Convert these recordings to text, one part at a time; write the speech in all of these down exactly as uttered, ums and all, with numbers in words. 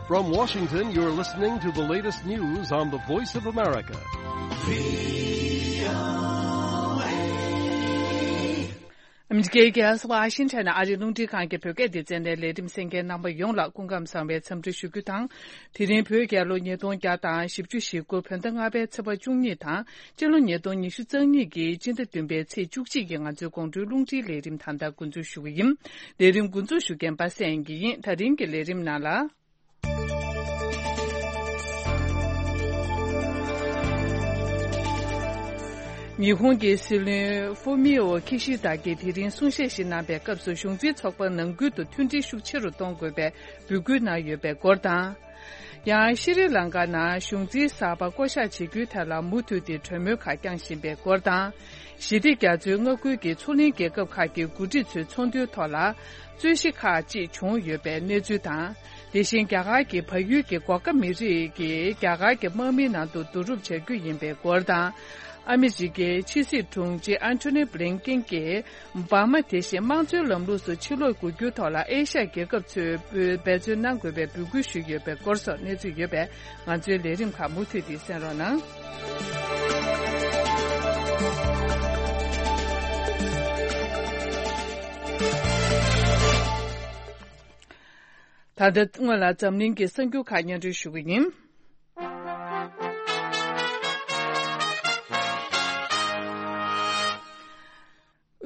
From Washington, you're listening to the latest news on the Voice of America. ཨ་མི་རི་ཀའི་རྒྱལ་ས་ཝ་ཤིང་ཊོན་ནས་ཨ་རིའི་རླུང་འཕྲིན་ཁང་གི་བོད་སྐད་སྡེ་ཚན་ནས་ལས་རིམ་གསན་མཁན་རྣམ་པ་ཡོངས་ལ་སྐུ་ཁམས་བཟང་བའི་འཚམས་འདྲི་ཞུ་རྒྱུ་དང་། དེ་རིང་བོད་རྒྱལ་ལོ་ཉིས་སྟོང་བརྒྱ་དང་བཞི་བཅུ་ཞེ་དགུ་བོད་ཟླ་ལྔ་པའི་ཚེས་པ་བཅུ་གཉིས་དང་། སྤྱི་ལོ་ཉིས་སྟོང་ཉི་ཤུ་རྩ་གཉིས་ཀྱི་སྤྱི་ཟླ་བདུན་པའི་ཚེས་བཅུ་གཅིག་གི་ང་ཚོའི་དགོང་དྲོའི་རླུང་འཕྲིན་ལས་རིམ་ད་ལྟ་འགོ་འཛུགས་ཞུ་གི་ཡིན། ལས་རིམ་འགོ་འཛུགས་ཞུ་མཁན་པ་སངས་སྐྱིད་ཡིན། ད་རིང་གི་ལས་རིམ་ནང་ལ། ཉི་ཧོང་གི་སྲིད་བློན་ཧྥུ་མི་ཨོ་ཁི་ཤི་ད་གིས་དེ་རིང་གསུང་བཤད་ཞིག་གནང་པའི་སྐབས་སུ་གཞུང་འཛིན་ཚོགས་པ་ནང་ཁུལ་དུ་མཐུན་སྒྲིལ་ཤུགས་ཆེ་རུ་གཏོང་དགོས་པའི་འབོད་སྐུལ་གནང་ཡོད་པའི་སྐོར་དང་། ཡང་ཤྲི་ལང་ཀ་ནང་གཞུང་འཛིན་གསར་པ་བསྐོ་གཞག་བྱེད་རྒྱུའི་ཐད་ལ་མུ་མཐུད་དེ་གྲོས་མོལ་ཁག་བསྐྱངས་བཞིན་པའི་སྐོར་དང་། ཞི་བདེ་རྒྱ་མཚོའི་མངའ་ཁུལ་གྱི་མཚོ་གླིང་རྒྱལ་ཁབ་ཁག་གི་འགོ་ཁྲིད་ཚོའི་ཚོགས་འདུའི་ཐོག་ལ། རྩོད་གཞི་ཁག་ཅིག་བྱུང་ཡོད་པའི་གནས་ཚུལ་དང་། དེ་བཞིན་རྒྱ་གར་གྱི་བལ་ཡུལ་གྱི་གྷོ་ཁ་མི་རིགས་ཀྱིས་རྒྱ་གར་གྱི་དམག་མིའི་ནང་དུ་བསྡུ་རུབ་བྱ་རྒྱུ་ཡིན་པའི་སྐོར་དང་། ཨ་མི་རི་ཀའི་ཕྱི་སྲིད་དྲུང་ཆེ་ཨན་ཐོ་ནི་བྷི་ལིན་ཀིན་གྱིས་འབར་མ་དེ་བཞིན་དམངས་གཙོའི་ལམ་ལུགས་སུ་ཕྱིར་ལོག་དགོས་རྒྱུའི་ཐོག་ལ་ཨེ་ཤ་ཡ་རྒྱལ་ཁབ་ཚོས་འབད་བརྩོན་གནང་དགོས་པའི་འབོད་སྐུལ་ཞུས་ཡོད་པའི་སྐོར་སོགས་གནས་ཚུལ་ཡོད་པས། ང་ཚོའི་ལས་རིམ་ཁག་མུ་མཐུད་དེ་གསན་རོགས་གནང་། ད་ལྟ་སྔོན་ལ་འཛམ་གླིང་གི་གསར་འགྱུར་ཁག་སྙན་སྒྲོན་ཞུ་གི་ཡིན།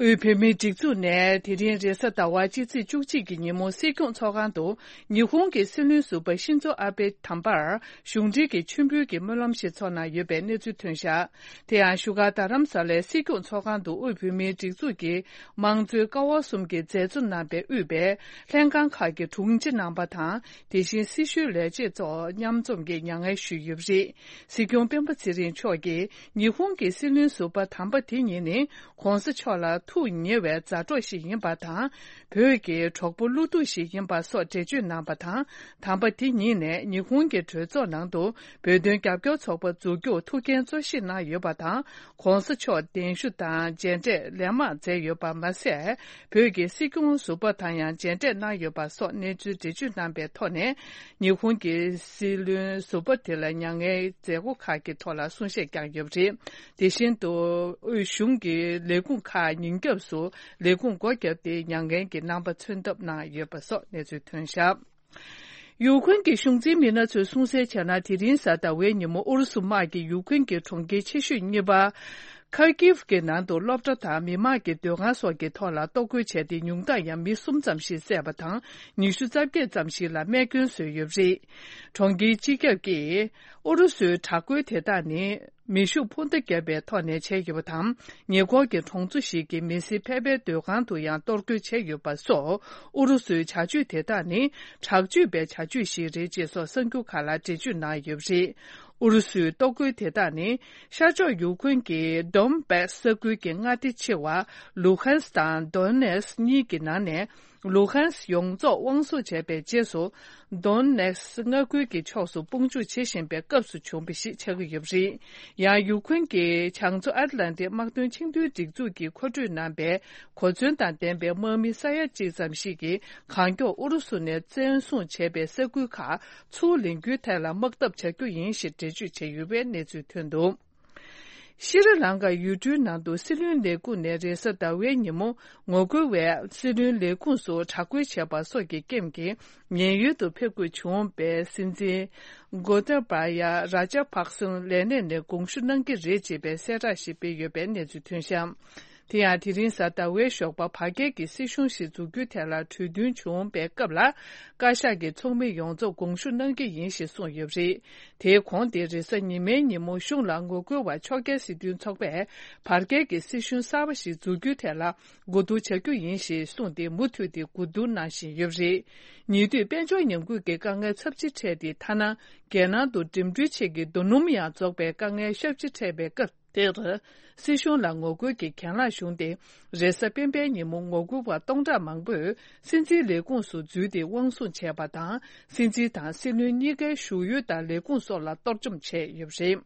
དབུས་བོད་མིའི་སྒྲིག་འཛུགས་ནས་དེ་རིང་རེས་གཟའ་ཟླ་བ་སྤྱི་ཚེས་བཅུ་གཅིག་གི་ཉིན་མོ་སྲིད་སྐྱོང་ཚོགས་ཁང་དུ་ཉི་ཧོང་གི་སྲིད་བློན་ཟུར་པ་ཤིན་ཛོ་ཨ་བྷེ་དམ་པར་གཞུང་འབྲེལ་གྱི་མཆོད་འབུལ་གྱི་སྨོན་ལམ་ཞིག་ཚོགས་གནང་ཡོད་པའི་གནས་ཚུལ་ཐོན་བཞག་དེ་ཡང་བཞུགས་སྒར་རྡ་རམ་ས་ལའི་སྲིད་སྐྱོང་ཚོགས་ཁང་དུ་དབུས་བོད་མིའི་སྒྲིག་འཛུགས་ཀྱི་དམངས་གཙོའི་ཀ་བ་གསུམ་གྱི་མཛད་གཙོ་རྣམ་པས་དབུས་པའི་ལྷན་ཁང་ཁག་གི་དྲུང་ཆེ་རྣམ་པ་དང་། དེ་བཞིན་སྲི་ཞུའི་ལས་བྱེད་ཚོ་མཉམ་འཛོམས་ཀྱིས་མྱ་ངན་ཞུས་ཡོད་པ་རེད། སྲིད་སྐྱོང་སྤེན་པ་ཚེ་རིང་མཆོག་གིས་ཉི་ཧོང་གི་སྲིད་བློན་ཟུར་པ་དམ་པ་དེ་ཉིད་ནི་༸གོང་ས་མཆོག་ལ་ཐུགས་ཉེ་བའི་མཛའ་གྲོགས་ཤིག་ཡིན་པ་དང་། བོད་ཀྱི་གྲོགས་པོ་བློ་གཏུག་ཞིག་ཡིན་པ་སོགས་འགྲེལ་བརྗོད་གནང་བ་དང་། དམ་པ་དེ་ཉིད་ནས་ཉི་ཧོང་གི་གྲོས་ཚོགས་ནང་དུ་བོད་དོན་རྒྱབ་སྐྱོར་ཚོགས་པ་འཛུགས་རྒྱུར་ཐུགས་འགན་གཙོ་བཞེས་གནང་ཡོད་པ་དང་། ༸གོང་ས་མཆོག་གདན་ཞུ་དང་མཇལ་འཕྲད་ལན་མང་མཛད་ཡོད་པ་མ་ཟད། བོད་ཀྱི་སྲིད་སྐྱོང་ཟུར་པ་དང་ཡང་མཇལ་འཕྲད་གནང་ཡོད་པ་སོགས་གནས་ཚུལ་འགྲེལ་བརྗོད་གནང་པའི་ཐོག་ནས། ཉི་ཧོང་གི་སྲིད་བློན་ཟུར་པ་དེ་ལ་མྱ་ངན་མཛད་སྒོ་ཁག་གི་ཐོག་ལ་གསུང་བཤད་བསྐྱངས་ཡོད་པ་རེད། དེ་བཞིན་དུ་དབུས་གཞུང་གི་ལས་ཁུངས་ཁག་ཉིན་རྒྱབ་སུ་ལས་ཁུངས་སྒོ་བརྒྱབ་སྟེ་མྱ་ངན་གྱི་རྣམ་པ་མཚོན་ཐབས་གནང་ཡོད་པ་སོགས་གནས་ཚུལ་ཐོན་བཞག་ཡུཀ་རེན་གྱི་གཞུང་འཛིན་མི་སྣ་ཚོས་གསུང་གསལ་བྱས་ན། དེ་རིང་གཟའ་ཟླ་བའི་ཉིན་མོ་ཨུ་རུ་སུ་དམག་གིས་ཡུཀ་རེན་གྱི་གྲོང་ཁྱེར་ཆེ་ཤོས་གཉིས་པ་ཁར་ཀིབ་ཀྱི་ནང་དུ་སློབ་གྲྭ་དང་མི་མང་གི་སྡོད་ཁང་སོགས་ཀྱི་ཐོག་ལ་གཏོར་རྒོལ་བྱས་ཏེ། ཉུང་མཐར་ཡང་མི་གསུམ་ཙམ་ཞིག་བསད་པ་དང་། ཉི་ཤུ་རྩ་བརྒྱད་ཙམ་ཞིག་ལ་རྨས་སྐྱོན་བཟོས་ཡོད་པ་རེད། གྲོང་ཁྱེར་སྤྱི་ཁྱབ་ཀྱིས་ཨུ་རུ་སུའི་དྲག་རྒོལ་དེ་དག་ནི། མེ་ཤུགས་འཕུར་མདའ་བརྒྱབ་པའི་ཐོག་ནས་བྱས་ཡོད་པ་དང་། ཉེ་འཁོར་གྱི་གྲོང་ཚོ་ཞིག་གི་མི་སེར་ཕལ་པའི་སྡོད་ཁང་དུ་ཡང་གཏོར་རྒོལ་བྱས་ཡོད་པ་སོགས། ཨུ་རུ་སུའི་བྱ་སྤྱོད་དེ་དག་ནི་དྲག་སྤྱོད་པའི་བྱ་སྤྱོད་ཞིག་རེད་ཅེས་སོགས་གསར་འགྱུར་ཁག་ལ་འགྲེལ་བརྗོད་གནང་ཡོད་པ་རེད། ཨུ་རུ་སུའི་གཏོར་རྒོལ་དེ་དག་ནི། ཤར་ཕྱོགས་ཡུཀ་རེན་གྱི་ཌོན་བྷ་སི་ས་ཁུལ་གྱི་མངའ་སྡེ་ཆེ་བ་ལུ་ཧན་སི་དང་དོན་ནེ་སི་གཉིས་ཀྱི་ནང་ནས། ལུ་ཧན་སི་ཡོངས་རྫོགས་དབང་བཟུང་བྱས་པའི་རྗེས་སུ། དོན་ནེ་སི་མངའ་ཁུལ་གྱི་ཕྱོགས་སུ་དཔུང་འཇུག་བྱེད་བཞིན་པའི་སྐབས་སུ་བྱུང་བ་ཞིག་ཆགས་ཀྱི་ཡོད་པ་རེད། ཡང་ཡུཀ་རེན་གྱི་བྱང་མཚོ་ཨཊ་ལན་ཊིག་དམག་དོན་ཆིངས་འཐུས་སྒྲིག་འཛུགས་ཀྱིས་མཁོ་སྤྲོད་གནང་པའི་གོ་མཚོན་དང་ལྡན་པའི་དམག་མི་ས་ཡ་གཅིག་ཙམ་ཞིག་གིས་གང་མགྱོགས་ཨུ་རུ་སུ་ནས་བཙན་བཟུང་བྱས་པའི་ས་ཁུལ་ཁག་ཚུར་ལེན་རྒྱུའི་ཐད་ལ་དམག་འཐབ་བྱ་རྒྱུ་ཡིན་ཞེས་འགྲེལ་བརྗོད་བྱས་ཡོད་པའི་གནས་ཚུལ་ཐོན་འདུག་ཤྲི་ལང་ཀ་ཡུལ་གྲུའི་ནང་དུ་སྲིད་བློན་ལས་ཁུངས་ནས་རེས་གཟའ་ཟླ་བའི་ཉིན་མོ་ངོ་རྒོལ་བས་སྲིད་བློན་ལས་ཁུངས་སུ་དྲག་རྒོལ་བྱས་པ་སོགས་ཀྱི་རྐྱེན་གྱིས་ཉེན་གཡོལ་དུ་ཕེབས་དགོས་བྱུང་བའི་སྲིད་འཛིན་གོ་ཏ་བ་ཡ་ར་ཇ་པག་སིན་ལས་གནས་ནས་དགོངས་ཞུ་གནང་གི་རེད་ཅེས་པའི་གསལ་བསྒྲགས་ཤིག་སྤེལ་ཡོད་པའི་གནས་ཚུལ་ཐོན་བཞག་དེ་ཡང་དེ་རིང་གཟའ་ཟླ་བའི་ཞོགས་པ་བར་བརྒལ་གྱི་སྲིད་གཞུང་ཞིག་འཛུགས་རྒྱུའི་ཐད་ལ་གྲོས་མཐུན་བྱུང་བའི་སྐབས་ལ། བཀའ་ཤག་གི་ཚོགས་མི་ཡོངས་རྫོགས་དགོངས་ཞུ་གནང་གི་ཡིན་ཞེས་གསུངས་ཡོད་པ་རེད། དེའི་གོང་དེ་རེས་གཟའ་ཉི་མའི་ཉིན་མོ་གཞུང་ལ་ངོ་རྒོལ་བ་ཕྱོགས་འགལ་སྲིད་དོན་ཚོགས་པས་བར་བརྒལ་གྱི་སྲིད་གཞུང་གསར་པ་ཞིག་འཛུགས་རྒྱུའི་ཐད་ལ་གོ་བསྡུར་བྱ་རྒྱུ་ཡིན་ཞེས་གསུངས་ཏེ། མུ་མཐུད་དེ་གོ་བསྡུར་གནང་བཞིན་ཡོད་པ་རེད། ཉེ་དུས་དཔལ་འབྱོར་ཉམས་རྒུད་ཀྱི་དཀའ་ངལ་ཚབས་ཆེ་འཕྲད་དེ། ཐ་ན་རྒྱལ་ནང་དུ་འགྲིམ་འགྲུལ་ཆེད་ཀྱི་རྡོ་སྣུམ་ཡང་རྫོགས་པའི་དཀའ་ངལ་ཞེ་པོ་ཅིག་འཕྲད་པའི་སྐབས། དེར། སྲིད་གཞུང་ལ་ངོ་རྒོལ་གྱི་གྱེན་ལངས་བྱུང་སྟེ། རེས་གཟའ་སྤེན་པའི་ཉིན་མོ་ངོ་རྒོལ་བ་སྟོང་ཕྲག་མང་པོས་སྲིད་འཛིན་ལས་ཁུངས་སུ་འཛུལ་ཏེ་དབང་བཟུང་བྱས་པ་དང་། སྲིད་འཛིན་དང་སྲིད་བློན་གཉིས་ཀའི་བཞུགས་ཡུལ་དང་ལས་ཁུངས་སོགས་ལ་གཏོར་བཅོམ་བྱས་ཡོད་པ་རེད།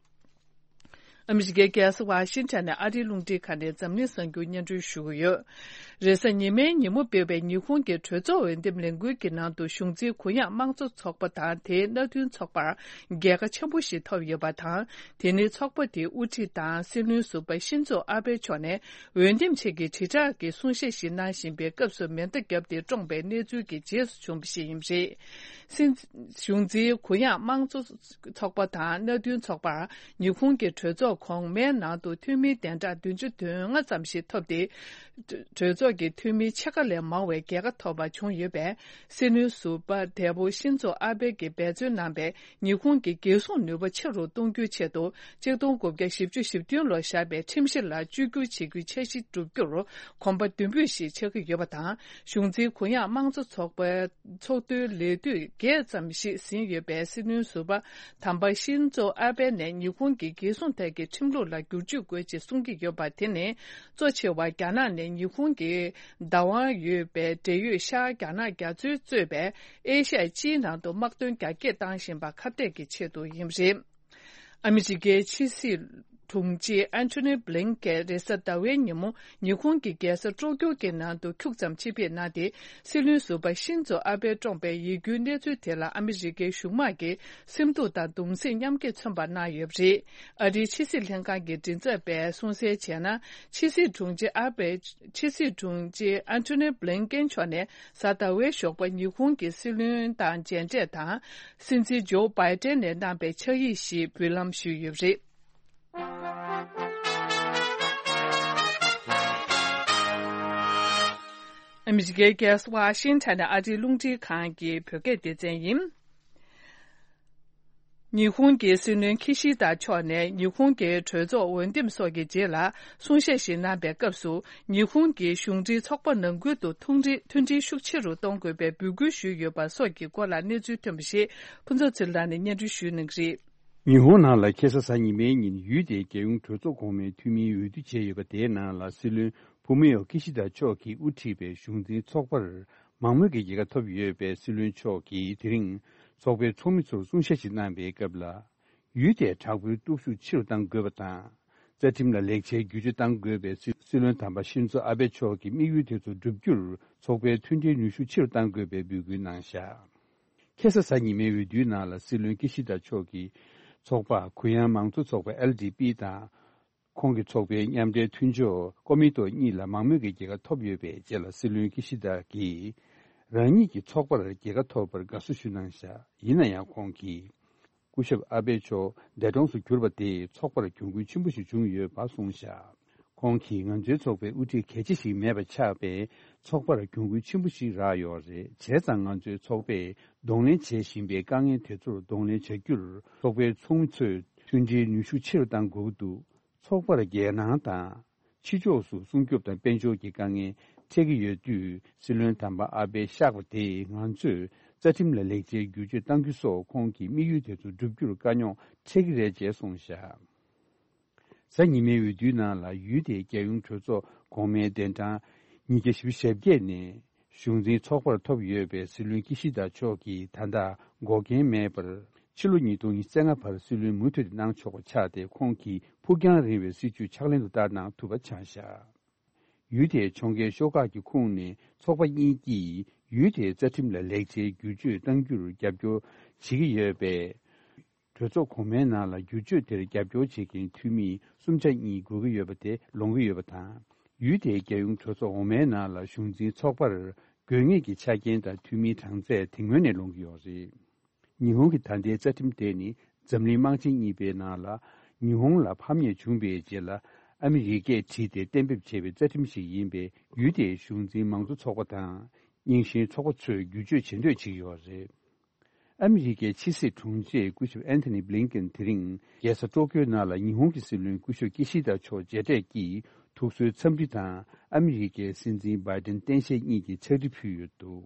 ཨ་མི་རི་ཀའི་རྒྱལ་ས་ཝ་ཤིང་ཊོན་ནས་ཨ་རིའི་རླུང་འཕྲིན་ཁང་ནས་འཛམ་གླིང་གསར་འགྱུར་སྙན་སྒྲོན་ཞུ་གི་ཡོད། རེས་གཟའ་ཉི་མའི་ཉིན་མོ་སྤེལ་བའི་ཉི་ཧོང་གི་གྲོས་ཚོགས་འོས་འདེམས་ལས་འགུལ་གྱི་ནང་དུ་གཞུང་འཛིན་གུ་ཡངས་དམངས་གཙོ་ཚོགས་པ་དང་དེའི་མནའ་མཐུན་ཚོགས་པར་རྒྱལ་ཁ་ཆེན་པོ་ཞིག་ཐོབ་ཡོད་པ་དང་། དེ་ནི་ཚོགས་པ་དེའི་དབུ་ཁྲིད་དང་སྲིད་བློན་ཟུར་པ་ཤིན་ཛོ་ཨ་བྷེ་མཆོག་ནས་འོས་འདེམས་ཆེད་ཀྱི་དྲིལ་བསྒྲགས་ཀྱི་གསུང་བཤད་ཞིག་གནང་བཞིན་པའི་སྐབས་སུ་མེ་མདའ་བརྒྱབ་སྟེ་བཀྲོངས་པའི་གནས་ཚུལ་གྱི་རྗེས་སུ་བྱུང་བ་ཞིག་ཡིན་པ་རེད། སྲིད་གཞུང་འཛིན་གུ་ཡངས་དམངས་གཙོ་ཚོགས་པ་དང་མནའ་མཐུན་ཚོགས་པར་ཉི་ཧོང་གི་གྲོས་ཚོགས་གོང་མའི་ནང་དུ་འཐུས་མིའི་གདན་གྲངས་བདུན་ཅུ་དོན་ལྔ་ཙམ་ཞིག་ཐོབ་སྟེ། གྲོས་ཚོགས་ཀྱི་འཐུས་མིའི་ཕྱེད་ཀ་ལས་མང་བའི་རྒྱལ་ཁ་ཐོབ་པ་བྱུང་ཡོད་པས། སྲིད་བློན་ཟུར་པ་འདས་པོ་ཤིན་ཛོ་ཨ་བྷེ་གིས་འབད་བརྩོན་གནང་བའི་ཉི་ཧོང་གི་རྒྱལ་སྲུང་ནུས་པ་ཆེ་རུ་གཏོང་རྒྱུའི་ཆེད་དུ། གཅིག་སྟོང་དགུ་བརྒྱ་བཞི་བཅུ་ཞེ་བདུན་ལོར་བཞག་པའི་ཁྲིམས་གཞི་ལ་བཅོས་བསྒྱུར་བྱེད་རྒྱུའི་འཆར་གཞི་བསྒྲུབ་རྒྱུར་གོམ་པ་མདུན་སྤོས་ཤིག་ཆགས་ཀྱི་ཡོད་པ་དང་། གཞུང་འཛིན་གུ་ཡངས་དམངས་གཙོ་ཚོགས་པའི་ཚོགས་འདུའི་ལས་དུས་བརྒྱད་ཙམ་ཞིག་ཟིན་ཡོད་པའི་སྲིད་བློན་ཟུར་པ་དམ་པ་ཤིན་ཛོ་ཨ་བྷེ་ནས་ཉི་ཧོང་གི་རྒྱལ་སྲུང་ཐད་ཀྱི་ཁྲིམས་ལུགས་ལ་བསྒྱུར་བཅོས་དགོས་ཅེས་གསུང་གི་ཡོད་པ། དེ་ནི་གཙོ་ཆེ་བ་རྒྱ་ནག་ནས་ཉི་ཧོང་གི་བདག་དབང་ཡོད་པའི་འབྲེལ་ཡོད་ཤར་རྒྱ་ནག་རྒྱ་མཚོས་གཙོས་པའི་ཨེ་ཤ་ཡ་སྤྱིའི་ནང་དུ་དམག་དོན་རྒྱ་སྐྱེད་བཏང་བཞིན་པ་ཁ་གཏད་ཀྱི་ཆེད་དུ་ཡིན་པ་རེད། ཨ་མི་རི་ཀའི་ཕྱི་སྲིད་དྲུང་ཆེ་ཨན་ཐོ་ནི་བྷི་ལིན་ཀེན་རེས་གཟའ་ཟླ་བའི་ཉིན་མོ་ཉི་ཧོང་གི་རྒྱལ་ས་ཀྲོ་ཀྱོ་གི་ནང་དུ་ཁྱུག་ཙམ་ཆེད་ཕེབས་གནང་སྟེ། སྲིད་བློན་ཟུར་པ་ཤིན་ཛོ་ཨ་བྷེ་བཀྲོངས་པའི་ཡིད་སྐྱོའི་གནས་ཚུལ་དེ་ལ་ཨ་མི་རི་ཀའི་གཞུང་དམངས་ཀྱིས་སེམས་སྡུག་དང་གདུང་སེམས་མཉམ་སྐྱེད་མཚོན་པ་གནང་ཡོད་པ་རེད། ཨ་རིའི་ཕྱི་སྲིད་ལྷན་ཁང་གི་མགྲིན་ཚབ་པས་གསུངས་གསལ་བྱས་ན། ཕྱི་སྲིད་དྲུང་ཆེ་ཨ་བྷེ། ཕྱི་སྲིད་དྲུང་ཆེ་ཨན་ཐོ་ནི་བྷི་ལིན་ཀེན་མཆོག་ནས་གཟའ་ཟླ་བའི་ཞོགས་པ་ཉི་ཧོང་གི་སྲིད་བློན་དང་མཇལ་འཕྲད་དང་། སྲིད་འཛིན་ཇོ་བྷའི་ཏན་ནས་གནང་པའི་ཕྱག་ཡིག་ཞིག་འབུལ་ལམ་ཞུས་ཡོད་པ་རེད། ཨ་མི་རི་ཀའི་རྒྱལ་ས་ཝ་ཤིང་ཊོན་ནས་ཨ་རིའི་རླུང་འཕྲིན་ཁང་གི་བོད་སྐད་སྡེ་ཚན་ཡིན། ཉི་ཧོང་གི་སྲིད་བློན་ཁི་ཤི་ད་མཆོག་ནས་ཉི་ཧོང་གི་གྲོས་ཚོགས་འོས་འདེམས་སོགས་ཀྱི་རྗེས་ལ་གསུང་བཤད་ཞིག་གནང་པའི་སྐབས་སུ། ཉི་ཧོང་གི་གཞུང་འབྲེལ་ཚོགས་པ་ནང་ཁུལ་དུ་མཐུན་སྒྲིལ་མཐུན་སྒྲིལ་ཤུགས་ཆེ་རུ་གཏོང་དགོས་པའི་འབོད་སྐུལ་ཞུས་ཡོད་པ་སོགས་ཀྱི་སྐོར་ལ་གནས་ཚུལ་ཐོན་པ་ཞིག་ཕུན་ཚོགས་ཚེ་རིང་ལགས་ནས་སྙན་སྒྲོན་ཞུ་གནང་གི་རེད། ཉི་ཧོང་ནང་ལ་ཁ་སང་གཟའ་ཉི་མའི་ཉིན་ཡུལ་དེའི་རྒྱལ་ཡོངས་གྲོས་ཚོགས་གོང་མའི་འཐུས་མིའི་འོས་བསྡུ་བྱས་ཡོད་པ། དེའི་ནང་ལ་སྲིད་བློན་ཕུ་མི་ཡོ་ཀི་ཤི་ད་མཆོག་གིས་དབུ་ཁྲིད་པའི་གཞུང་འཛིན་ཚོགས་པར་མང་མོས་ཀྱི་རྒྱལ་ཁ་ཐོབ་ཡོད་པའི་སྲིད་བློན་མཆོག་གིས་དེ་རིང་ཚོགས་པའི་ཚོགས་མི་ཚོར་གསུང་བཤད་ཞིག་གནང་པའི་སྐབས་ལ། ཡུལ་དེའི་དྲག་པོའི་སྟོབས་ཤུགས་ཆེ་རུ་གཏང་དགོས་པ་དང་། རྩ་ཁྲིམས་ལ་ལེགས་ཆའི་བསྒྱུར་བཅོས་གཏང་དགོས་པའི་སྲིད་སྲིད་བློན་དམ་པ་ཤིན་ཛོ་ཨ་བྷེ་མཆོག་གི་དམིགས་ཡུལ་དེ་ཚོ་བསྒྲུབ་རྒྱུར་ཚོགས་པའི་མཐུན་སྒྲིལ་ནུས་ཤུགས་ཆེ་རུ་གཏང་དགོས་པའི་འབོད་སྐུལ་གནང་བཞག་ཁ་སང་གཟའ་ཉི་མའི་འོས་བསྡུའི་ནང་ལ་སྲིད་བློན་ཀི་ཤི་ད་མཆོག་གིས་ཚོགས་པ་གུ་ཡངས་མང་གཙོ་ཚོགས་པ་ཨེལ་ཌི་པི་དང་། ཁོང་གི་ཚོགས་པའི་མཉམ་འབྲེལ་མཐུན་ཕྱོགས་ཀོ་མི་ཏོ་གཉིས་ལ་མང་མོས་ཀྱི་རྒྱལ་ཁ་ཐོབ་ཡོད་པའི་རྗེས་ལ་སྲིད་བློན་ཀི་ཤི་ད་གིས་རང་ཉིད་ཀྱི་ཚོགས་པར་རྒྱལ་ཁ་ཐོབ་པར་དགའ་བསུ་ཞུ་གནང་བཞག་ཡིན་ན་ཡང་ཁོང་གིས། སྐུ་ཞབས་ཨ་བྷེ་མཆོག་འདས་གྲོངས་སུ་གྱུར་པ་དེས་ཚོགས་པར་གྱོང་གུན་ཆེན་པོ་ཞིག་བྱུང་ཡོད་པ་གསུངས་བཞག་ཁོང་གིས་ང་ཚོའི་ཚོགས་པའི་དབུ་ཁྲིད་གལ་ཆེ་ཞིག་མེད་པ་ཆགས་པས་ཚོགས་པར་གྱོང་གུན་ཆེན་པོ་ཞིག་རག་ཡོད་རེད། བྱས་ཙང་ང་ཚོའི་ཚོགས་པས་གདོང་ལེན་བྱེད་བཞིན་པའི་དཀའ་ངལ་དེ་ཚོར་གདོང་ལེན་བྱ་རྒྱུར་ཚོགས་པའི་ཚོགས་མི་ཚོས་མཐུན་སྒྲིལ་ནུས་ཤུགས་ཆེ་རུ་གཏང་དགོས་ཀྱི་འདུག་ཚོགས་པར་རྒྱལ་ནང་དང་། ཕྱི་ཕྱོགས་སུ་སྲུང་སྐྱོབ་དང་དཔལ་འབྱོར་གྱི་དཀའ་ངལ་འཕྲད་ཀྱི་ཡོད་དུས། སྲིད་བློན་དམ་པ་ཨ་བྷེ་གཤེགས་པ་དེས་ང་ཚོས་རྩ་ཁྲིམས་ལ་ལེགས་ཆའི་བསྒྱུར་བཅོས་གཏང་རྒྱུ་སོགས་ཁོང་གི་དམིགས་ཡུལ་དེ་ཚོ་བསྒྲུབ་རྒྱུར་དཀའ་རྙོག་འཕྲད་ཀྱི་རེད་ཅེས་གསུངས་བཞག་གཟའ་ཉི་མའི་འོས་བསྡུའི་ནང་ལ་ཡུལ་དེའི་རྒྱལ་ཡོངས་གྲོས་ཚོགས་གོང་མའི་གདན་གྲངས་ཉིས་བརྒྱ་བཞི་བཅུ་ཞེ་བརྒྱད་ནས་གཞུང་འཛིན་ཚོགས་པར་ཐོབ་ཡོད་པའི་སྲིད་བློན་ཀི་ཤི་ད་མཆོག་གིས་ད་ལྟ་འགོག་རྐྱེན་མེད་པར། ཕྱི་ལོ་ཉིས་སྟོང་ཉི་ཤུ་རྩ་ལྔ་བར་སྲིད་བློན་མུ་མཐུད་དུ་གནང་ཆོག་པ་ཆགས་ཏེ། ཁོང་གིས་ཕུགས་རྒྱང་རིང་བའི་སྲིད་བྱུས་ཕྱག་ལེན་དུ་བསྟར་གནང་ཐུབ་པ་ཆགས་བཞག་ཡུལ་དེའི་ཕྱོགས་འགལ་ཤོག་ཁག་གི་ཁོངས་ནས་ཚོགས་པ་གཉིས་ཀྱིས་ཡུལ་དེའི་རྩ་ཁྲིམས་ལ་ལེགས་ཆའི་བསྒྱུར་བཅོས་གཏང་རྒྱུར་རྒྱབ་སྐྱོར་བྱེད་ཀྱི་ཡོད་པས། གྲོས་ཚོགས་གོང་མའི་ནང་ལ་བསྒྱུར་བཅོས་དེར་རྒྱབ་སྐྱོར་བྱེད་མཁན་འཐུས་མི་གསུམ་ཆ་གཉིས་དགོས་ཀྱི་ཡོད་པ་དེ་ལོངས་ཀྱི་ཡོད་པ་དང་། ཡུལ་དེའི་རྒྱལ་ཡོངས་གྲོས་ཚོགས་འོག་མའི་ནང་ལ་གཞུང་འཛིན་ཚོགས་པར་དགོས་ངེས་ཀྱི་ཆ་རྐྱེན་དང་འཐུས་མིའི་གྲངས་ཚད་དེ་སྔོན་ནས་ལོངས་ཀྱི་ཡོད་རེད། ཉི་ཧོང་གི་ད་ལྟའི་རྩ་ཁྲིམས་དེ་ནི་འཛམ་གླིང་དམག་ཆེན་གཉིས་པའི་ནང་ལ་ཉི་ཧོང་ལ་ཕམ་ཉེས་བྱུང་བའི་རྗེས་ལ་ཨ་མི་རི་ཀས་བྲིས་ཏེ་གཏན་འབེབས་བྱས་པའི་རྩ་ཁྲིམས་ཤིག་ཡིན་པས། ཡུལ་དེའི་གཞུང་འཛིན་མང་གཙོ་ཚོགས་པ་དང་རྙིང་ཞེན་ཚོགས་པ་ཚོས་བསྒྱུར་བཅོས་བྱེད་འདོད་བྱེད་ཀྱི་ཡོད་རེད། ཨ་མི་རི་ཀའི་ཕྱི་སྲིད་དྲུང་ཆེ་སྐུ་ཞབས་ཨན་ཐོ་ནི་བྷི་ལིན་ཀེན་དེ་རིང་རྒྱལ་ས་ཀྲོ་ཀྱོའི་ནང་ལ་ཉི་ཧོང་གི་སྲིད་བློན་སྐུ་ཞབས་ཀི་ཤི་ད་མཆོག་མཇལ་འཕྲད་ཀྱིས་ཐུགས་གསོའི་འཚམས་འདྲི་དང་ཨ་མི་རི་ཀའི་སྲིད་འཛིན་བྷའི་ཏན་སྟངས་དཔྱད་གཉིས་ཀྱི་ཕྱག་བྲིས་ཕུལ་ཡོད་འདུག་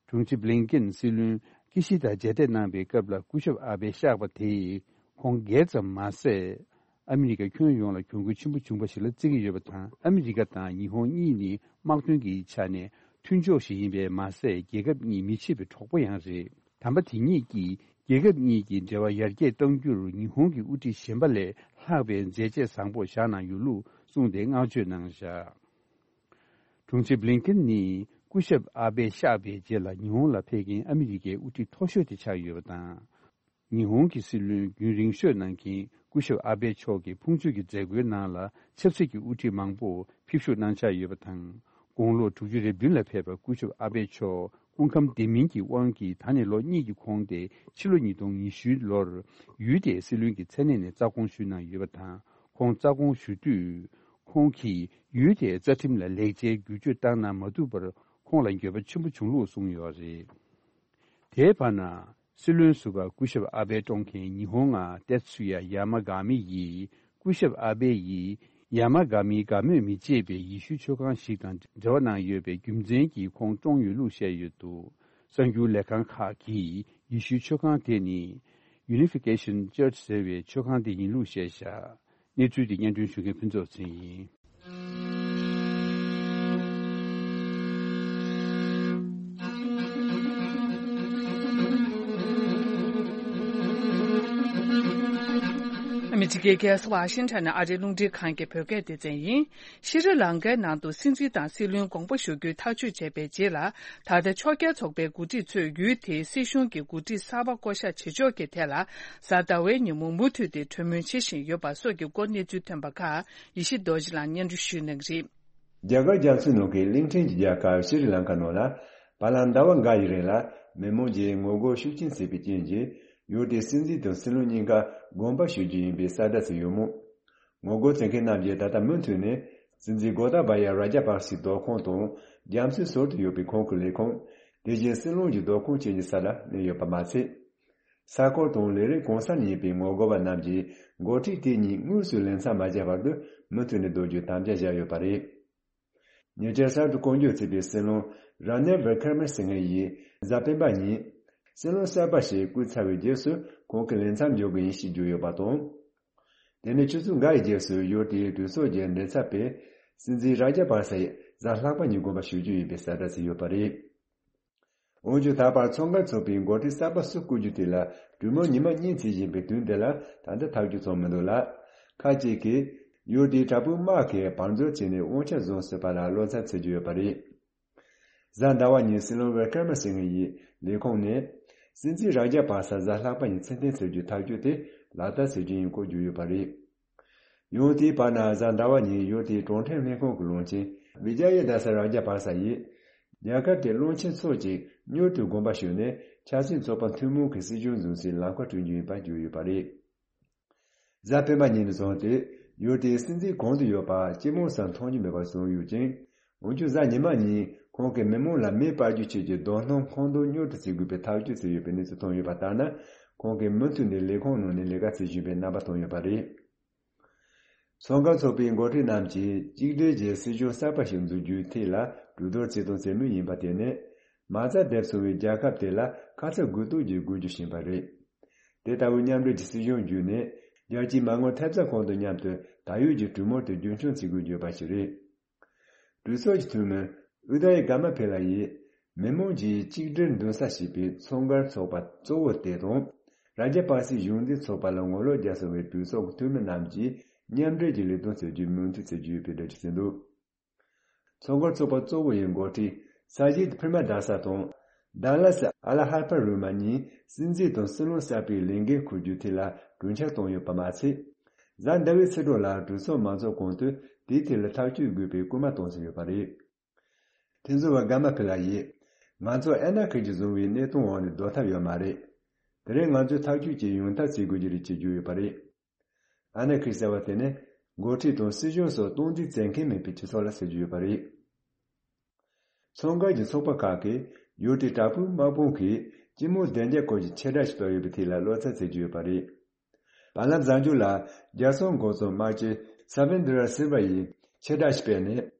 དྲུང་ཆེ་བྷི་ལིན་ཀེན་སྲིད་བློན་ཀི་ཤི་ད་མཇལ་འཕྲད་གནང་པའི་སྐབས་ལ་སྐུ་ཞབས་ཨ་བྷེ་གཤེགས་པ་དེས་ཁོང་སྒེར་ཙམ་མ་ཟད། ཨ་མི་རི་ཀ་ཁྱོན་ཡོངས་ལ་གྱོང་གུད་ཆེན་པོ་བྱུང་བ་ཞིག་ལ་བརྩི་གི་ཡོད་པ་དང་། ཨ་མི་རི་ཀ་དང་ཉི་ཧོང་གཉིས་ནི་དམག་དོན་གྱི་ཆ་ནས་མཐུན་ཕྱོགས་ཤིག་ཡིན་པས་མ་ཟད། རྒྱལ་ཁབ་གཉིས་མི་ཕྱེད་པའི་གྲོགས་པོ་ཡང་རེད། དམ་པ་དེ་ཉིད་ཀྱིས་ རྒྱལ་ཁབ་གཉིས་ཀྱི་འབྲེལ་བ་ཡར་རྒྱས་གཏང་རྒྱུར་ཉི་ཧོང་གི་དབུ་ཁྲིད་གཞན་པ་ལས་ལྷག་པའི་མཛད་རྗེས་བཟང་པོ་བཞག་གནང་ཡོད་ལུགས་གསུངས་ཏེ་བསྔགས་བརྗོད་གནང་བཞག་དྲུང་ཆེ་བྷི་ལིན་ཀིན་ནི་སྐུ་ཞབས་ཨ་བྷེ་གཤེགས་པའི་རྗེས་ལ་ཉི་ཧོང་ལ་ཕེབས་མཁན་ཨ་མི་རི་ཀའི་དབུ་ཁྲིད་མཐོ་ཤོས་དེ་ཆགས་ཡོད་པ་དང་། ཉི་ཧོང་གི་སྲིད་བློན་རྒྱུན་རིང་ཤོས་གནང་མཁན་སྐུ་ཞབས་ཨ་བྷེ་མཆོག་གི་ཕུང་མཆོད་ཀྱི་མཛད་སྒོའི་ནང་ལ་ཆབ་སྲིད་ཀྱི་དབུ་ཁྲིད་མང་པོ་ཕེབས་ཞུགས་གནང་འཆར་ཡོད་པ་དང་། དགུང་ལོ་དྲུག་ཅུ་རེ་བདུན་ལ་ཕེབས་པའི་སྐུ་ཞབས་ཨ་བྷེ་མཆོག་སྐུ་ཁམས་བདེ་མིན་གྱི་དབང་གིས་ད་ནས་ལོ་གཉིས་ཀྱི་གོང་སྟེ་ཕྱི་ལོ་ཉིས་སྟོང་ཉི་ཤུ་ལོར་ཡུལ་དེའི་སྲིད་བློན་གྱི་མཚན་གནས་ནས་རྩ་དགོངས་ཞུས་གནང་ཡོད་པ་དང་། ཁོང་རྩ་དགོངས་ཞུ་དུས། ཁོང་གིས་ཡུལ་དེའི་རྩ་ཁྲིམས་ལ་ལེགས་ཆའི་བསྒྱུར་བཅོས་བཏང་གནང་མ་ཐུབ་པར་ཁོང་ལ་འགྱོད་པ་ཆེན་པོ་བྱུང་ལུགས་གསུངས་ཡོད་རེད། དེའི་བར་ན། སྲིད་བློན་ཟུར་པ་སྐུ་ཞབས་ཨ་བྷེ་བཀྲོངས་མཁན་ཉི་ཧོང་ང་ཏེ་ཚུ་ཡ་ཡ་མ་ག་མི་ཡིས་སྐུ་ཞབས་ཨ་བྷེ་ཡིས་ཡ་མ་ག་མིའི་དགའ་མོས་མི་བྱེད་པའི་ཡེ་ཤུའི་ཆོས་ཁང་ཞིག་དང་འབྲེལ་བ་གནང་ཡོད་པའི་རྒྱུ་མཚན་གྱིས་ཁོང་བཀྲོངས་ཡོད་ལུགས་བཤད་ཡོད་འདུག་གསར་འགྱུར་ལས་ཁང་ཁག་གིས་ཡེ་ཤུའི་ཆོས་ཁང་དེ་ནི་Unification Church ཟེར་བའི་ཆོས་ཁང་དེ་ཡིན་ལུགས་བཤད་བཞག་གནས་ཚུལ་དེ་སྙན་སྒྲོན་ཞུ་མཁན་ཕུན་ཚོགས་ཚེ་རིང་ཡིན། ཨ་མི་རི་ཀའི་རྒྱལ་ས་ཝ་ཤིང་ཊོན་ནས་ཨ་རིའི་རླུང་འཕྲིན་ཁང་གི་བོད་སྐད་སྡེ་ཚན་ཡིན། ཤྲི་ལང་ཀའི་ནང་དུ་སྲིད་འཛིན་དང་སྲིད་བློན་དགོངས་པ་ཞུ་རྒྱུའི་ཐག་གཅོད་བྱས་པའི་རྗེས་ལ། ད་ལྟ་ཕྱོགས་འགལ་ཚོགས་པའི་འགོ་ཁྲིད་ཚོས་ཡུལ་དེའི་སྲིད་གཞུང་གི་འགོ་ཁྲིད་གསར་པ་བསྐོ་གཞག་བྱེད་ཕྱོགས་ཀྱི་ཐད་ལ། གཟའ་ཟླ་བའི་ཉིན་མོ་མུ་མཐུད་དེ་གྲོས་མོལ་བྱེད་བཞིན་ཡོད་པ་སོགས་ཀྱི་སྐོར་གནས་ཚུལ་ཐོན་པ་ཁག་ཡེ་ཤེས་རྡོ་རྗེ་ལགས་སྙན་སྒྲོན་ཞུ་གནང་གི་རེད། རྒྱ་གར་རྒྱ་མཚོའི་ནང་གི་གླིང་ཕྲན་གྱི་རྒྱལ་ཁབ་ཤྲི་ལང་ཀ་ནང་ལ། བར་ལམ་ཟླ་བ་འགའ་ཡི་རིང་ལ་མི་མང་གིས་ངོ་རྒོལ་ཤུགས་ཆེན་བྱས་པའི་རྐྱེན་གྱིས། ཡུལ་དེའི་སྲིད་འཛིན་དང་སྲིད་བློན་གཉིས་ཀ་དགོངས་པ་ཞུ་རྒྱུ་ཡིན་པའི་གསལ་བསྒྲགས་བྱས་ཡོད་མོད། ངོ་རྒོལ་བྱེད་མཁན་རྣམས་ཀྱིས་ད་ལྟ་མུ་མཐུད་ནས་སྲིད་འཛིན་གོ་ཏཱ་བ་ཡ་ར་ཇ་པག་སིའི་བདག་ཁོངས་དང་རྒྱ་མཚོའི་ཟུར་དུ་ཡོད་པའི་ཁོང་གི་ལས་ཁུངས། དེ་བཞིན་སྲིད་བློན་གྱི་བདག་ཁོངས་བཅས་ཀྱི་ས་ལ་གནས་ཡོད་པ་མ་ཟད། ས་ཁུལ་དང་ལས་རིགས་གང་ས་ནས་ཡིན་པའི་ངོ་རྒོལ་བ་རྣམས་ཀྱིས་འགོ་ཁྲིད་དེ་གཉིས་དངོས་སུ་ལེ་མཚམས་མ་བྱས་བར་དུ་མུ་མཐུད་ནས་སྡོད་རྒྱུའི་དམ་བཅའ་བཞག་ཡོད་པ་རེད། ཉེ་ཆར་གསར་དུ་བསྐོ་འཇོག་བྱས་པའི་སྲིད་བློན་ར་ནིལ་བི་ཀར་མ་སིང་ཧེ་ཡིས་གཟའ་སྤེན་པ་ཉིན། སྲིད་བློན་གསར་པ་ཞིག་བསྐོས་ཚར་བའི་རྗེས་སུ་ཁོང་གིས་ལས་མཚམས་འཇོག་གི་ཡིན་ཞེས་བརྗོད་ཡོད་པ་དང་། དེ་ནས་ཆུ་ཚོད་འགའ་ཡི་རྗེས་སུ་ཡུལ་དེའི་གྲོས་ཚོགས་ཀྱི་མགྲིན་ཚབ་པས་སྲིད་འཛིན་ར་ཇ་པག་ས་ཡི་གཟའ་ལྷག་པ་ཉིན་དགོངས་པ་ཞུ་རྒྱུ་ཡིན་པའི་གསལ་བསྒྲགས་བྱས་ཡོད་པ་རེད། འོན་ཀྱང་ད་བར་མཚོ་འགག་ཚོགས་པའི་འགོ་ཁྲིད་གསར་པ་སུ་བསྐོ་རྒྱུ་དེ་ལ་གྲོས་མོལ་ཉི་མ་གཉིས་བྱེད་བཞིན་པའི་དུས་འདི་ལ་ད་ལྟ་ཐག་གཅོད་ཚོགས་མི་འདུག་ལ། ཁ་ཅིག་གིས་ཡུལ་དེའི་དྲག་པོའི་དམག་གིས་བང་མཛོད་བྱས་ནས་དབང་ཆ་བཟུང་སྲིད་པ་ལ་བློ་འཚབ་བྱེད་ཀྱི་ཡོད་པ་རེད། གཟའ་ཟླ་བ་ཉིན་སྲིད་བློན་བི་ཀར་མ་སིང་ཧེ་ཡི་ལས་ཁུངས་ནས་སྲིད་འཛིན་ར་ཇ་པག་ས་གཟའ་ལྷག་པ་ཉིན་ཚུར་འཐེན་བྱེད་རྒྱུའི་ཐག་གཅོད་དེ་ལག་བསྟར་བྱེད་རྒྱུ་ཡིན་སྐོར་བརྗོད་ཡོད་པ་རེད། ཡང་དེའི་བར་ན་གཟའ་ཟླ་བ་ཉིན་ཡུལ་དེའི་གྲོང་ཁྱེར་ལྷན་ཁང་གི་བློན་ཆེན་བི་ཇ་ཡ་དཱ་ས་ར་ཇ་པག་ས་ཡིས། རྒྱལ་ཁབ་དེའི་བློན་ཆེན་ཚོ་གཅིག་མྱུར་དུ་དགོངས་པ་ཞུས་ནས་ཆབ་སྲིད་ཚོགས་པ་ཐུན་མོང་གི་སྲིད་གཞུང་འཛིན་སའི་ལམ་ཁ་བསྐྲུན་རྒྱུ་ཡིན་པ་བརྗོད་ཡོད་པ་རེད། གཟའ་སྤེན་པ་ཉིན་ནས་བཟུང་སྟེ་ཡུལ་དེའི་སྲིད་འཛིན་གང་དུ་ཡོད་པ་སྤྱི་དམངས་སུ་མཐོང་རྒྱུ་མེད་པར་བཟོས་ཡོད་ཅིང་། འོན་ཀྱང་གཟའ་ཉི་མ་ཉིན་ཁོང་གིས་མི་མང་ལ་མེ་སྤར་རྒྱུ་བཅས་ཀྱི་རྡུང་ལེན་ཁ་འདོན་མྱུར་དུ་བྱེད་དགོས་པའི་ཐག་གཅོད་བྱས་ཡོད་པའི་གནས་ཚུལ་ཐོན་ཡོད་པ་ལྟར་ན། ཁོང་གིས་མུ་མཐུད་ནས་ལས་ཁུངས་ནང་ནས་ལས་ཀ་བྱེད་བཞིན་པའི་རྣམ་པ་བསྟན་ཡོད་པ་རེད། མཚོ་འགག་ཚོགས་པའི་འགོ་ཁྲིད་རྣམས་ཀྱིས་གཅིག་སྒྲིལ་གྱིས་སྲིད་གཞུང་གསར་པ་ཞིག་འཛུགས་རྒྱུའི་ཐད་ལ་གྲོས་བསྡུར་བྱེད་དང་བྱེད་མུས་ཡིན་པ་དེ་ནི། མ་རྩ་འདེབས་སོང་བའི་རྒྱལ་ཁབ་དེ་ལ་ཁ་ཚ་དགོས་གཏུགས་ཀྱི་དགོས་རྒྱུ་ཞིག་ཡིན་པ་རེད། དེ་ལྟ་བུའི་མཉམ་འབྲེལ་གྱི་སྲིད་གཞུང་བརྒྱུད་ནས། རྒྱལ་སྤྱིའི་མ་དངུལ་ཐེབས་རྩ་ཁང་དང་མཉམ་དུ་ད་ཡོད་ཀྱི་གྲོས་མོལ་དེ་རྒྱུན་འཁྱོངས་བྱེད་དགོས་བརྗོད་པ་ཞིག་རེད། གྲོས་ཚོགས་ཀྱི་འཐུས་མི་ཨུ་དཱ་ཡི་གྷ་མ་ཕེ་ལ་ཡིས། མི་མང་གིས་གཅིག་སྒྲིལ་འདོད་ས་ཞེས་པའི་མཚོ་འགག་ཚོགས་པ་གཙོ་བོ་དེ་དང་། ར་ཇ་པག་སིའི་གཞུང་འཛིན་ཚོགས་པ་ལ་ངོ་ལོག་རྒྱག་སོང་བའི་གྲོས་ཚོགས་ཀྱི་འཐུས་མི་རྣམས་ཀྱིས་མཉམ་འབྲེལ་གྱི་ལས་དོན་བྱེད་རྒྱུའི་མོས་མཐུན་བྱེད་ཀྱི་ཡོད་པའི་འགྲེལ་བརྗོད་བྱས་འདུག་མཚོ་འགག་ཚོགས་པ་གཙོ་བོ་ཡི་འགོ་ཁྲིད་ས་ཇིད་པྲི་མ་དཱ་ས་དང་། ཌ་ལ་སི་ཨ་ལ་ཧར་པ་རུ་མ་གཉིས་སྲིད་འཛིན་དང་སྲིད་བློན་གསར་པའི་ལས་འགན་འཁུར་རྒྱུའི་ཐད་ལ་གྲོས་འཆར་བཏོན་ཡོད་པ་མ་ཚད། གཟའ་ཟླ་བའི་ཕྱི་དྲོ་ལ་གྲོས་ཚོགས་མང་ཚོགས་གོང་དུ་དེའི་ཐད་ལ་ཐག་གཅོད་དགོས་པའི་སྐུལ་མ་གཏོང་བཞིན་ཡོད་པ་རེད། ཐེ་ཛོ་བ་གྷ་མ་ཕི་ལ་ཡིས། ང་ཚོ་ཨ་ན་ཁིར་གྱིས་བཟུང་བའི་གནས་སྟངས་འོག་ནས་སྡོད་ཐབས་ཡོད་མ་རེད། དེ་རིང་ང་ཚོས་ཐག་གཅོད་ཅིག་ཡོང་ཐབས་བྱེད་དགོས་ཀྱི་རེད་ཅེས་བརྗོད་ཡོད་པ་རེད། ཨ་ན་ཁིར་ཟེར་བ་དེ་ནི་འགོ་ཁྲིད་དང་སྲིད་གཞུང་སོགས་སྟངས་འཛིན་བྱེད་མཁན་མེད་པའི་སྤྱི་ཚོགས་ལ་ཟེར་རྒྱུ་ཡོད་པ་རེད། མཚོ་འགག་གི་ཚོགས་པ་ཁག་གིས་ཡུལ་དེའི་དྲག་པོའི་དམག་དཔུང་གིས་སྤྱི་དམངས་བདེ་འཇགས་སྐོར་གྱི་ཆེ་དྲགས་ཤིག་བཏོད་ཡོད་པའི་ཐད་ལ་བློ་འཚབ་བྱེད་ཀྱི་ཡོད་པ་རེད། བར་ལམ་གཟའ་མཇུག་ལ་རྒྱལ་སྲུང་འགོ་གཙོ་དམག་སྤྱི་ས་བེན་དྲ་སིལ་ཝ་ཡིས་ཆེ་དྲགས་ཤིག་སྤེལ་ནས།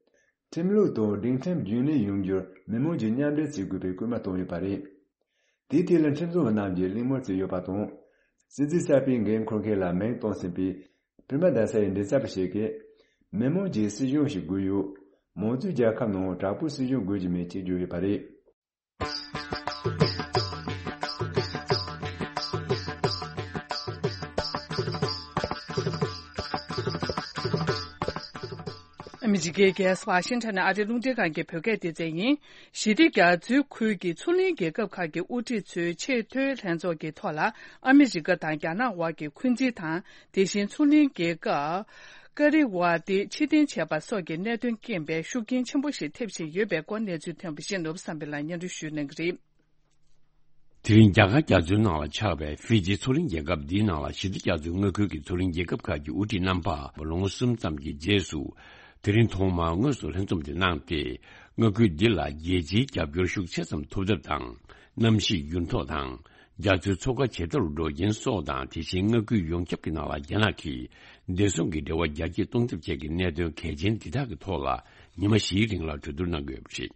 ཁྲིམས་ལུགས་དང་སྒྲིག་ཁྲིམས་རྒྱུན་ལས་ཡོང་རྒྱུར་མི་མང་གིས་མཉམ་འབྲེལ་བྱེད་དགོས་པའི་སྐུལ་མ་བཏང་ཡོད་པ་རེད། དེའི་ཐད་ལ་ཁྲིམས་བཟོ་བ་རྣམས་ཀྱིས་གླེང་མོལ་བྱས་ཡོད་པ་དང་། སྲིད་འཛིན་གསར་པའི་འགན་འཁུར་མཁན་ལ་མིང་བཏོན་ཟིན་པའི་པྲི་མ་དཱ་ས་ཡི་མགྲིན་ཚབ་པ་ཞིག་གིས། མི་མང་གིས་སྲིད་གཞུང་ཞིག་དགོས་ཡོད། མང་གཙོའི་རྒྱལ་ཁབ་ནང་དྲག་པོའི་སྲིད་གཞུང་དགོས་ཀྱི་མེད་ཅེས་བརྗོད་ཡོད་པ་རེད། ཨ་མི་རི་ཀའི་རྒྱལ་ས་ཝ་ཤིང་ཊོན་ནས་ཨ་རིའི་རླུང་འཕྲིན་ཁང་གི་བོད་སྐད་སྡེ་ཚན་ཡིན། ཞི་བདེ་རྒྱ་མཚོའི་ཁུལ་གྱི་མཚོ་གླིང་རྒྱལ་ཁབ་ཁག་གི་དབུ་ཁྲིད་ཚོའི་ཆེས་མཐོའི་ལྷན་ཚོགས་ཀྱི་ཐོག་ལ། ཨ་མི་རི་ཀ་དང་རྒྱ་ནག་དབར་གྱི་འཁོན་འཛིན་དང་། དེ་བཞིན་མཚོ་གླིང་རྒྱལ་ཁབ་ཀ་རི་ཝ་ཏི་ཕྱིར་འཐེན་བྱས་པ་སོགས་ཀྱི་གནད་དོན་རྐྱེན་པས་ཤུགས་རྐྱེན་ཆེན་པོ་ཞིག་ཐེབས་བཞིན་ཡོད་པའི་སྐོར་གནས་ཚུལ་ཐོན་པ་ཞིག་ནོར་བུ་བསམ་འཕེལ་ལགས་སྙན་སྒྲོན་ཞུ་གནང་གི་རེད། དེ་རིང་རྒྱ་གར་རྒྱ་མཚོའི་ནང་ལ་ཆགས་པའི་ཧྥི་ཇི་མཚོ་གླིང་རྒྱལ་ཁབ་འདིའི་ནང་ལ་ཞི་བདེ་རྒྱ་མཚོའི་མངའ་ཁུལ་གྱི་མཚོ་གླིང་རྒྱལ་ཁབ་ཁག་གི་དབུ་ཁྲིད་རྣམ་པ་ལོ་ངོ་གསུམ་ཙམ་གྱི་རྗེས་སུ། དེ་རིང་ཐོག་མར་དངོས་སུ་ལྷན་འཛོམས་དེ་གནང་སྟེ། མངའ་ཁུལ་འདི་ལ་རྒྱལ་སྤྱིའི་རྒྱབ་སྐྱོར་ཤུགས་ཆེ་ཙམ་ཐོབ་ཐབས་དང་། གནམ་གཤིས་འགྱུར་ལྡོག་དང་། རྒྱ་མཚོའི་མཚོ་ཁ་ཇེ་མཐོར་འགྲོ་རྐྱེན་སོགས་དང་། དེ་བཞིན་མངའ་ཁུལ་ཡོངས་ཁྱབ་ཀྱི་ནང་ལ་རྒྱ་ནག་གིས་བདེ་སྲུང་གི་འབྲེལ་བ་རྒྱ་སྐྱེད་གཏོང་ཐབས་བཅས་ཀྱི་གནད་དོན་གལ་ཆེན་འདི་དག་གི་ཐོག་ལ་ཉི་མ་བཞིའི་རིང་ལ་གྲོས་བསྡུར་གནང་དགོས་པ་རེད།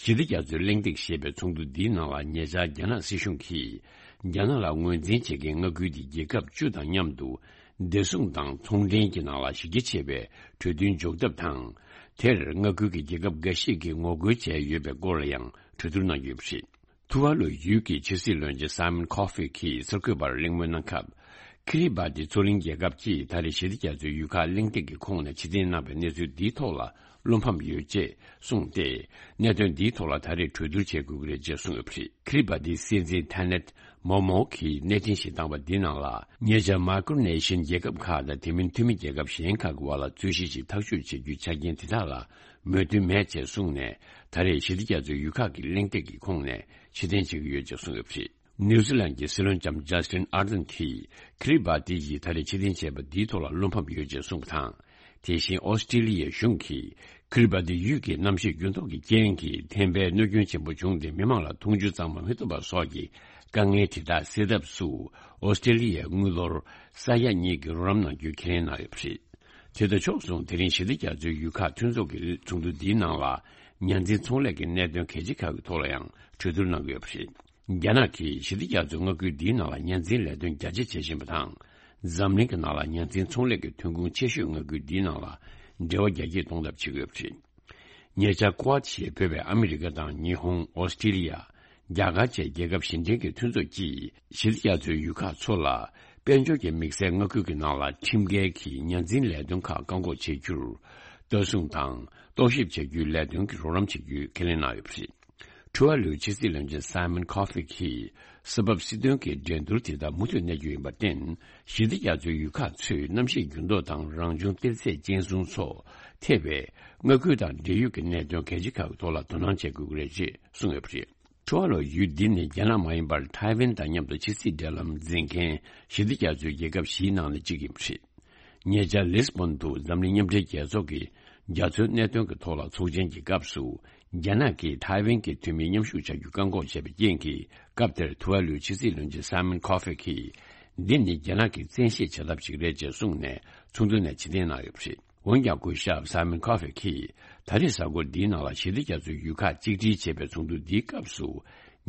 ཞི་བདེ་རྒྱ་མཚོའི་གླེང་སྟེགས་ཞེས་པའི་ཚོགས་འདུ་འདིའི་ནང་ལ། ཉེ་ཆར་རྒྱ་ནག་སྲིད་གཞུང་གིས་རྒྱ་ནག་ལ་ངོས་འཛིན་བྱེད་མཁན་མངའ་ཁུལ་དེའི་རྒྱལ་ཁབ་བཅུ་དང་མཉམ་དུ་བདེ་སྲུང་དང་ཚོང་འབྲེལ་གྱི་ནང་ལ་གཞི་རྒྱ་ཆེ་བའི་གྲོས་མཐུན་འཇོག་ཐབས་དང་། དེར་མངའ་ཁུལ་གྱི་རྒྱལ་ཁབ་འགའ་ཞིག་གིས་ངོ་རྒོལ་བྱས་ཡོད་པའི་སྐོར་ལ་ཡང་གྲོས་བསྡུར་གནང་ཡོད་པ་རེད། ཐུ་ཝཱ་ལུ་ཡུལ་གྱི་ཕྱི་སྲིད་བློན་ཆེན་སཱ་མོན་ཁོ་ཧྥེ་གྱིས་གསར་འགོད་པར་གླེང་མོལ་གནང་སྐབས། ཁི་རི་བ་ཏི་མཚོ་གླིང་རྒྱལ་ཁབ་ཀྱིས་ད་རེས་ཞི་བདེ་རྒྱ་མཚོའི་ཡུལ་ཁག་གླེང་སྟེགས་ཀྱི་ཁོངས་ནས་ཕྱིར་འཐེན་གནང་བའི་གནས་ཚུལ་འདིའི་ཐོག་ལ་བློ་ཕམ་ཡོད་ཅེས་གསུངས་ཏེ། གནད་དོན་འདིའི་ཐོག་ལ་ད་རེས་གྲོས་བསྡུར་བྱེད་དགོས་ཀྱི་རེད་ཅེས་གསུངས་ཡོད་པ་རེད། ཁི་རི་བ་ཏིའི་སྲིད་འཛིན་ཐ་ནད་མོ་མོ་གིས་གནས་འཕྲིན་ཞིག་བཏང་བ་འདིའི་ནང་ལ། ཉེ་ཆར་མའི་ཀྲོ་ནེ་ཤི་ཡན་རྒྱལ་ཁབ་ཁག་དང་། དེ་མིན་འཐུས་མི་རྒྱལ་ཁབ་གཞན་ཁག་གི་བར་ལ་རྩོད་གཞི་ཞིག་ཐག་གཅོད་བྱེད་རྒྱུའི་ཆ་རྐྱེན་དེ་དག་ལ་མོས་མཐུན་མེད་ཅེས་གསུངས་ནས། ད་རེས་ཞི་བདེ་རྒྱ་མཚོའི་ཡུལ་ཁག་གི་གླེང་སྟེགས་ཀྱི་ཁོངས་ནས་ཕྱིར་འཐེན་བྱེད་ཀྱི་ཡོད་ཅེས་གསུངས་ཡོད་པ་རེད། ནིའུ་ཛི་ལན་གྱི་སྲིད་བློན་ལྕམ་ཇ་སི་ཊིན་ཨར་ཌན་གྱིས་ཁི་རི་བ་ཏི་ཡིས་ད་རེས་ཕྱིར་འཐེན་བྱས་པ་འདིའི་ཐོག་ལ་བློ་ཕམ་ཡོད་ཅེས་གསུངས་པ་དང་། དེ་བཞིན་ཨོ་སི་ཀྲི་ལི་ཡའི་གཞུང་གིས་ཁི་རི་བ་ཏི་ཡུལ་གྱི་གནམ་གཤིས་འགྱུར་ལྡོག་གི་རྐྱེན་གྱིས་ཐན་པའི་གནོད་སྐྱོན་ཆེན་པོ་བྱུང་སྟེ། མི་མང་ལ་འཐུང་ཆུ་གཙང་མ་མི་ཐོབ་པ་སོགས་ཀྱི་དཀའ་ངལ་དེ་དག་སེལ་ཐབས་སུ། ཨོ་སི་ཀྲི་ལི་ཡས་དངུལ་ལོར་ས་ཡ་གཉིས་ཀྱི་རོགས་རམ་གནང་རྒྱུའི་ཁས་ལེན་གནང་ཡོད་པ་རེད། དེ་དང་ཕྱོགས་མཚུངས། དེ་རིང་ཞི་བདེ་རྒྱ་མཚོའི་ཡུལ་ཁག་མཐུན་ཚོགས་ཀྱི་ཚོགས་འདུ་འདིའི་ནང་ལ། ཉ་འཛིན་ཚོང་ལས་ཀྱི་གནད་དོན་གལ་ཆེ་ཁག་གི་ཐོག་ལ་ཡང་གྲོས་བསྡུར་གནང་གི་ཡོད་པ་རེད། རྒྱ་ནག་གིས་ཞི་བདེ་རྒྱ་མཚོའི་མངའ་ཁུལ་འདིའི་ནང་ལ་ཉ་འཛིན་ལས་དོན་རྒྱ་ཆེ་བྱེད་བཞིན་པ་དང་། འཛམ་གླིང་གི་ནང་ལ་ཉ་འཛིན་ཚོང་ལས་ཀྱི་ཐོན་ཁུངས་ཆེ་ཤོས་མངའ་ཁུལ་འདིའི་ནང་ལ་འབྲེལ་བ་རྒྱ་སྐྱེད་གཏོང་ཐབས་བྱེད་ཀྱི་ཡོད་པ་རེད། ཉེ་ཆར་ཀུ་ཝཱད་ཞེས་འབོད་པའི་ཨ་མི་རི་ཀ་དང་ཉི་ཧོང་། ཨོ་སི་ཀྲི་ལི་ཡ། རྒྱ་གར་བཅས་རྒྱལ་ཁབ་བཞི་འབྲེལ་གྱི་མཐུན་ཚོགས་ཀྱིས་ཞི་བདེ་རྒྱ་མཚོའི་ཡུལ་ཁག་ཚོ་ལ། དཔལ་འབྱོར་གྱི་དམིགས་བསལ་མངའ་ཁུལ་གྱི་ནང་ལ་ཁྲིམས་འགལ་གྱིས་ཉ་འཛིན་ལས་དོན་ཁག་བཀག་འགོག་བྱེད་རྒྱུར། ལྟ་སྲུང་དང་རྟོག་ཞིབ་བྱ་རྒྱུའི་ལས་དོན་གྱི་རོགས་རམ་བྱེད་རྒྱུའི་ཁས་ལེན་གནང་ཡོད་པ་རེད། ཐུ་ཝཱ་ལུའི་ཕྱི་སྲིད་བློན་ཆེན་སཱ་མོན་ཁོ་ཧྥེ་གྱིས། ས་བབ་སྲིད་དོན་གྱི་འགྲན་བསྡུར་དེ་དག་མུ་མཐུད་གནས་རྒྱུ་ཡིན་པར་བརྟེན། ཞི་བདེ་རྒྱ་མཚོའི་ཡུལ་ཁག་ཚོས་གནམ་གཤིས་འགྱུར་ལྡོག་དང་། རང་བྱུང་གཏེར་རྫས་སྐྱེད་སྲིང་སོགས་ཐེ་བའི་མངའ་ཁུལ་དང་འབྲེལ་ཡོད་ཀྱི་གནད་དོན་གལ་ཆེ་ཁག་གི་ཐོག་ལ་དོ་སྣང་བྱེད་དགོས་ཀྱི་རེད་ཅེས་གསུངས་ཡོད་པ་རེད། ཐུ་ཝཱ་ལུ་ཡུལ་འདི་ནི་རྒྱ་ནག་མ་ཡིན་པར་ཐའེ་ཝན་དང་མཉམ་དུ་ཕྱི་སྲིད་འབྲེལ་ལམ་འཛིན་མཁན་ཞི་བདེ་རྒྱ་མཚོའི་རྒྱལ་ཁབ་བཞིའི་ནང་ནས་གཅིག་ཡིན་པ་རེད། ཉེ་ཆར་ལིས་བོན་དུ་འཛམ་གླིང་མཉམ་འབྲེལ་རྒྱལ་ཚོགས་ཀྱི་རྒྱ་མཚོའི་གནད་དོན་གྱི་ཐོག་ལ་ཚོགས་ཆེན་གྱི་སྐབས་སུ། རྒྱ་ནག་གིས་ཐའེ་ཝན་གྱི་འཐུས་མི་མཉམ་ཞུགས་བྱ་རྒྱུ་བཀག་འགོག་བྱས་པའི་རྐྱེན་གྱིས། སྐབས་དེར་ཐུ་ཝཱ་ལུའི་ཕྱི་སྲིད་བློན་ཆེན་སཱ་མོན་ཁོ་ཧྥེ་གྱིས། འདི་ནི་རྒྱ་ནག་གིས་བཙན་ཤེད་བྱ་ཐབས་ཤིག་རེད་ཅེས་གསུངས་ནས། ཚོགས་འདུ་ནས་ཕྱིར་འཐེན་གནང་ཡོད་པ་རེད། འོན་ཀྱང་། སྐུ་ཞབས་སཱ་མོན་ཁོ་ཧྥེ་གྱིས། ད་རེས་གཟའ་འཁོར་འདིའི་ནང་ལ་ཞི་བདེ་རྒྱ་མཚོའི་ཡུལ་ཁག་གཅིག་སྒྲིལ་བྱེད་པའི་ཚོགས་འདུ་འདིའི་སྐབས་སུ།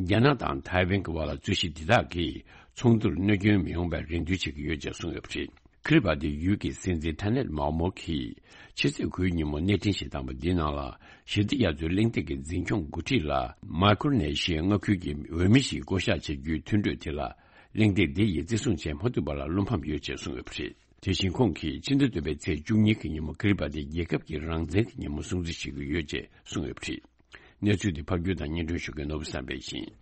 རྒྱ་ནག་དང་ཐའེ་ཝན་གྱི་བར་ལ་རྩོད་གཞི་འདི་དག་གིས་ཚོགས་འདུར་གནོད་སྐྱོན་མི་ཡོང་བའི་རེ་འདུན་བྱེད་ཀྱི་ཡོད་ཅེས་གསུངས་ཡོད་པ་རེད། ཁི་རི་བ་ཏི་ཡུལ་གྱི་སྲིད་འཛིན་ཐ་ནད་མའོ་མོ་གིས། ཕྱི་ཚེས་དགུའི་ཉིན་མོ་གནས་འཕྲིན་ཞིག་བཏང་པ་འདིའི་ནང་ལ། ཞི་བདེ་རྒྱ་མཚོའི་གླེང་སྟེགས་ཀྱི་འཛིན་སྐྱོང་འགོ་ཁྲིད་ལ། མའི་ཀྲོ་ནེ་ཤི་ཡའི་མངའ་ཁུལ་གྱི་འོས་མི་ཞིག་བསྐོ་གཞག་བྱེད་རྒྱུའི་མཐུན་གྲོས་དེ་ལ། གླེང་སྟེགས་འདི་ཡིས་བརྩི་སྲུང་བྱེད་མ་ཐུབ་པ་ལ་བློ་ཕམ་ཡོད་ཅེས་གསུངས་ཡོད་པ་རེད། དེ་བཞིན་ཁོང་གིས། ཕྱི་ཟླ་བདུན་པའི་ཚེས་བཅུ་གཉིས་ཀྱི་ཉིན་མོ་ཁི་རི་བ་ཏི་རྒྱལ་ཁབ་ཀྱི་རང་བཙན་གྱི་ཉིན་མོ་སྲུང་བརྩི་བྱེད་ཀྱི་ཡོད་ཅེས་གསུངས་ཡོད་པ་རེད། གནས་ཚུལ་འདི་ཕབ་སྒྱུར་དང་སྙན་སྒྲོན་ཞུ་མཁན་ནོར་བུ་བསམ་འཕེལ་ཡིན།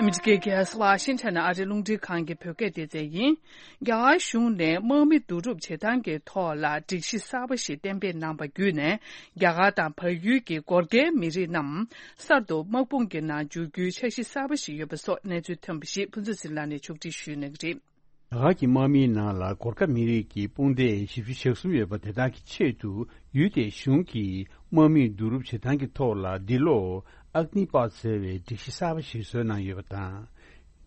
ཨ་མི་རི་ཀའི་རྒྱལ་ས་ཝ་ཤིང་ཊོན་ནས་ཨ་རིའི་རླུང་འཕྲིན་ཁང་གི་བོད་སྐད་སྡེ་ཚན་ཡིན། རྒྱ་གར་གཞུང་ནས་དམག་མི་བསྡུ་རུབ་བྱེད་སྟངས་ཀྱི་ཐོག་ལ་སྒྲིག་གཞི་གསར་པ་ཞིག་གཏན་འབེབས་གནང་བ་བརྒྱུད་ནས། རྒྱ་གར་དང་བལ་ཡུལ་གྱི་སྒོར་ཁའི་མི་རིགས་རྣམས་གསར་དུ་དམག་དཔུང་གི་ནང་འཇུག་རྒྱུའི་འཆར་གཞི་གསར་པ་ཞིག་ཡོད་པ་སོགས་གནས་ཚུལ་ཐོན་པ་ཞིག་ཕུན་ཚོགས་ཟིལ་ལགས་ནས་ཕྱོགས་སྒྲིག་ཞུས་གནང་གི་རེད། རྒྱ་གར་གྱི་དམག་མིའི་ནང་ལ་སྒོར་ཁ་མི་རིགས་ཀྱི་དཔུང་སྡེ་བཞི་བཅུ་ཞེ་གསུམ་ཡོད་པ་དེ་དག་གི་ཆེད་དུ། ཡུལ་དེའི་གཞུང་གིས་དམག་མིའི་བསྡུ་རུབ་བྱེད་སྟངས་ཀྱི་ཐོག་ལ། འདི་ལོ་ཨག་ནི་པད་ཟེར་བའི་སྒྲིག་གཞི་གསར་པ་ཞིག་བཟོས་གནང་ཡོད་པ་དང་།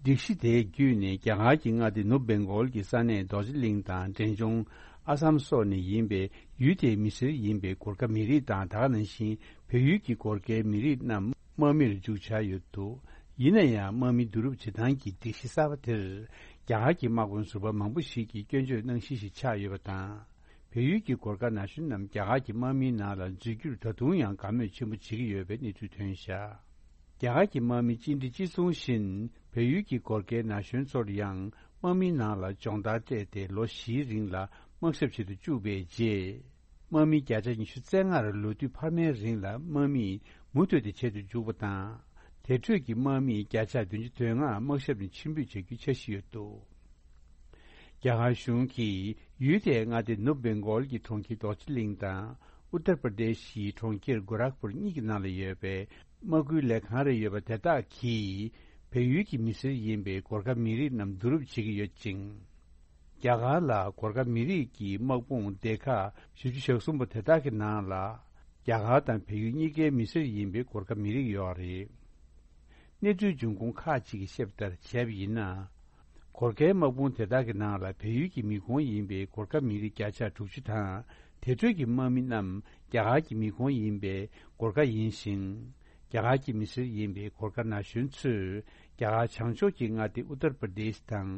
སྒྲིག་གཞི་དེ་བརྒྱུད་ནས། རྒྱ་གར་གྱི་མངའ་སྡེ་ནུབ་བེང་གོལ་གྱི་ས་གནས་རྡོ་རྗེ་གླིང་དང་འབྲས་ལྗོངས་ཨ་སམ་སོགས་ནས་ཡིན་པའི་ཡུལ་དེའི་མི་སེར་ཡིན་པའི་སྒོར་ཁ་མི་རིགས་དང་། ད་ག་ནང་བཞིན་བལ་ཡུལ་གྱི་སྒོར་ཁའི་མི་རིགས་རྣམས་དམག་མིར་འཇུག་འཆར་ཡོད་འདུག་ཡིན་ན་ཡང་། དམག་མི་བསྡུ་རུབ་བྱེད་སྟངས་ཀྱི་སྒྲིག་གཞི་གསར་པ་དེར། རྒྱ་གར་གྱི་དམག་དཔོན་ཟུར་པ་མང་པོ་ཞིག་གིས་སྐྱོན་བརྗོད་གནང་གཞི་ཞིག་ཆགས་ཡོད་པ་དང་། བལ་ཡུལ་གྱི་སྒོར་ཁ་ན་གཞོན་རྣམས་རྒྱ་གར་གྱི་དམག་མིའི་ནང་ལ་འཛུལ་རྒྱུར་ད་དུང་ཡང་དགའ་མོས་ཆེན་པོ་བྱེད་ཀྱི་ཡོད་པའི་གནས་ཚུལ་ཐོན་བཞག་རྒྱ་གར་གྱི་དམག་མི་གཅིག་འདྲ་གཅིག་མཚུངས་བཞིན་བལ་ཡུལ་གྱི་སྒོར་ཁའི་ན་གཞོན་ཚོར་ཡང་དམག་མིའི་ནང་ལ་སྦྱོང་བརྡར་སྤྲད་དེ་ལོ་བཞིའི་རིང་ལ་དམག་ཞབས་བྱེད་དུ་བཅུག་པའི་རྗེས། དམག་མི་བརྒྱ་ཆ་ཉི་ཤུ་རྩ་ལྔར་ལོ་དུས་འཕར་མའི་རིང་ལ་དམག་མིས་མུ་མཐུད་དེ་བྱེད་དུ་འཇུག་པ་དང་། དེ་འཕྲོས་ཀྱི་དམག་མི་བརྒྱ་ཆ་བདུན་ཅུ་དོན་ལྔ་དམག་ཞབས་ནས་ཕྱིར་འབུད་བྱ་རྒྱུའི་འཆར་གཞི་ཡོད་འདུག་རྒྱ་གར་གཞུང་གིས་ཡུལ་དེའི་མངའ་སྡེ་ནུབ་བེང་གོལ་གྱི་གྲོང་ཁྱེར་རྡོ་རྗེ་གླིང་དང་ཨུ་ཏར་པར་དེ་ཤིའི་གྲོང་ཁྱེར་གོ་རག་པུར་གཉིས་ཀྱི་ནང་ལ་ཡོད་པའི་དམག་ཁུལ་ལས་ཁང་རེ་ཡོད་པ་དེ་དག་གིས་བལ་ཡུལ་གྱི་མི་སེར་ཡིན་པའི་གོར་ཁ་མི་རིགས་རྣམས་བསྡུ་རུབ་བྱེད་ཀྱི་ཡོད་ཅིང་། རྒྱ་གར་ལ་གོར་ཁ་མི་རིགས་ཀྱི་དམག་དཔུང་སྡེ་ཁག་བཞི་བཅུ་ཞེ་གསུམ་པོ་དེ་དག་གི་ནང་ལ་རྒྱ་གར་དང་བལ་ཡུལ་གཉིས་ཀའི་མི་སེར་ཡིན་པའི་གོར་ཁ་མི་རིགས་ཡོད་རེད། གནས་ཚུལ་འབྱུང་ཁུངས་ཁག་ཅིག་གིས་བཤད་པ་ལྟར་བྱས་པ་ཡིན་ན། གོར་ཁའི་དམག་དཔུང་དེ་དག་གི་ནང་ལ་བལ་ཡུལ་གྱི་མི་ཁོངས་ཡིན་པའི་གོར་ཁ་མི་རིགས་བརྒྱ་ཆ་དྲུག་ཅུ་དང་དེ་འཕྲོས་ཀྱི་དམག་མི་རྣམས་རྒྱ་གར་གྱི་མི་ཁོངས་ཡིན་པའི་གོར་ཁ་ཡིན་ཞིང་། རྒྱ་གར་གྱི་མི་སེར་ཡིན་པའི་གོར་ཁ་ན་གཞོན་ཚོས་རྒྱ་གར་བྱང་ཕྱོགས་ཀྱི་མངའ་སྡེ་ཨུ་ཏར་པར་དེཤ་དང་།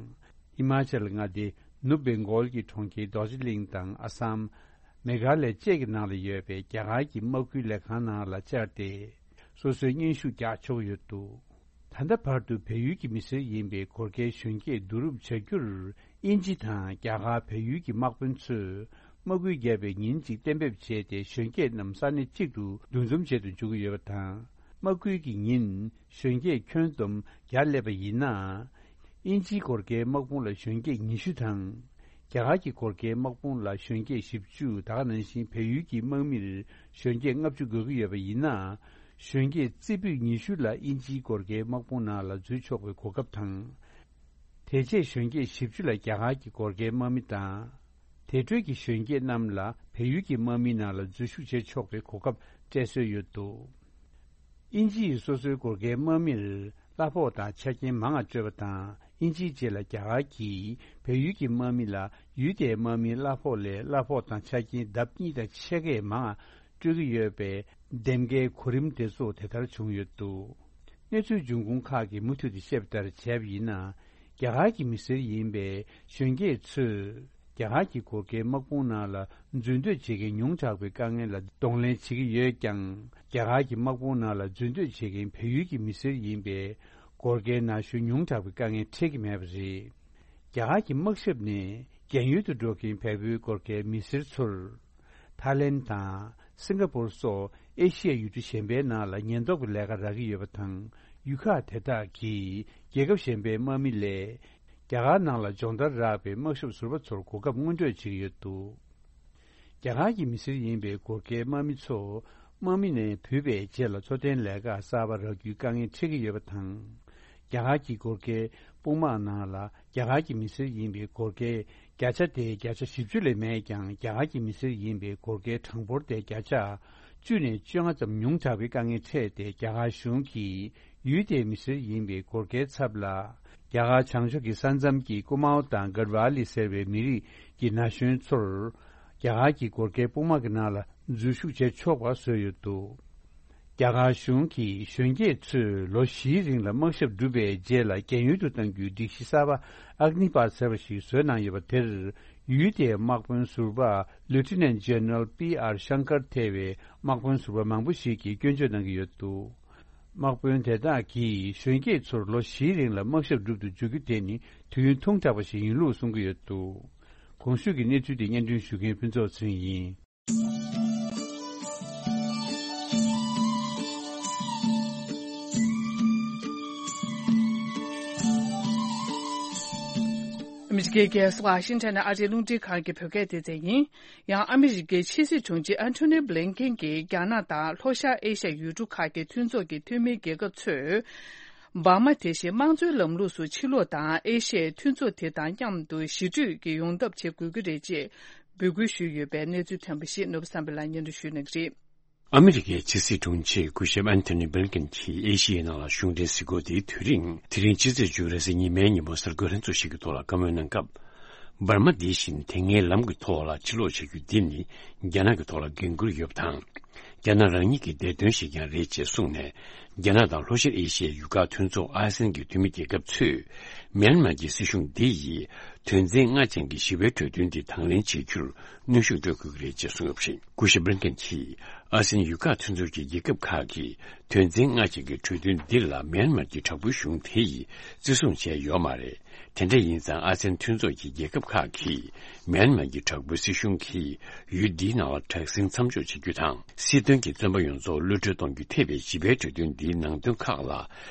ཧི་མ་ཅལ་མངའ་སྡེ་ནུབ་བེང་གོལ་གྱི་གྲོང་ཁྱེར་རྡོ་རྗེ་གླིང་དང་ཨ་སམ། མེ་གྷ་ལ་བཅས་ཀྱི་ནང་ལ་ཡོད་པའི་རྒྱ་གར་གྱི་དམག་ཁུལ་ལས་ཁང་ནང་ལ་བཅར་ཏེ། སོ་སོའི་སྙན་ཞུ་རྒྱག་ཆོག་ཡོད་འདུག་ད་ལྟ་བར་དུ་བལ་ཡུལ་གྱི་མི་སེར་ཡིན་པའི་གོར་ཁའི་གཞོན་སྐྱེས་བསྡུ་རུབ་བྱ་རྒྱུར། དབྱིན་ཇི་དང་རྒྱ་གར་བལ་ཡུལ་གྱི་དམག་དཔོན་ཚོས་དམག་ཁུལ་བརྒྱབ་པའི་ཉིན་གཅིག་གཏན་འབེབས་བྱས་ཏེ། གཞོན་སྐྱེས་རྣམས་ས་གནས་གཅིག་ཏུ་འདུ་འཛོམས་བྱེད་དུ་འཇུག་གི་ཡོད་པ་དང་། དམག་ཁུལ་གྱི་ཉིན་གཞོན་སྐྱེས་ཁྱོན་བསྡོམས་བརྒྱ་སླེབས་པ་ཡིན་ན། དབྱིན་ཇིའི་གོར་ཁའི་དམག་དཔུང་ལ་གཞོན་སྐྱེས་ཉི་ཤུ་དང་། རྒྱ་གར་གྱི་གོར་ཁའི་དམག་དཔུང་ལ་གཞོན་སྐྱེས་བཞི་བཅུ། ད་ག་ནང་བཞིན་བལ་ཡུལ་གྱི་དམག་མིར་གཞོན་སྐྱེས་ལྔ་བཅུ་དགོས་ཀྱི་ཡོད་པ་ཡིན་ན། གཞོན་སྐྱེས་རྩེ་ཕུད་ཉི་ཤུ་ལ་དབྱིན་ཇིའི་གོར་ཁའི་དམག་དཔུང་ནང་ལ་འཛུལ་ཆོག་པའི་གོ་སྐབས་དང་། དེ་རྗེས་གཞོན་སྐྱེས་བཞི་བཅུ་ལ་རྒྱ་གར་གྱི་གོར་ཁའི་དམག་མི་དང་། དེ་འཕྲོས་ཀྱི་གཞོན་སྐྱེས་རྣམས་ལ་བལ་ཡུལ་གྱི་དམག་མིའི་ནང་ལ་འཛུལ་ཞུགས་བྱེད་ཆོག་པའི་གོ་སྐབས་སྤྲད་སྲོལ་ཡོད་འདུག་དབྱིན་ཇི་ཡིས་སོ་སོའི་གོར་ཁའི་དམག་མིར་གླ་ཕོགས་དང་ཆ་རྐྱེན་མང་བ་སྤྲོད་པ་དང་། དབྱིན་ཇིའི་རྗེས་ལ་རྒྱ་གར་གྱིས་བལ་ཡུལ་གྱི་དམག་མི་ལ་ཡུལ་དེའི་དམག་མིའི་གླ་ཕོགས་ལས་གླ་ཕོགས་དང་ཆ་རྐྱེན་ལྡབ་གཉིས་དང་ཕྱེད་ཀས་མང་བ་སྤྲོད་ཀྱི་ཡོད་པའི་འདེམས་ཀའི་གོ་རིམ་དེ་ཚོ་དེ་ལྟར་བྱུང་ཡོད་འདུག་གནས་ཚུལ་འབྱུང་ཁུངས་ཁག་གིས་མུ་མཐུད་དུ་བཤད་པ་ལྟར་བྱས་པ་ཡིན་ན། རྒྱ་གར་གྱི་མི་སེར་ཡིན་པའི་གཞོན་སྐྱེས་ཚོས་རྒྱ་གར་གྱི་གོར་ཁའི་དམག་དཔུང་ནང་ལ་འཛུལ་འདོད་བྱེད་མཁན་ཉུང་དྲགས་པའི་དཀའ་ངལ་ལ་གདོང་ལེན་བྱེད་ཀྱི་ཡོད་ཀྱང་། རྒྱ་གར་གྱི་དམག་དཔུང་ནང་ལ་འཛུལ་འདོད་བྱེད་མཁན་བལ་ཡུལ་གྱི་མི་སེར་ཡིན་པའི་གོར་ཁའི་ན་གཞོན་ཉུང་དྲགས་པའི་དཀའ་ངལ་འཕྲད་ཀྱི་མེད་པ་རེད། རྒྱ་གར་གྱི་དམག་ཞབས་ནས་རྒན་ཡོལ་དུ་འགྲོ་མཁན་བལ་པོའི་གོར་ཁའི་མི་སེར་ཚོར། ཐའི་ལེན་དང་སིང་ག་པུར་སོགས་ཨེ་ཤི་ཡ་ཡུལ་གྲུ་གཞན་པའི་ནང་ལ་ཉེན་རྟོག་གི་ལས་ཀ་རག་གི་ཡོད་པ་དང་། ཡུལ་ཁག་དེ་དག་གིས་རྒྱལ་ཁབ་གཞན་པའི་དམག་མི་ལས་རྒྱ་གར་ནང་ལ་སྦྱོང་བརྡར་རག་པའི་དམག་ཞབས་ཟུར་པ་ཚོར་གོ་སྐབས་སྔོན་སྤྲོད་བྱེད་ཀྱི་ཡོད་འདུག་རྒྱ་གར་གྱི་མི་སེར་ཡིན་པའི་གོར་ཁའི་དམག་མི་ཚོ་དམག་མི་ནས་བུད་པའི་རྗེས་ལ་འཚོ་རྟེན་ལས་ཀ་གསར་པ་རག་རྒྱུའི་དཀའ་ངལ་འཕྲད་ཀྱི་ཡོད་པ་དང་། རྒྱ་གར་གྱི་གོར་ཁའི་དཔུང་དམག་ནང་ལ་རྒྱ་གར་གྱི་མི་སེར་ཡིན་པའི་གོར་ཁའི་བརྒྱ་ཆ་དེའི་བརྒྱ་ཆ་བཞི་བཅུ་ལས་མེད་ཀྱང་། རྒྱ་གར་གྱི་མི་སེར་ཡིན་པའི་གོར་ཁའི་གྲངས་འབོར་དེ་བརྒྱ་ཆ་བཅུ་ནས་བཅོ་ལྔ་ཙམ་ཉུང་དྲགས་པའི་དཀའ་ངལ་འཕྲད་དེ། རྒྱ་གར་གཞུང་གིས་ཡུལ་དེའི་མི་སེར་ཡིན་པའི་གོར་ཁའི་ཚབ་ལ། རྒྱ་གར་བྱང་ཕྱོགས་ཀྱི་ས་མཚམས་ཀྱི་ཀུ་མའོ་དང་གར་ཝ་ལི་ཟེར་བའི་མི་རིགས་ཀྱི་ན་གཞོན་ཚོར། རྒྱ་གར་གྱི་གོར་ཁའི་དཔུང་དམག་གི་ནང་ལ་འཛུལ་ཞུགས་བྱེད་ཆོག་པ་བཟོས་ཡོད་འདུག་རྒྱ་གར་གཞུང་གིས་གཞོན་སྐྱེས་ཚོས་ལོ་བཞིའི་རིང་ལ་དམག་ཞབས་བསྒྲུབས་པའི་རྗེས་ལ་རྒན་ཡོལ་དུ་གཏང་རྒྱུའི་སྒྲིག་གཞི་གསར་པ་ཨག་ནི་པཱཐ་ཟེར་བ་ཞིག་བཟོས་གནང་ཡོད་པ་དེར། ཡུལ་དེའི་དམག་དཔོན་ཟུར་པ་Lieutenant General P R Shankar ཐེ་བའི་དམག་དཔོན་ཟུར་པ་མང་པོ་ཞིག་གིས་སྐྱོན་བརྗོད་གནང་གི་ཡོད་འདུག་དམག་དཔོན་དེ་དག་གིས་གཞོན་སྐྱེས་ཚོར་ལོ་བཞིའི་རིང་ལ་དམག་ཞབས་སྒྲུབ་ཏུ་འཇུག་རྒྱུ་དེ་ནི་དུས་ཡུན་ཐུང་དྲགས་པ་ཞིག་ཡིན་ལུགས་གསུང་གི་ཡོད་འདུག་གོང་ཞུས་ཀྱི་གནས་ཚུལ་དེ་སྙན་སྒྲོན་ཞུ་མཁན་ཕུན་ཚོགས་ཚེ་རིང་ཡིན། ཨ་མི་རི་ཀའི་རྒྱལ་ས་ཝ་ཤིང་ཊོན་ནས་ཨ་རིའི་རླུང་འཕྲིན་ཁང་གི་བོད་སྐད་སྡེ་ཚན་ཡིན། ཡང་ཨ་མི་རི་ཀའི་ཕྱི་སྲིད་དྲུང་ཆེ་ཨན་ཐོ་ནི་བྷི་ལིན་ཀེན་གྱིས་རྒྱ་ནག་དང་ལྷོ་ཤར་ཨེ་ཤ་ཡའི་ཡུལ་གྲུ་ཁག་གི་མཐུན་ཚོགས་ཀྱི་འཐུས་མིའི་རྒྱལ་ཁབ་ཚོས། འབར་མ་དེ་བཞིན་དམངས་གཙོའི་ལམ་ལུགས་སུ་ཕྱིར་ལོག་དང་། ཨེ་ཤ་ཡའི་མཐུན་ཚོགས་དེ་དང་མཉམ་དུ་ཞི་གྲོས་ཀྱི་ཡོང་ཐབས་བྱེད་དགོས་ཀྱི་རེད་ཅེས་འབོད་སྐུལ་ཞུས་ཡོད་པའི་གནས་ཚུལ་ཐོན་པ་ཞིག་ནོར་བུ་བསམ་འཕེལ་ལགས་སྙན་སྒྲོན་ཞུ་གནང་གི་རེད། ཨ་མི་རི་ཀའི་ཕྱི་སྲིད་དྲུང་ཆེ་སྐུ་ཞབས་ཨན་ཐོ་ནི་བྷི་ལིན་ཀེན་གྱིས་ཨེ་ཤི་ཡའི་ནང་ལ་གཞུང་འབྲེལ་གཟིགས་སྐོར་དེའི་དུས་རིང་། དེ་རིང་ཕྱི་ཚེས་བཅུ་རེས་གཟའ་ཉི་མའི་ཉིན་མོ་གཟའ་འཁོར་ལྷན་ཚོགས་ཤིག་གི་ཐོག་ལ་བཀའ་མོལ་གནང་སྐབས། འབར་མ་འདི་བཞིན་དེ་སྔའི་ལམ་གྱི་ཐོག་ལ་ཕྱིར་ལོག་བྱ་རྒྱུ་འདི་ནི་རྒྱ་ནག་གི་ཐོག་ལ་འགན་འཁུར་ཡོད་པ་དང་། རྒྱ་ནག་རང་ཉིད་ཀྱི་བདེ་དོན་ཞིག་ཀྱང་རེད་ཅེས་གསུངས་ནས། རྒྱ་ནག་དང་ལྷོ་ཤར་ཨེ་ཤི་ཡའི་ཡུལ་ཁག་མཐུན་ཚོགས་ཨ་སེན་གྱི་འཐུས་མི་རྒྱལ་ཁབ་ཚོས། མྱན་མར་གྱི་སྲིད་གཞུང་འདི་ཡིས་ དོན་ཚན་ལྔ་ཅན་གྱི་ཞི་བའི་གྲོས་མཐུན་དེ་དང་ལེན་བྱེད་རྒྱུར་གནོན་ཤུགས་སྤྲོད་དགོས་ཀྱི་རེད་ཅེས་གསུངས་ཡོད་པ་རེད། སྐུ་ཞབས་བྷི་ལིན་ཀེན་གྱིས་ཨ་སེན་ཡུལ་ཁག་མཐུན་ཚོགས་ཀྱི་རྒྱལ་ཁབ་ཁག་གིས་དོན་ཚན་ལྔ་ཅན་གྱི་གྲོས་མཐུན་འདི་ལ་མིའན་མར་གྱི་དྲག་པོའི་གཞུང་དེ་ཡིས་བརྩི་སྲུང་བྱས་ཡོད་མ་རེད། དེ་འདྲ་ཡིན་ཙང་ཨ་སེན་མཐུན་ཚོགས་ཀྱི་རྒྱལ་ཁབ་ཁག་གིས་མིའན་མར་གྱི་དྲག་པོའི་སྲིད་གཞུང་གིས་ཡུལ་འདིའི་ནང་ལ་དྲག་ཟིང་མཚམས་འཇོག་བྱེད་རྒྱུ་དང་། སྲིད་དོན་གྱི་བཙོན་པ་ཡོངས་རྫོགས་གློད་གྲོལ་གཏོང་རྒྱུ་ཐེ་བའི་ཞི་བའི་གྲོས་མཐུན་འདིའི་ནང་དོན་ཁག་ལ།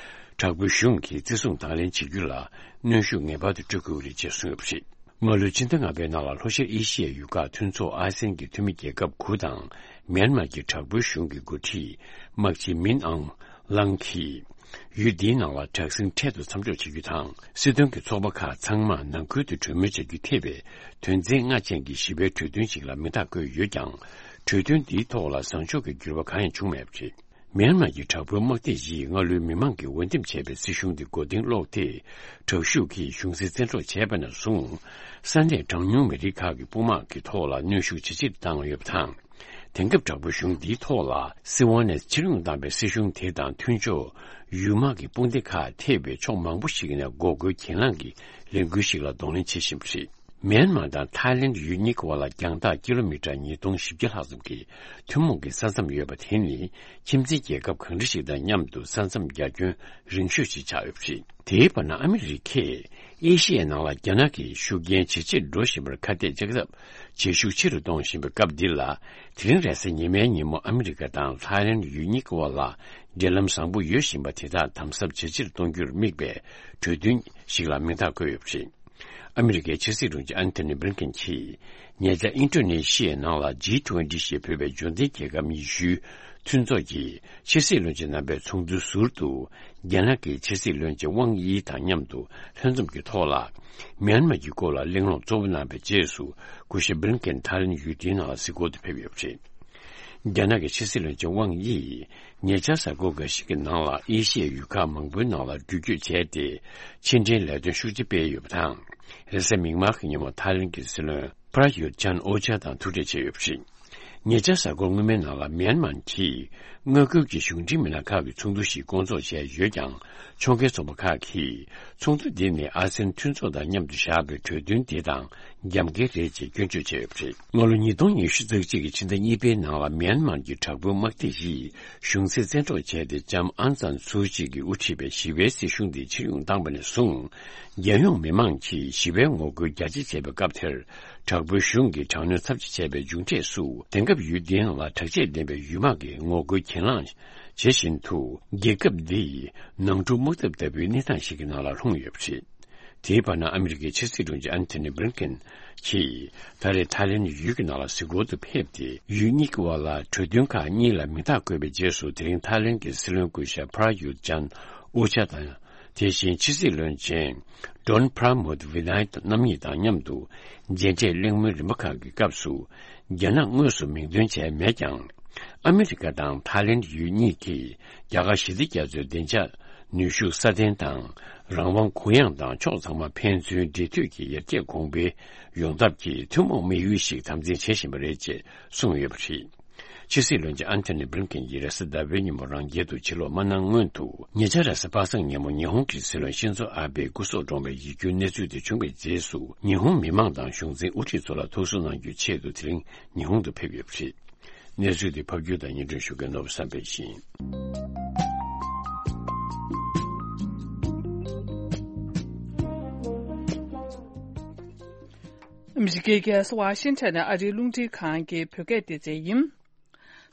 དྲག་པོའི་གཞུང་གིས་བརྩི་སྲུང་དང་ལེན་བྱེད་རྒྱུ་ལ་གནོན་ཤུགས་ངེས་པར་དུ་སྤྲོད་དགོས་ཀྱི་རེད་ཅེས་གསུངས་ཡོད་པ་རེད། སྔ་ལོའི་ཕྱི་ཟླ་ལྔ་པའི་ནང་ལ་ལྷོ་ཤར་ཨེ་ཤི་ཡའི་ཡུལ་ཁག་མཐུན་ཚོགས་ཨ་སེན་གྱི་འཐུས་མི་རྒྱལ་ཁབ་དགུ་དང་། མིའན་མར་གྱི་དྲག་པོའི་གཞུང་གི་འགོ་ཁྲིད་དམག་སྤྱི་མིན་ཨང་ལང་གིས། ཡུལ་འདིའི་ནང་ལ་དྲག་ཟིང་འཕྲལ་དུ་མཚམས་འཇོག་བྱེད་རྒྱུ་དང་། སྲིད་དོན་གྱི་ཚོགས་པ་ཁག་ཚང་མ་ནང་ཁུལ་དུ་གྲོས་མོལ་བྱ་རྒྱུ་ཐེ་བའི་དོན་ཚན་ལྔ་ཅན་གྱི་ཞི་བའི་གྲོས་མཐུན་ཞིག་ལ་མིང་རྟགས་བཀོད་ཡོད་ཀྱང་། གྲོས་མཐུན་འདིའི་ཐོག་ལ་བཟང་ཕྱོགས་ཀྱི་འགྱུར་བ་གང་ཡང་བྱུང་མེད་པ་རེད། མིའན་མར་གྱི་དྲག་པོའི་དམག་སྡེ་བཞིས་སྔ་ལོའི་མི་མང་གིས་འོས་འདེམས་བྱས་པའི་སྲིད་གཞུང་དེ་མགོ་རྟིང་སློག་སྟེ། དྲག་ཤུགས་ཀྱིས་གཞུང་འཛིན་བཙན་འཕྲོག་བྱས་པ་ནས་བཟུང་། ས་གནས་གྲངས་ཉུང་མི་རིགས་ཁག་གི་དཔུང་དམག་གི་ཐོག་ལ་གནོན་ཤུགས་ཇེ་ཆེར་བཏང་ཡོད་པ་དང་། དེང་སྐབས་དྲག་པོའི་གཞུང་འདིའི་ཐོག་ལ་སྲིད་དབང་ནས་ཕྱིར་ཡོང་བཏང་བའི་སྲིད་གཞུང་དེ་དང་མཐུན་ཕྱོགས་ཡུལ་དམག་གི་དཔུང་སྡེ་ཁག་ཐེ་བའི་ཕྱོགས་མང་པོ་ཞིག་ནས་འགོག་རྒོལ་གྱེན་ལངས་ཀྱི་ལས་འགུལ་ཞིག་ལ་གདོང་ལེན་བྱེད་བཞིན་པ་རེད། མིའན་མར་དང་ཐའི་ལེན་ཡུལ་གཉིས་ཀྱི་དབར་ལ་རྒྱང་ཐག་ཀི་ལོ་མི་ཊར་ཉིས་སྟོང་བཞི་བརྒྱ་ལྷག་ཙམ་གྱི་ཐུན་མོང་གི་ས་མཚམས་ཡོད་པ་དེ་ནི་ཁྱིམ་མཚེས་རྒྱལ་ཁབ་གང་འདྲ་ཞིག་དང་མཉམ་དུ་ས་མཚམས་རྒྱ་ཁྱོན་རིང་ཤོས་ཤིག་ཆགས་ཡོད་པ་རེད། དེའི་བར་ན་ཨ་མི་རི་ཀས་ཨེ་ཤི་ཡའི་ནང་ལ་རྒྱ་ནག་གི་ཤུགས་རྐྱེན་ཇེ་ཆེར་འགྲོ་བཞིན་པར་ཁ་གཏད་གཅོག་ཐབས་བྱེད་ཤུགས་ཆེ་རུ་གཏོང་བཞིན་པའི་སྐབས་འདི་ལ། དེ་རིང་རེས་གཟའ་ཉི་མའི་ཉིན་མོ་ཨ་མི་རི་ཀ་དང་ཐའི་ལེན་ཡུལ་གཉིས་ཀྱི་དབར་ལ་འབྲེལ་ལམ་བཟང་པོ་ཡོད་བཞིན་པ་དེ་དག་དམ་ཟབ་ཇེ་ཆེར་གཏོང་རྒྱུར་དམིགས་པའི་གྲོས་མཐུན་ཞིག་ལ་མིང་རྟགས་བཀོད་ཡོད་པ་རེད། ཨ་མི་རི་ཀའི་ཕྱི་སྲིད་དྲུང་ཆེ་ཨན་ཐོ་ནི་བྷི་ལིན་ཀེན་གྱིས་ཉེ་ཆར་ཨིན་ཌོ་ནེ་ཤི་ཡའི་ནང་ལ་ཇི་ཊུ་ཝེན་ཊི་ཞེས་འབོད་པའི་འབྱོར་ལྡན་རྒྱལ་ཁབ་ཉི་ཤུའི་མཐུན་ཚོགས་ཀྱི་ཕྱི་སྲིད་བློན་ཆེན་རྣམ་པའི་ཚོགས་འདུའི་ཟུར་དུ། རྒྱ་ནག་གི་ཕྱི་སྲིད་བློན་ཆེན་ཝང་དབྱི་དང་མཉམ་དུ་ལྷན་འཛོམས་ཀྱི་ཐོག་ལ། མིའན་མར་གྱི་སྐོར་ལ་གླེང་སློང་གཙོ་བོ་གནང་བའི་རྗེས་སུ། སྐུ་ཞབས་བྷི་ལིན་ཀེན་ཐའི་ལེན་ཡུལ་དེའི་ནང་ལ་གཟིགས་སྐོར་དུ་ཕེབས་ཡོད་པ་རེད། རྒྱ་ནག་གི་ཕྱི་སྲིད་བློན་ཆེན་ཝང་དབྱི་ཡིས་ཉེ་ཆར་གཟའ་འཁོར་འགའ་ཤས་ཀྱི་ནང་ལ་ཨེ་ཤི་ཡའི་ཡུལ་ཁག་མང་པོའི་ནང་ལ་འགྲུལ་སྐྱོད་བྱས་ཏེ། ཕྱི་འབྲེལ་ལས་དོན་ཤུགས་ཆེ་སྤེལ་ཡོད་པ་དང་། རེས་གཟའ་མིག་དམར་གྱི་ཉིན་མོ་ཐའི་ལེན་གྱི་སྲིད་བློན་པྲ་ཡུད་ཅན་ཨོ་ཅཱ་དང་ཐུག་འཕྲད་བྱས་ཡོད་པ་རེད། ཉེ་ཆར་གཟའ་འཁོར་སྔོན་མའི་ནང་ལ་མིའན་མཱར་གྱིས་མངའ་ཁུལ་གྱི་གཞུང་འབྲེལ་མི་སྣ་ཁག་གི་ཚོགས་འདུ་ཞིག་བསྐོང་ཚོགས་བྱས་ཡོད་ཀྱང་། ཕྱོགས་འགལ་ཚོགས་པ་ཁག་གིས་ཚོགས་འདུ་འདི་ནི་ཨ་སེན་མཐུན་ཚོགས་དང་མཉམ་དུ་བཞག་པའི་གྲོས་མཐུན་འདི་དང་རྒྱབ་འགལ་རེད་ཅེས་སྐྱོན་བརྗོད་བྱས་ཡོད་པ་རེད། སྔ་ལོ་ཉིས་སྟོང་ཉི་ཤུ་རྩ་གཅིག་གི་ཕྱི་ཟླ་གཉིས་པའི་ནང་ལ་མིའན་མཱར་གྱི་དྲག་པོའི་དམག་སྡེ་ཡིས་གཞུང་འཛིན་བཙན་འཕྲོག་བྱས་ཏེ། ལྕམ་ཨང་སན་སུའུ་ཅི་གིས་དབུ་ཁྲིད་པའི་ཞི་བའི་སྲིད་གཞུང་འདི་ཕྱིར་ཡོང་བཏང་བ་ནས་བཟུང་། རྒྱལ་ཡོངས་མི་མང་གིས་ཞི་བའི་ངོ་རྒོལ་རྒྱ་ཆེ་བྱས་པའི་སྐབས་དེར། དྲག་པོའི་གཞུང་གིས་དྲག་གནོན་ཚབས་ཆེ་བྱས་པའི་མཇུག་འབྲས་སུ། དེང་སྐབས་ཡུལ་འདིའི་ནང་ལ་དྲག་ཆས་ལྡན་པའི་ཡུལ་དམག་གིས་ངོ་རྒོལ་གྱེན་ལངས་བྱེད་བཞིན་དུ། རྒྱལ་ཁབ་འདི་ནང་འཁྲུག་དམག་འཐབ་ལྟ་བུའི་གནས་སྟངས་ཤིག་གི་ནང་ལ་ལྷུང་ཡོད་པ་རེད། དེའི་བར་ན་ཨ་མི་རི་ཀའི་ཕྱི་སྲིད་དྲུང་ཆེ་ཨན་ཐོ་ནི་བྷི་ལིན་ཀེན་གྱིས་ད་རེས་ཐའི་ལེན་ཡུལ་གྱི་ནང་ལ་གཟིགས་སྐོར་དུ་ཕེབས་ཏེ། ཡུལ་གཉིས་ཀྱི་དབར་ལ་གྲོས་མཐུན་ཁག་གཉིས་ལ་མིང་རྟགས་བཀོད་པའི་རྗེས་སུ། དེ་རིང་ཐའི་ལེན་གྱི་སྲིད་བློན་སྐུ་ཞབས་པྲ་ཡུད་ཅན་ཨོ་ཅཱ་དང་། དེ་བཞིན་ཕྱི་སྲིད་བློན་ཆེན་ཌོན་པྲ་མོད་ཝི་ནཱི་རྣམ་གཉིས་དང་མཉམ་དུ་མཇལ་འཕྲད་གླེང་མོལ་རིམ་པ་ཁག་གི་སྐབས་སུ། རྒྱ་ནག་དངོས་སུ་མིང་འདོན་བྱས་མེད་ཀྱང་། ཨ་མི་རི་ཀ་དང་ཐའི་ལེན་ཡུལ་གཉིས་ཀྱིས་རྒྱ་གར་ཞི་བདེ་རྒྱ་མཚོའི་བདེ་འཇགས་ནུས་ཤུགས་སྲ་བརྟན་དང་། རང་དབང་གུ་ཡངས་དང་ཕྱོགས་ཚང་མ་ཕན་ཚུན་འབྲེལ་མཐུད་ཀྱིས་ཡར་རྒྱས་གོང་འཕེལ་ཡོང་ཐབས་ཀྱི་ཐུན་མོང་དམིགས་ཡུལ་ཞིག་དམ་འཛིན་བྱེད་བཞིན་པ་རེད་ཅེས་གསུངས་ཡོད་པ་རེད། ཕྱི་སྲིད་བློན་ཆེན་ཨན་ཐོ་ནི་བྷི་ལིན་ཀེན་གྱིས་རེས་གཟའ་ཟླ་བའི་ཉིན་མོ་རང་རྒྱལ་དུ་ཕྱིར་ལོག་མ་གནང་སྔོན་དུ། ཉེ་ཆར་རེས་གཟའ་པ་སངས་ཉིན་མོ་ཉི་ཧོང་གི་སྲིད་བློན་ཤིན་ཛོ་ཨ་བྷེ་སྐུ་སྲོག་བཀྲོངས་པའི་ཡིད་སྐྱོའི་གནས་ཚུལ་དེ་བྱུང་བའི་རྗེས་སུ། ཉི་ཧོང་མི་མང་དང་གཞུང་འཛིན་དབུ་ཁྲིད་ཚོ་ལ་ཐུགས་གསོ་གནང་རྒྱུའི་ཆེད་དུ་དེ་རིང་ཉི་ཧོང་དུ་ཕེབས་ཡོད་པ་རེད། གནས་ཚུལ་དེ་ཕབ་སྒྱུར་དང་སྙན་སྒྲོན་ཞུ་མཁན་ནོར་བུ་བསམ་འཕེལ་ཡིན། ཨ་མི་རི་ཀའི་རྒྱལ་ས་ཝ་ཤིང་ཊོན་ནས་ཨ་རིའི་རླུང་འཕྲིན་ཁང་གི་བོད་སྐད་སྡེ་ཚན་ཡིན།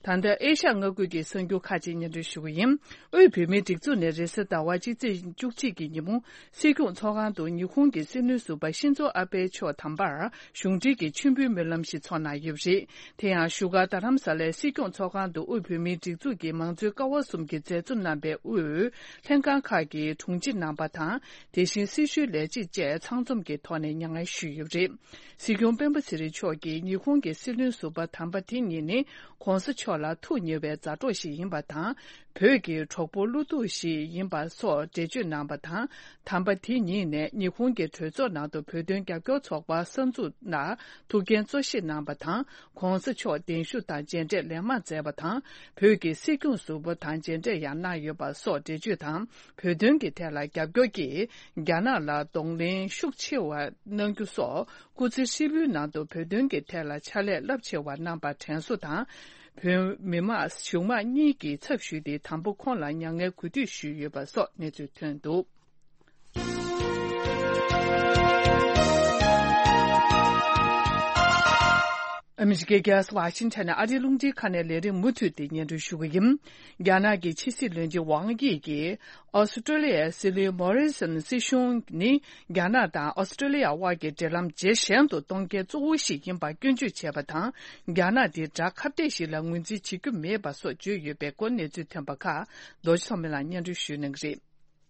ད་ལྟ་ཨེ་ཤ་ཡ་མངའ་ཁུལ་གྱི་གསར་འགྱུར་ཁག་ཅིག་སྙན་སྒྲོན་ཞུ་གི་ཡིན། དབུས་བོད་མིའི་སྒྲིག་འཛུགས་ནས་རེས་གཟའ་ཟླ་བ་སྤྱི་ཚེས་བཅུ་གཅིག་གི་ཉིན་མོ། སྲིད་སྐྱོང་ཚོགས་ཁང་དུ་ཉི་ཧོང་གི་སྲིད་བློན་ཟུར་པ་ཤིན་ཛོ་ཨ་པེ་མཆོག་དམ་པར་གཞུང་འབྲེལ་གྱི་མཆོད་འབུལ་སྨོན་ལམ་ཞིག་ཚོགས་གནང་ཡོད་པ་རེད། དེ་ཡང་བཞུགས་སྒར་རྡ་རམ་ས་ལའི་སྲིད་སྐྱོང་ཚོགས་ཁང་དུ་དབུས་བོད་མིའི་སྒྲིག་འཛུགས་ཀྱི་མང་གཙོའི་ཀ་བ་གསུམ་གྱི་མཛད་གཙོ་རྣམ་པས་དབུས་ལྷན་ཁང་ཁག་གི་དྲུང་ཆེ་རྣམ་པ་དང་། དེ་བཞིན་སྲི་ཞུའི་ལས་བྱེད་བཅས་ཚང་འཛོམས་ཀྱི་ཐོག་ནས་མྱ་ངན་ཞུས་ཡོད་པ་རེད། སྲིད་སྐྱོང་སྤེན་པ་ཚེ་རིང་མཆོག་གིས་ཉི་ཧོང་གི་སྲིད་བློན་ཟུར་པ་དམ་པ་དེ་གཉིས་ནི་༧གོང་ས་མཆོག་ ལ་ཐུགས་ཉེ་བའི་མཛའ་གྲོགས་ཤིག་ཡིན་པ་དང་། བོད་ཀྱི་གྲོགས་པོ་བློ་ཐུག་ཞིག་ཡིན་པ་སོགས་འགྲེལ་བརྗོད་གནང་བ་དང་། དམ་པ་དེ་ཉིད་ནས་ཉི་ཧོང་གི་གྲོས་ཚོགས་ནང་དུ་བོད་དོན་རྒྱབ་སྐྱོར་ཚོགས་པ་གསར་འཛུགས་ལ་ཐུགས་འགན་གཙོ་བཞེས་གནང་བ་དང་། ྋགོང་ས་མཆོག་གདན་ཞུ་དང་མཇལ་འཕྲད་ལན་མང་མཛད་པ་དང་། བོད་ཀྱི་སྲིད་སྐྱོང་ཟུར་པ་དང་མཇལ་འཕྲད་ཡང་གནང་ཡོད་པ་སོགས་འགྲེལ་བརྗོད་དང་། བོད་དོན་གྱི་ཐད་ལ་རྒྱབ་སྐྱོར་གྱིས་རྒྱ་ནག་ལ་གདོང་ལེན་ཤུགས་ཆེ་བ་གནང་རྒྱུ་སོགས། སྐུ་ཚེ་ཧྲིལ་པོའི་ནང་དུ་བོད་དོན་གྱི་ཐད་ལ་ཕྱག་ལས་རླབས་ཆེ་བ་གནང་པར་དྲན་གསོ་དང་། བོད་མི་མང་གཞུང་མང་གཉིས་ཀྱི་ཚབ་ཞུས་ཏེ། དང་པོ་ཁོང་ལ་མྱ་ངན་གུས་འདུད་ཞུས་ཡོད་པ་སོགས་གནས་ཚུལ་ཐོན་འདུག། ཨ་མི་རི་ཀའི་རྒྱལ་ས་ཝ་ཤིང་ཊོན་ནས་ཨ་རིའི་རླུང་འཕྲིན་ཁང་ནས་ལས་རིམ་མུ་མཐུད་དེ་སྙན་སྒྲོན་ཞུ་གི་ཡིན། རྒྱ་ནག་གི་ཕྱི་སྲིད་བློན་ཆེན་ཝང་དབྱི་གིས། ཨོ་སི་ཀྲོ་ལི་ཡའི་སྲིད་བློན་མོ་རི་སོན་སྲིད་གཞུང་ནི། རྒྱ་ནག་དང་ཨོ་སི་ཀྲོ་ལི་ཡ་དབར་གྱི་འབྲེལ་ལམ་ཇེ་ཞན་དུ་གཏོང་མཁན་གཙོ་བོ་ཞིག་ཡིན་པར་སྐྱོན་བརྗོད་བྱས་པ་དང་། རྒྱ་ནག་འདི་དགྲ་ཁ་གཏད་ཞིག་ལ་ངོས་འཛིན་བྱེད་རྒྱུ་མེད་པ་སོགས་བརྗོད་ཡོད་པའི་སྐོར་གནས་ཚུལ་ཐོན་པ་ཁག་རྡོ་རྗེ་ཚང་མེ་ལགས་སྙན་སྒྲོན་ཞུ་གནང་གི་རེད།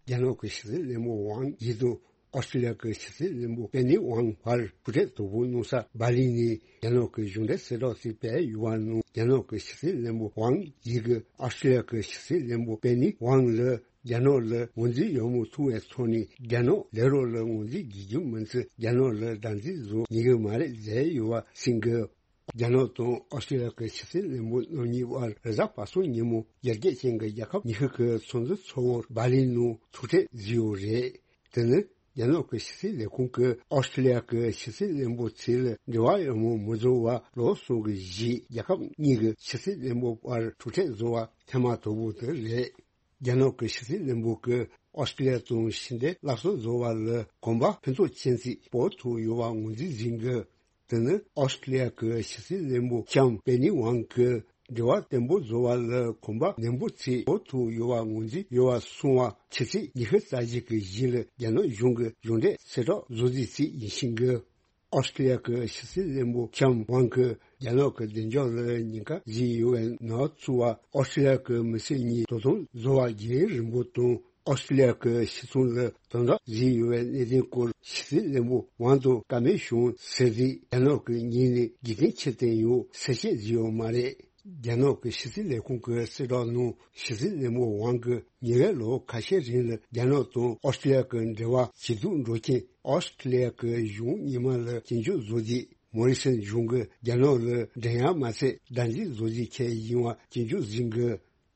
རྒྱ་ནག་གི་ཕྱི་སྲིད་བློན་པོ་ཝང་དབྱི་དང་ཨོ་སི་ཀྲོ་ལི་ཡ་གི་ཕྱི་སྲིད་བློན་པོ་པེ་ནི་ཝང་བར་ཐུག་འཕྲད་དོ་པོ་གནང་ས་སྦ་ལི་ནས་རྒྱ་ནག་གི་གཞུང་འབྲེལ་གསལ་བསྒྲགས་ཤིག་སྤེལ་ཡོད་པ་ནང་། རྒྱ་ནག་གི་ཕྱི་སྲིད་བློན་པོ་ཝང་དབྱི་གིས་ཨོ་སི་ཀྲོ་ལི་ཡ་གི་ཕྱི་སྲིད་བློན་པོ་པེ་ནི་ཝང་ལ། རྒྱ་ནག་ལ་ངོས་འཛིན་ཡག་མོ་ཐུབ་པའི་ཐོག་ནས་རྒྱ་ནག་ལས་རོགས་ལ་ངོས་འཛིན་བགྱིད་རྒྱུ་མིན་ཚེ། རྒྱ་ནག་ལ་བདག་འཛིན་བཟོ་ཉན་གི་མ་རེད་ཟེར་ཡོད་པ་གསུངས་གི། རྒྱ་ནག་དང་ཨོ་སི་ཀྲོ་ལི་ཡ་གི་ཕྱི་སྲིད་བློན་པོ་རྣམ་གཉིས་བར་རེས་གཟའ་པ་སངས་ཉིན་མོ་ཡར་རྒྱས་ཅན་གྱི་རྒྱལ་ཁབ་ཉི་ཤུ་གི་ཚོགས་འདུ་ཚོགས་པར་སྦ་ལི་ནང་ཐུག་འཕྲད་བྱས་ཡོད་རེད། དེ་ནི་རྒྱ་ནག་གི་ཕྱི་སྲིད་ལས་ཁུངས་ཀྱིས་ཨོ་སི་ཀྲོ་ལི་ཡ་གི་ཕྱི་སྲིད་བློན་པོ་ཚོ་ལ་འབྲེལ་བ་ཡག་མོ་མི་བཟོ་བར་ལོ་གསུམ་གྱི་རྗེས་རྒྱལ་ཁབ་གཉིས་ཀྱི་ཕྱི་སྲིད་བློན་པོ་བར་ཐུག་འཕྲད་བཟོ་བ་ཐེངས་མ་དང་པོ་དེ་རེད། རྒྱ་ནག་གི་ཕྱི་སྲིད་བློན་པོ་གིས་ཨོ་སི་ཀྲོ་ལི་ཡ་དང་ཕྱི་འབྲེལ་སླར་གསོ་བཟོ་བ་ལ་གོམ་པ་ཕུན་ཚོགས་ཅན་ཞིག་སྤོ་ཐུབ་ཡོད་པ་ངོས་འཛིན་བྱེད་ཀྱི། དེ་ནི་ཨོ་སི་ཀྲོ་ལི་ཡ་གི་ཕྱི་སྲིད་བློན་པོ་ལྕམ་པེ་ནི་ཝང་གིས་འབྲེལ་བ་བརྟན་པོ་བཟོ་བ་ལ་གོམ་པ་ནན་པོ་ཞིག་སྤོ་ཐུབ་ཡོད་པ་ངོས་འཛིན་ཡོད་པ་གསུངས་པ་ཕྱི་ཚེས་ཉི་ཤུ་རྩ་གཅིག་གི་གཞུག་ལ་རྒྱ་ནག་གཞུང་གི་གཞུང་འབྲེལ་གསལ་བསྒྲགས་བཟོ་རྩིས་ཤིག་ཡིན་ཞིང་གི། ཨོ་སི་ཀྲོ་ལི་ཡ་གི་ཕྱི་སྲིད་བློན་པོ་ལྕམ་ཝང་གིས་རྒྱ་ནག་གི་བདེ་འཇགས་ལ་ཉེན་ཁ་བྱུང་ཡོད་པའི་གནས་ཚུལ་བ། ཨོ་སི་ཀྲོ་ལི་ཡ་གི་མི་སེར་གཉིས་དོ་དམ་བཟོ་བ་རྒྱུན་རིང་པོ་དང་། ཨོ་སི་ཀྲོ་ལི་ཡ་གི་སྤྱི་ཚོགས་ལ་དམ་དྲག་བྱུང་ཡོད་པའི་གནད་དོན་སྐོར་ཕྱི་སྲིད་བློན་པོ་ཝང་དང་བཀའ་མོལ་བྱུང་ཟེར་དུས། རྒྱ་ནག་གི་ངོས་ནས་རྒྱུ་མཚན་ཅི་བསྟན་ཡོད་གསལ་བཤད་བྱས་ཡོད་མ་རེད། རྒྱ་ནག་གི་ཕྱི་སྲིད་ལས་ཁུངས་ཀྱི་གསལ་བསྒྲགས་ནང་ཕྱི་སྲིད་བློན་པོ་ཝང་གིས་ཉེ་བའི་ལོ་ཁ་ཤས་རིང་ལ་རྒྱ་ནག་དང་ཨོ་སི་ཀྲོ་ལི་ཡ་གི་འབྲེལ་བ་ཇེ་སྡུག་འགྲོ་རྐྱེན་ཨོ་སི་ཀྲོ་ལི་ཡ་གི་གཞུང་གཉིས་མ་ལ་སྐྱོན་བརྗོད་བཟོ་རྒྱུ། མོ་རི་སོན་གཞུང་གིས་རྒྱ་ནག་ལ་འགྲན་ཡག་མ་ཟད་བདག་འཛིན་བཟོ་རྒྱུ་བྱས་ཡིན་པ་སྐྱོན་བརྗོད་བྱེད་ཀྱི།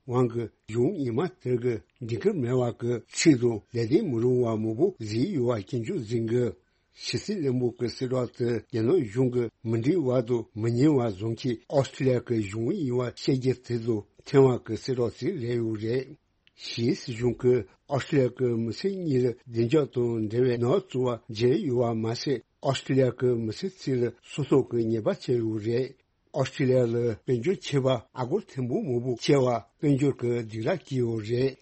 ཝང་གིས་གཞུང་གཉིས་མ་དེ་གི་འགྲིག་གི་མེད་པ་གི་ཚིག་དང་ལས་དོན་མི་རུང་བ་མང་པོ་བྱས་ཡོད་པ་སྐྱོན་བརྗོད་བྱེད་ཀྱི། ཕྱི་སྲིད་བློན་པོ་གི་གསལ་བསྒྲགས་དེ་རྒྱ་ནག་གཞུང་གིས་མི་འགྲིག་པ་དང་མི་ཉན་པ་བཟོ་མཁན་ཨོ་སི་ཀྲོ་ལི་ཡ་གི་གཞུང་ཡིན་པ་བཤད་རྒྱུ་དེ་དང་འཚམ་པ་གི་གསལ་བསྒྲགས་ཤིག་རེད་ཡོད་རེད། ཕྱིའི་སྲིད་གཞུང་གིས་ཨོ་སི་ཀྲོ་ལི་ཡ་གི་མི་སེར་གཉིས་ལ་བདེ་འཇགས་དང་འབྲེལ་བའི་གནས་ཚུལ་བ་བརྗེས་ཡོད་པ་མ་ཟད། ཨོ་སི་ཀྲོ་ལི་ཡ་གི་མི་སེར་ཚོ་ལ་སོ་སོ་གི་ཉེས་པ་བཅད་ཡོད་རེད། ཨོ་སི་ཀྲོ་ལི་ཡ་ལ་དཔལ་འབྱོར་ཆད་པ་ཨ་སྒོར་ཐེར་འབུམ་མང་པོ་ཆད་པ་དཔལ་འབྱོར་གྱི་སྡིགས་ར་བསྐྱལ་ཡོད་རེད།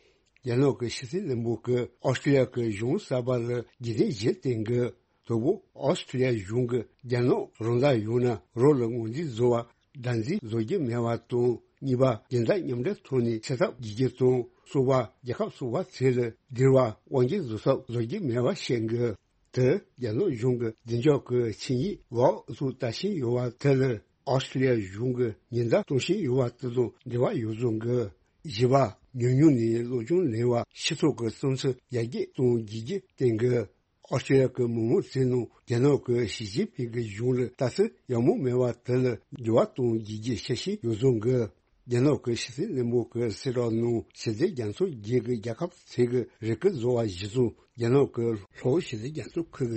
རྒྱ་ནག་གི་ཕྱི་སྲིད་བློན་པོ་གིས་ཨོ་སི་ཀྲོ་ལི་ཡ་གི་གཞུང་གསར་པ་ལ་རྒྱུ་མཚན་བཞི་བསྟན་གི། དང་པོ། ཨོ་སི་ཀྲོ་ལི་ཡ་གཞུང་གིས་རྒྱ་ནག་རང་བདག་ཡོད་ན་རང་ལ་ངོས་འཛིན་བཟོ་བ་བདག་འཛིན་བཟོ་རྒྱུ་མེད་པ་དང་། གཉིས་པ། སྦྱིན་བདག་མཉམ་འབྲེལ་ཐོག་ནས་ཚེ་ཐབས་བགྱིད་རྒྱུ་དང་། གསུམ་པ། རྒྱལ་ཁབ་གསུམ་པ་ཚོ་ལ་སྡིགས་ར་དབང་སྒྱུར་བཟོ་ཐབས་བཟོ་རྒྱུ་མེད་པ་བཤད་གི། དེ་རྒྱ་ནག་གཞུང་གི་བདེ་འཇགས་ཀྱི་ཆིངས་ཡིག་འོག་ཏུ་ལྟ་བཞིན་ཡོད་པ་དེ་ལ་ཨོ་སི་ཀྲོ་ལི་ཡ་གཞུང་གིས་ཉེན་བརྡ་གཏོང་བཞིན་ཡོད་པ་དེ་དང་འབྲེལ་བ་ཡོད་བཟོ་གི། བཞི་པ། ཉུང་ཉུང་ནས་སློབ་སྦྱོང་ལེན་པ་སྤྱི་ཚོགས་ཀྱི་བསམ་ཚུལ་ཡར་རྒྱས་གཏོང་བགྱིད་རྒྱུ་བསྟན་གི། ཨོ་སི་ཀྲོ་ལི་ཡ་གི་མི་མང་ཚོ་ནང་རྒྱ་ནག་གི་ཞི་ཅིན་ཕིང་གི་གཞུང་ལ་ལྟ་ཚུལ་ཡག་མོ་མེད་པ་དེ་ལ་འགྱུར་བ་གཏོང་བགྱིད་རྒྱུ་འཆར་གཞི་ཡོད་བཟོ་གི། རྒྱ་ནག་གི་ཕྱི་སྲིད་བློན་པོ་གི་གསལ་བསྒྲགས་ནང་ཞི་བདེ་རྒྱ་མཚོ་བརྒྱུད་ཀྱི་རྒྱལ་ཁབ་ཚོ་གི་རེ་སྐུལ་བཟོ་བ་གཞིར་བཟུང་རྒྱ་ནག་གི་ལྷོ་ཞི་བདེ་རྒྱ་མཚོ་ཁུལ་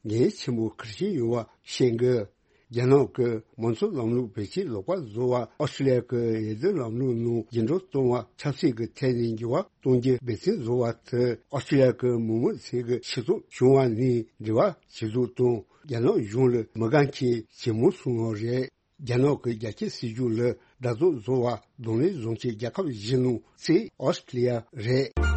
གྱི་འགན་ཆེན་པོ་འཁུར་བཞིན་ཡོད་པ་བཤད་གི། རྒྱ་ནག་གི་མང་གཙོ་ལམ་ལུགས་བེད་སྤྱོད་ལོག་པ་བཟོ་བ། ཨོ་སི་ཀྲོ་ལི་ཡ་གི་འོས་བསྡུ་ལམ་ལུགས་ནང་འགྱུར་འགྲོས་གཏོང་བ། ཆབ་སྲིད་ཀྱི་ཐད་ནས་འགྱུར་བ་གཏོང་རྒྱུ་འབད་བརྩོན་བཟོ་བ་དེ་ཨོ་སི་ཀྲོ་ལི་ཡ་གི་མི་མང་ཚོ་གི་ཕྱི་ཚུལ་བྱུང་བ་ནས་འབྲེལ་བ་བྱེད་ལུགས་དང་། རྒྱ་ནག་གཞུང་ལ་མི་དགའ་མཁན་ཇེ་མང་སོང་བ་རེད། རྒྱ་ནག་གི་རྒྱ་སྐྱེད་སྲིད་ཇུས་ལ་དགྲ་བཟོ་བཟོ་བ་གདོང་ལེན་བཟོ་མཁན་རྒྱལ་ཁབ་བཞི་ནང་གཅིག་ཨོ་སི་ཀྲོ་ལི་ཡ་རེད།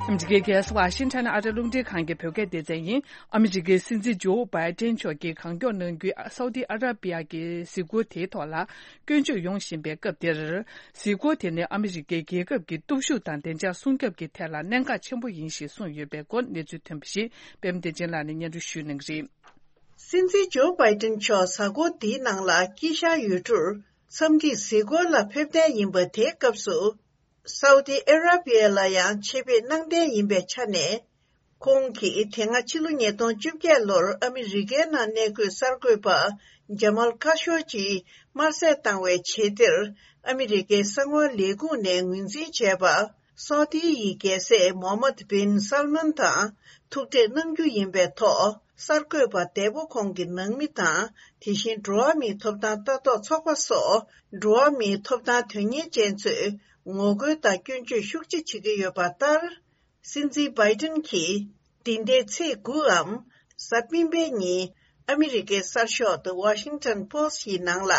ཨ་མི་རི་ཀའི་རྒྱལ་ས་ཝ་ཤིང་ཊོན་ཨ་རི་རླུང་འཕྲིན་ཁང་གི་བོད་སྐད་སྡེ་ཚན་ཡིན། ཨ་མི་རི་ཀའི་སྲིད་འཛིན་ཇོ་བྷའི་ཏན་མཆོག་གིས་གང་མགྱོགས་གནང་རྒྱུའི་སའུ་ཏི་ཨ་ར་པི་ཡ་གི་གཟིགས་སྐོར་དེའི་ཐོག་ལ་སྐྱོན་བརྗོད་ཡོང་བཞིན་པའི་སྐབས་དེར། གཟིགས་སྐོར་དེ་ནི་ཨ་མི་རི་ཀའི་རྒྱལ་ཁབ་ཀྱི་སྟོབས་ཤུགས་དང་བདེ་འཇགས་སྲུང་སྐྱོབ་ཀྱི་ཐད་ལ་གནད་འགག་ཆེན་པོ་ཡིན་ཞེས་གསུངས་ཡོད་པའི་སྐོར་གནས་ཚུལ་ཐོན་པ་ཞིག་པད་མ་བདེ་ཆེན་ལགས་ནས་སྙན་སྒྲོན་ཞུ་གནང་གི་རེད། སྲིད་འཛིན་ཇོ་བྷའི་ཏན་མཆོག་གཟའ་འཁོར་འདིའི་ནང་ལ་དཀྱིལ་ཤར་ཡུལ་གྲུར་འཚམས་འདྲིའི་གཟིགས་སྐོར་ལ་ཕེབས་གཏན་ཡིན་པ་དེའི་སྐབས་སུ། སའུ་ཏི་ཨ་ར་པི་ཡ་ལ་ཡང་ཆེད་ཕེབས་གནང་གཏན་ཡིན་པའི་ཆ་ནས། ཁོང་གིས་དེ་སྔ་ཕྱི་ལོ་ཉིས་སྟོང་བཅོ་བརྒྱད་ལོར་ཨ་མི་རི་ཀའི་ནང་གནས་འཁོད་གསར་འགོད་པ་ཇ་མལ་ཁ་ཤོ་ཇིའི་དམར་གསོད་བཏང་བའི་རྗེས་འདིར། ཨ་མི་རི་ཀའི་གསང་བ་ལས་ཁུངས་ནས་ངོས་འཛིན་བྱས་པ། སའུ་ཏི་ཡི་རྒྱལ་སྲས་མོ་ཧམ་མད་བིན་སལ་མན་དང་ཐུག་འཕྲད་གནང་རྒྱུ་ཡིན་པའི་ཐོག་གསར་འགོད་པ་འདས་པོ་ཁོང་གི་ནང་མི་དང་། དེ་བཞིན་འགྲོ་བ་མིའི་ཐོབ་ཐང་ལྟ་རྟོག་ཚོགས་པ་སོགས་འགྲོ་བ་མིའི་ཐོབ་ཐང་དོན་གཉེར་ཅན་ཚོས་ངོ་རྒོལ་དང་སྐྱོན་བརྗོད་ཤུགས་ཆེ་བྱེད་ཀྱི་ཡོད་པ་ལྟར། སྲིད་འཛིན་བྷའི་ཏིན་གྱིས་འདི་ཟླའི་ཚེས་དགུའམ་གཟའ་སྤེན་པའི་ཉིན་ཨ་མི་རི་ཀའི་གསར་ཤོག་The Washington Post ཡི་ནང་ལ་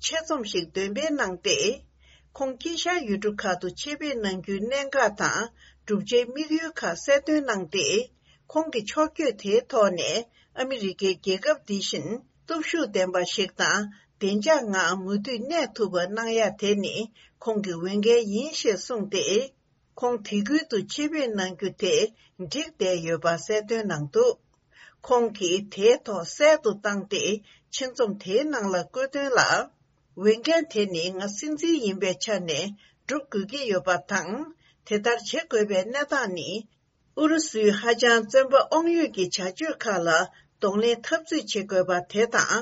ཆེད་རྩོམ་ཞིག་འདོན་སྤེལ་གནང་སྟེ། ཁོང་དཀྱིལ་ཤར་ཡུལ་གྲུ་ཁག་ཏུ་ཆེད་ཕེབས་གནང་རྒྱུའི་གནད་འགག་དང་བསྒྲུབ་བྱའི་དམིགས་ཡུལ་ཁག་གསལ་སྟོན་གནང་སྟེ། ཁོང་གི་ཕྱོགས་བསྐྱོད་དེའི་ཐོག་ནས་ཨ་མི་རི་ཀའི་རྒྱལ་ཁབ་འདི་བཞིན་སྟོབས་ཤུགས་ལྡན་པ་ཞིག་དང་བདེ་འཇགས་ངང་མུ་མཐུད་གནས་ཐུབ་པ་གནང་ཡ་དེ་ནི་ཁོང་གི་འོས་འགན་ཡིན་ཞེས་གསུངས་ཏེ། ཁོང་དེ་ཁུལ་དུ་ཆེད་ཕེབས་གནང་རྒྱུ་དེ་འགྲིག་བསྡད་ཡོད་པ་གསལ་སྟོན་གནང་འདུག་ཁོང་གིས་དེའི་ཐོག་གསལ་དུ་བཏང་སྟེ་ཆེད་རྩོམ་དེའི་ནང་ལ་བཀོད་དོན་ལ། འོས་འགན་དེ་ནི་ང་སྲིད་འཛིན་ཡིན་པའི་ཆ་ནས་སྒྲུབ་དགོས་ཀྱི་ཡོད་པ་དང་། དེ་ལྟར་བྱེད་དགོས་པའི་གནས་སྟངས་ནི། ཨུ་རུ་སུའི་ཧ་ཅང་བཙོན་པ་དབང་ཡོད་ཀྱི་བྱ་སྤྱོད་ཁག་ལ་གདོང་ལེན་འཐབ་རྩོད་བྱེད་དགོས་པ་དེ་དང་།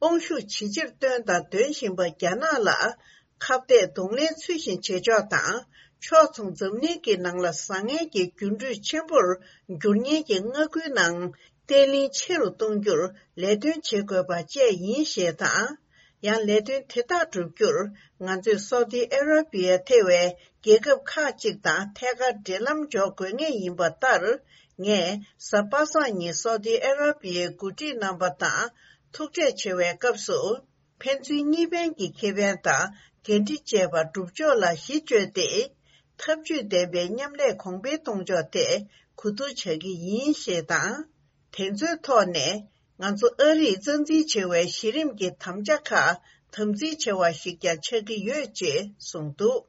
དབང་ཤུགས་ཇེ་ཆེར་བཏོན་དང་འདོན་བཞིན་པ་རྒྱ་ནག་ལ་ཁ་གཏད་གདོང་ལེན་ཚུལ་བཞིན་བྱེད་ཕྱོགས་དང་། ཕྱོགས་མཚུངས་འཛམ་གླིང་གི་ནང་ལ་བཟང་ངན་གྱི་འགྱུར་འགྲོས་ཆེན་པོར་འགྱུར་ཉེན་གྱི་མངའ་ཁུལ་ནང་བརྟན་ལྷིང་ཆེ་རུ་གཏོང་རྒྱུར་ལས་དོན་བྱེད་དགོས་པ་བཅས་ཡིན་ཞེས་དང་། ཡང་ལས་དོན་དེ་དག་བསྒྲུབ་རྒྱུར་ང་ཚོས་སའུ་ཏི་ཨ་ར་པི་ཡ་ཐེ་བའི་རྒྱལ་ཁབ་ཁག་ཅིག་དང་ཐད་ཀར་འབྲེལ་ལམ་འཇོག་དགོས་ངེས་ཡིན་པ་ལྟར། ངས་གཟའ་པ་སངས་ཉིན་སའུ་ཏི་ཨ་ར་པི་ཡའི་འགོ་ཁྲིད་རྣམ་པ་དང་ཐུག་འཕྲད་བྱེད་པའི་སྐབས་སུ། ཕན་ཚུན་གཉིས་ཕན་གྱི་ཁེ་ཕན་དང་འགན་འཁྲི་བཅས་པ་སྒྲུབ་ཕྱོགས་ལ་གཞི་བཅོལ་ཏེ། འཐབ་ཇུས་ལྡན་པའི་མཉམ་ལས་གོང་འཕེལ་གཏོང་ཕྱོགས་ཐད་གོ་བསྡུར་བྱ་གི་ཡིན་ཞེས་དང་། དེ་ཚོའི་ཐོག་ནས་ང་ཚོ་ཨ་རིས་རྩ་འཛིན་བྱེད་པའི་གཞི་རིམ་གྱི་དམ་བཅའ་ཁག་དམ་འཛིན་བྱ་བ་ཞིག་ཀྱང་ཆགས་ཀྱི་ཡོད་ཅེས་གསུངས་འདུག་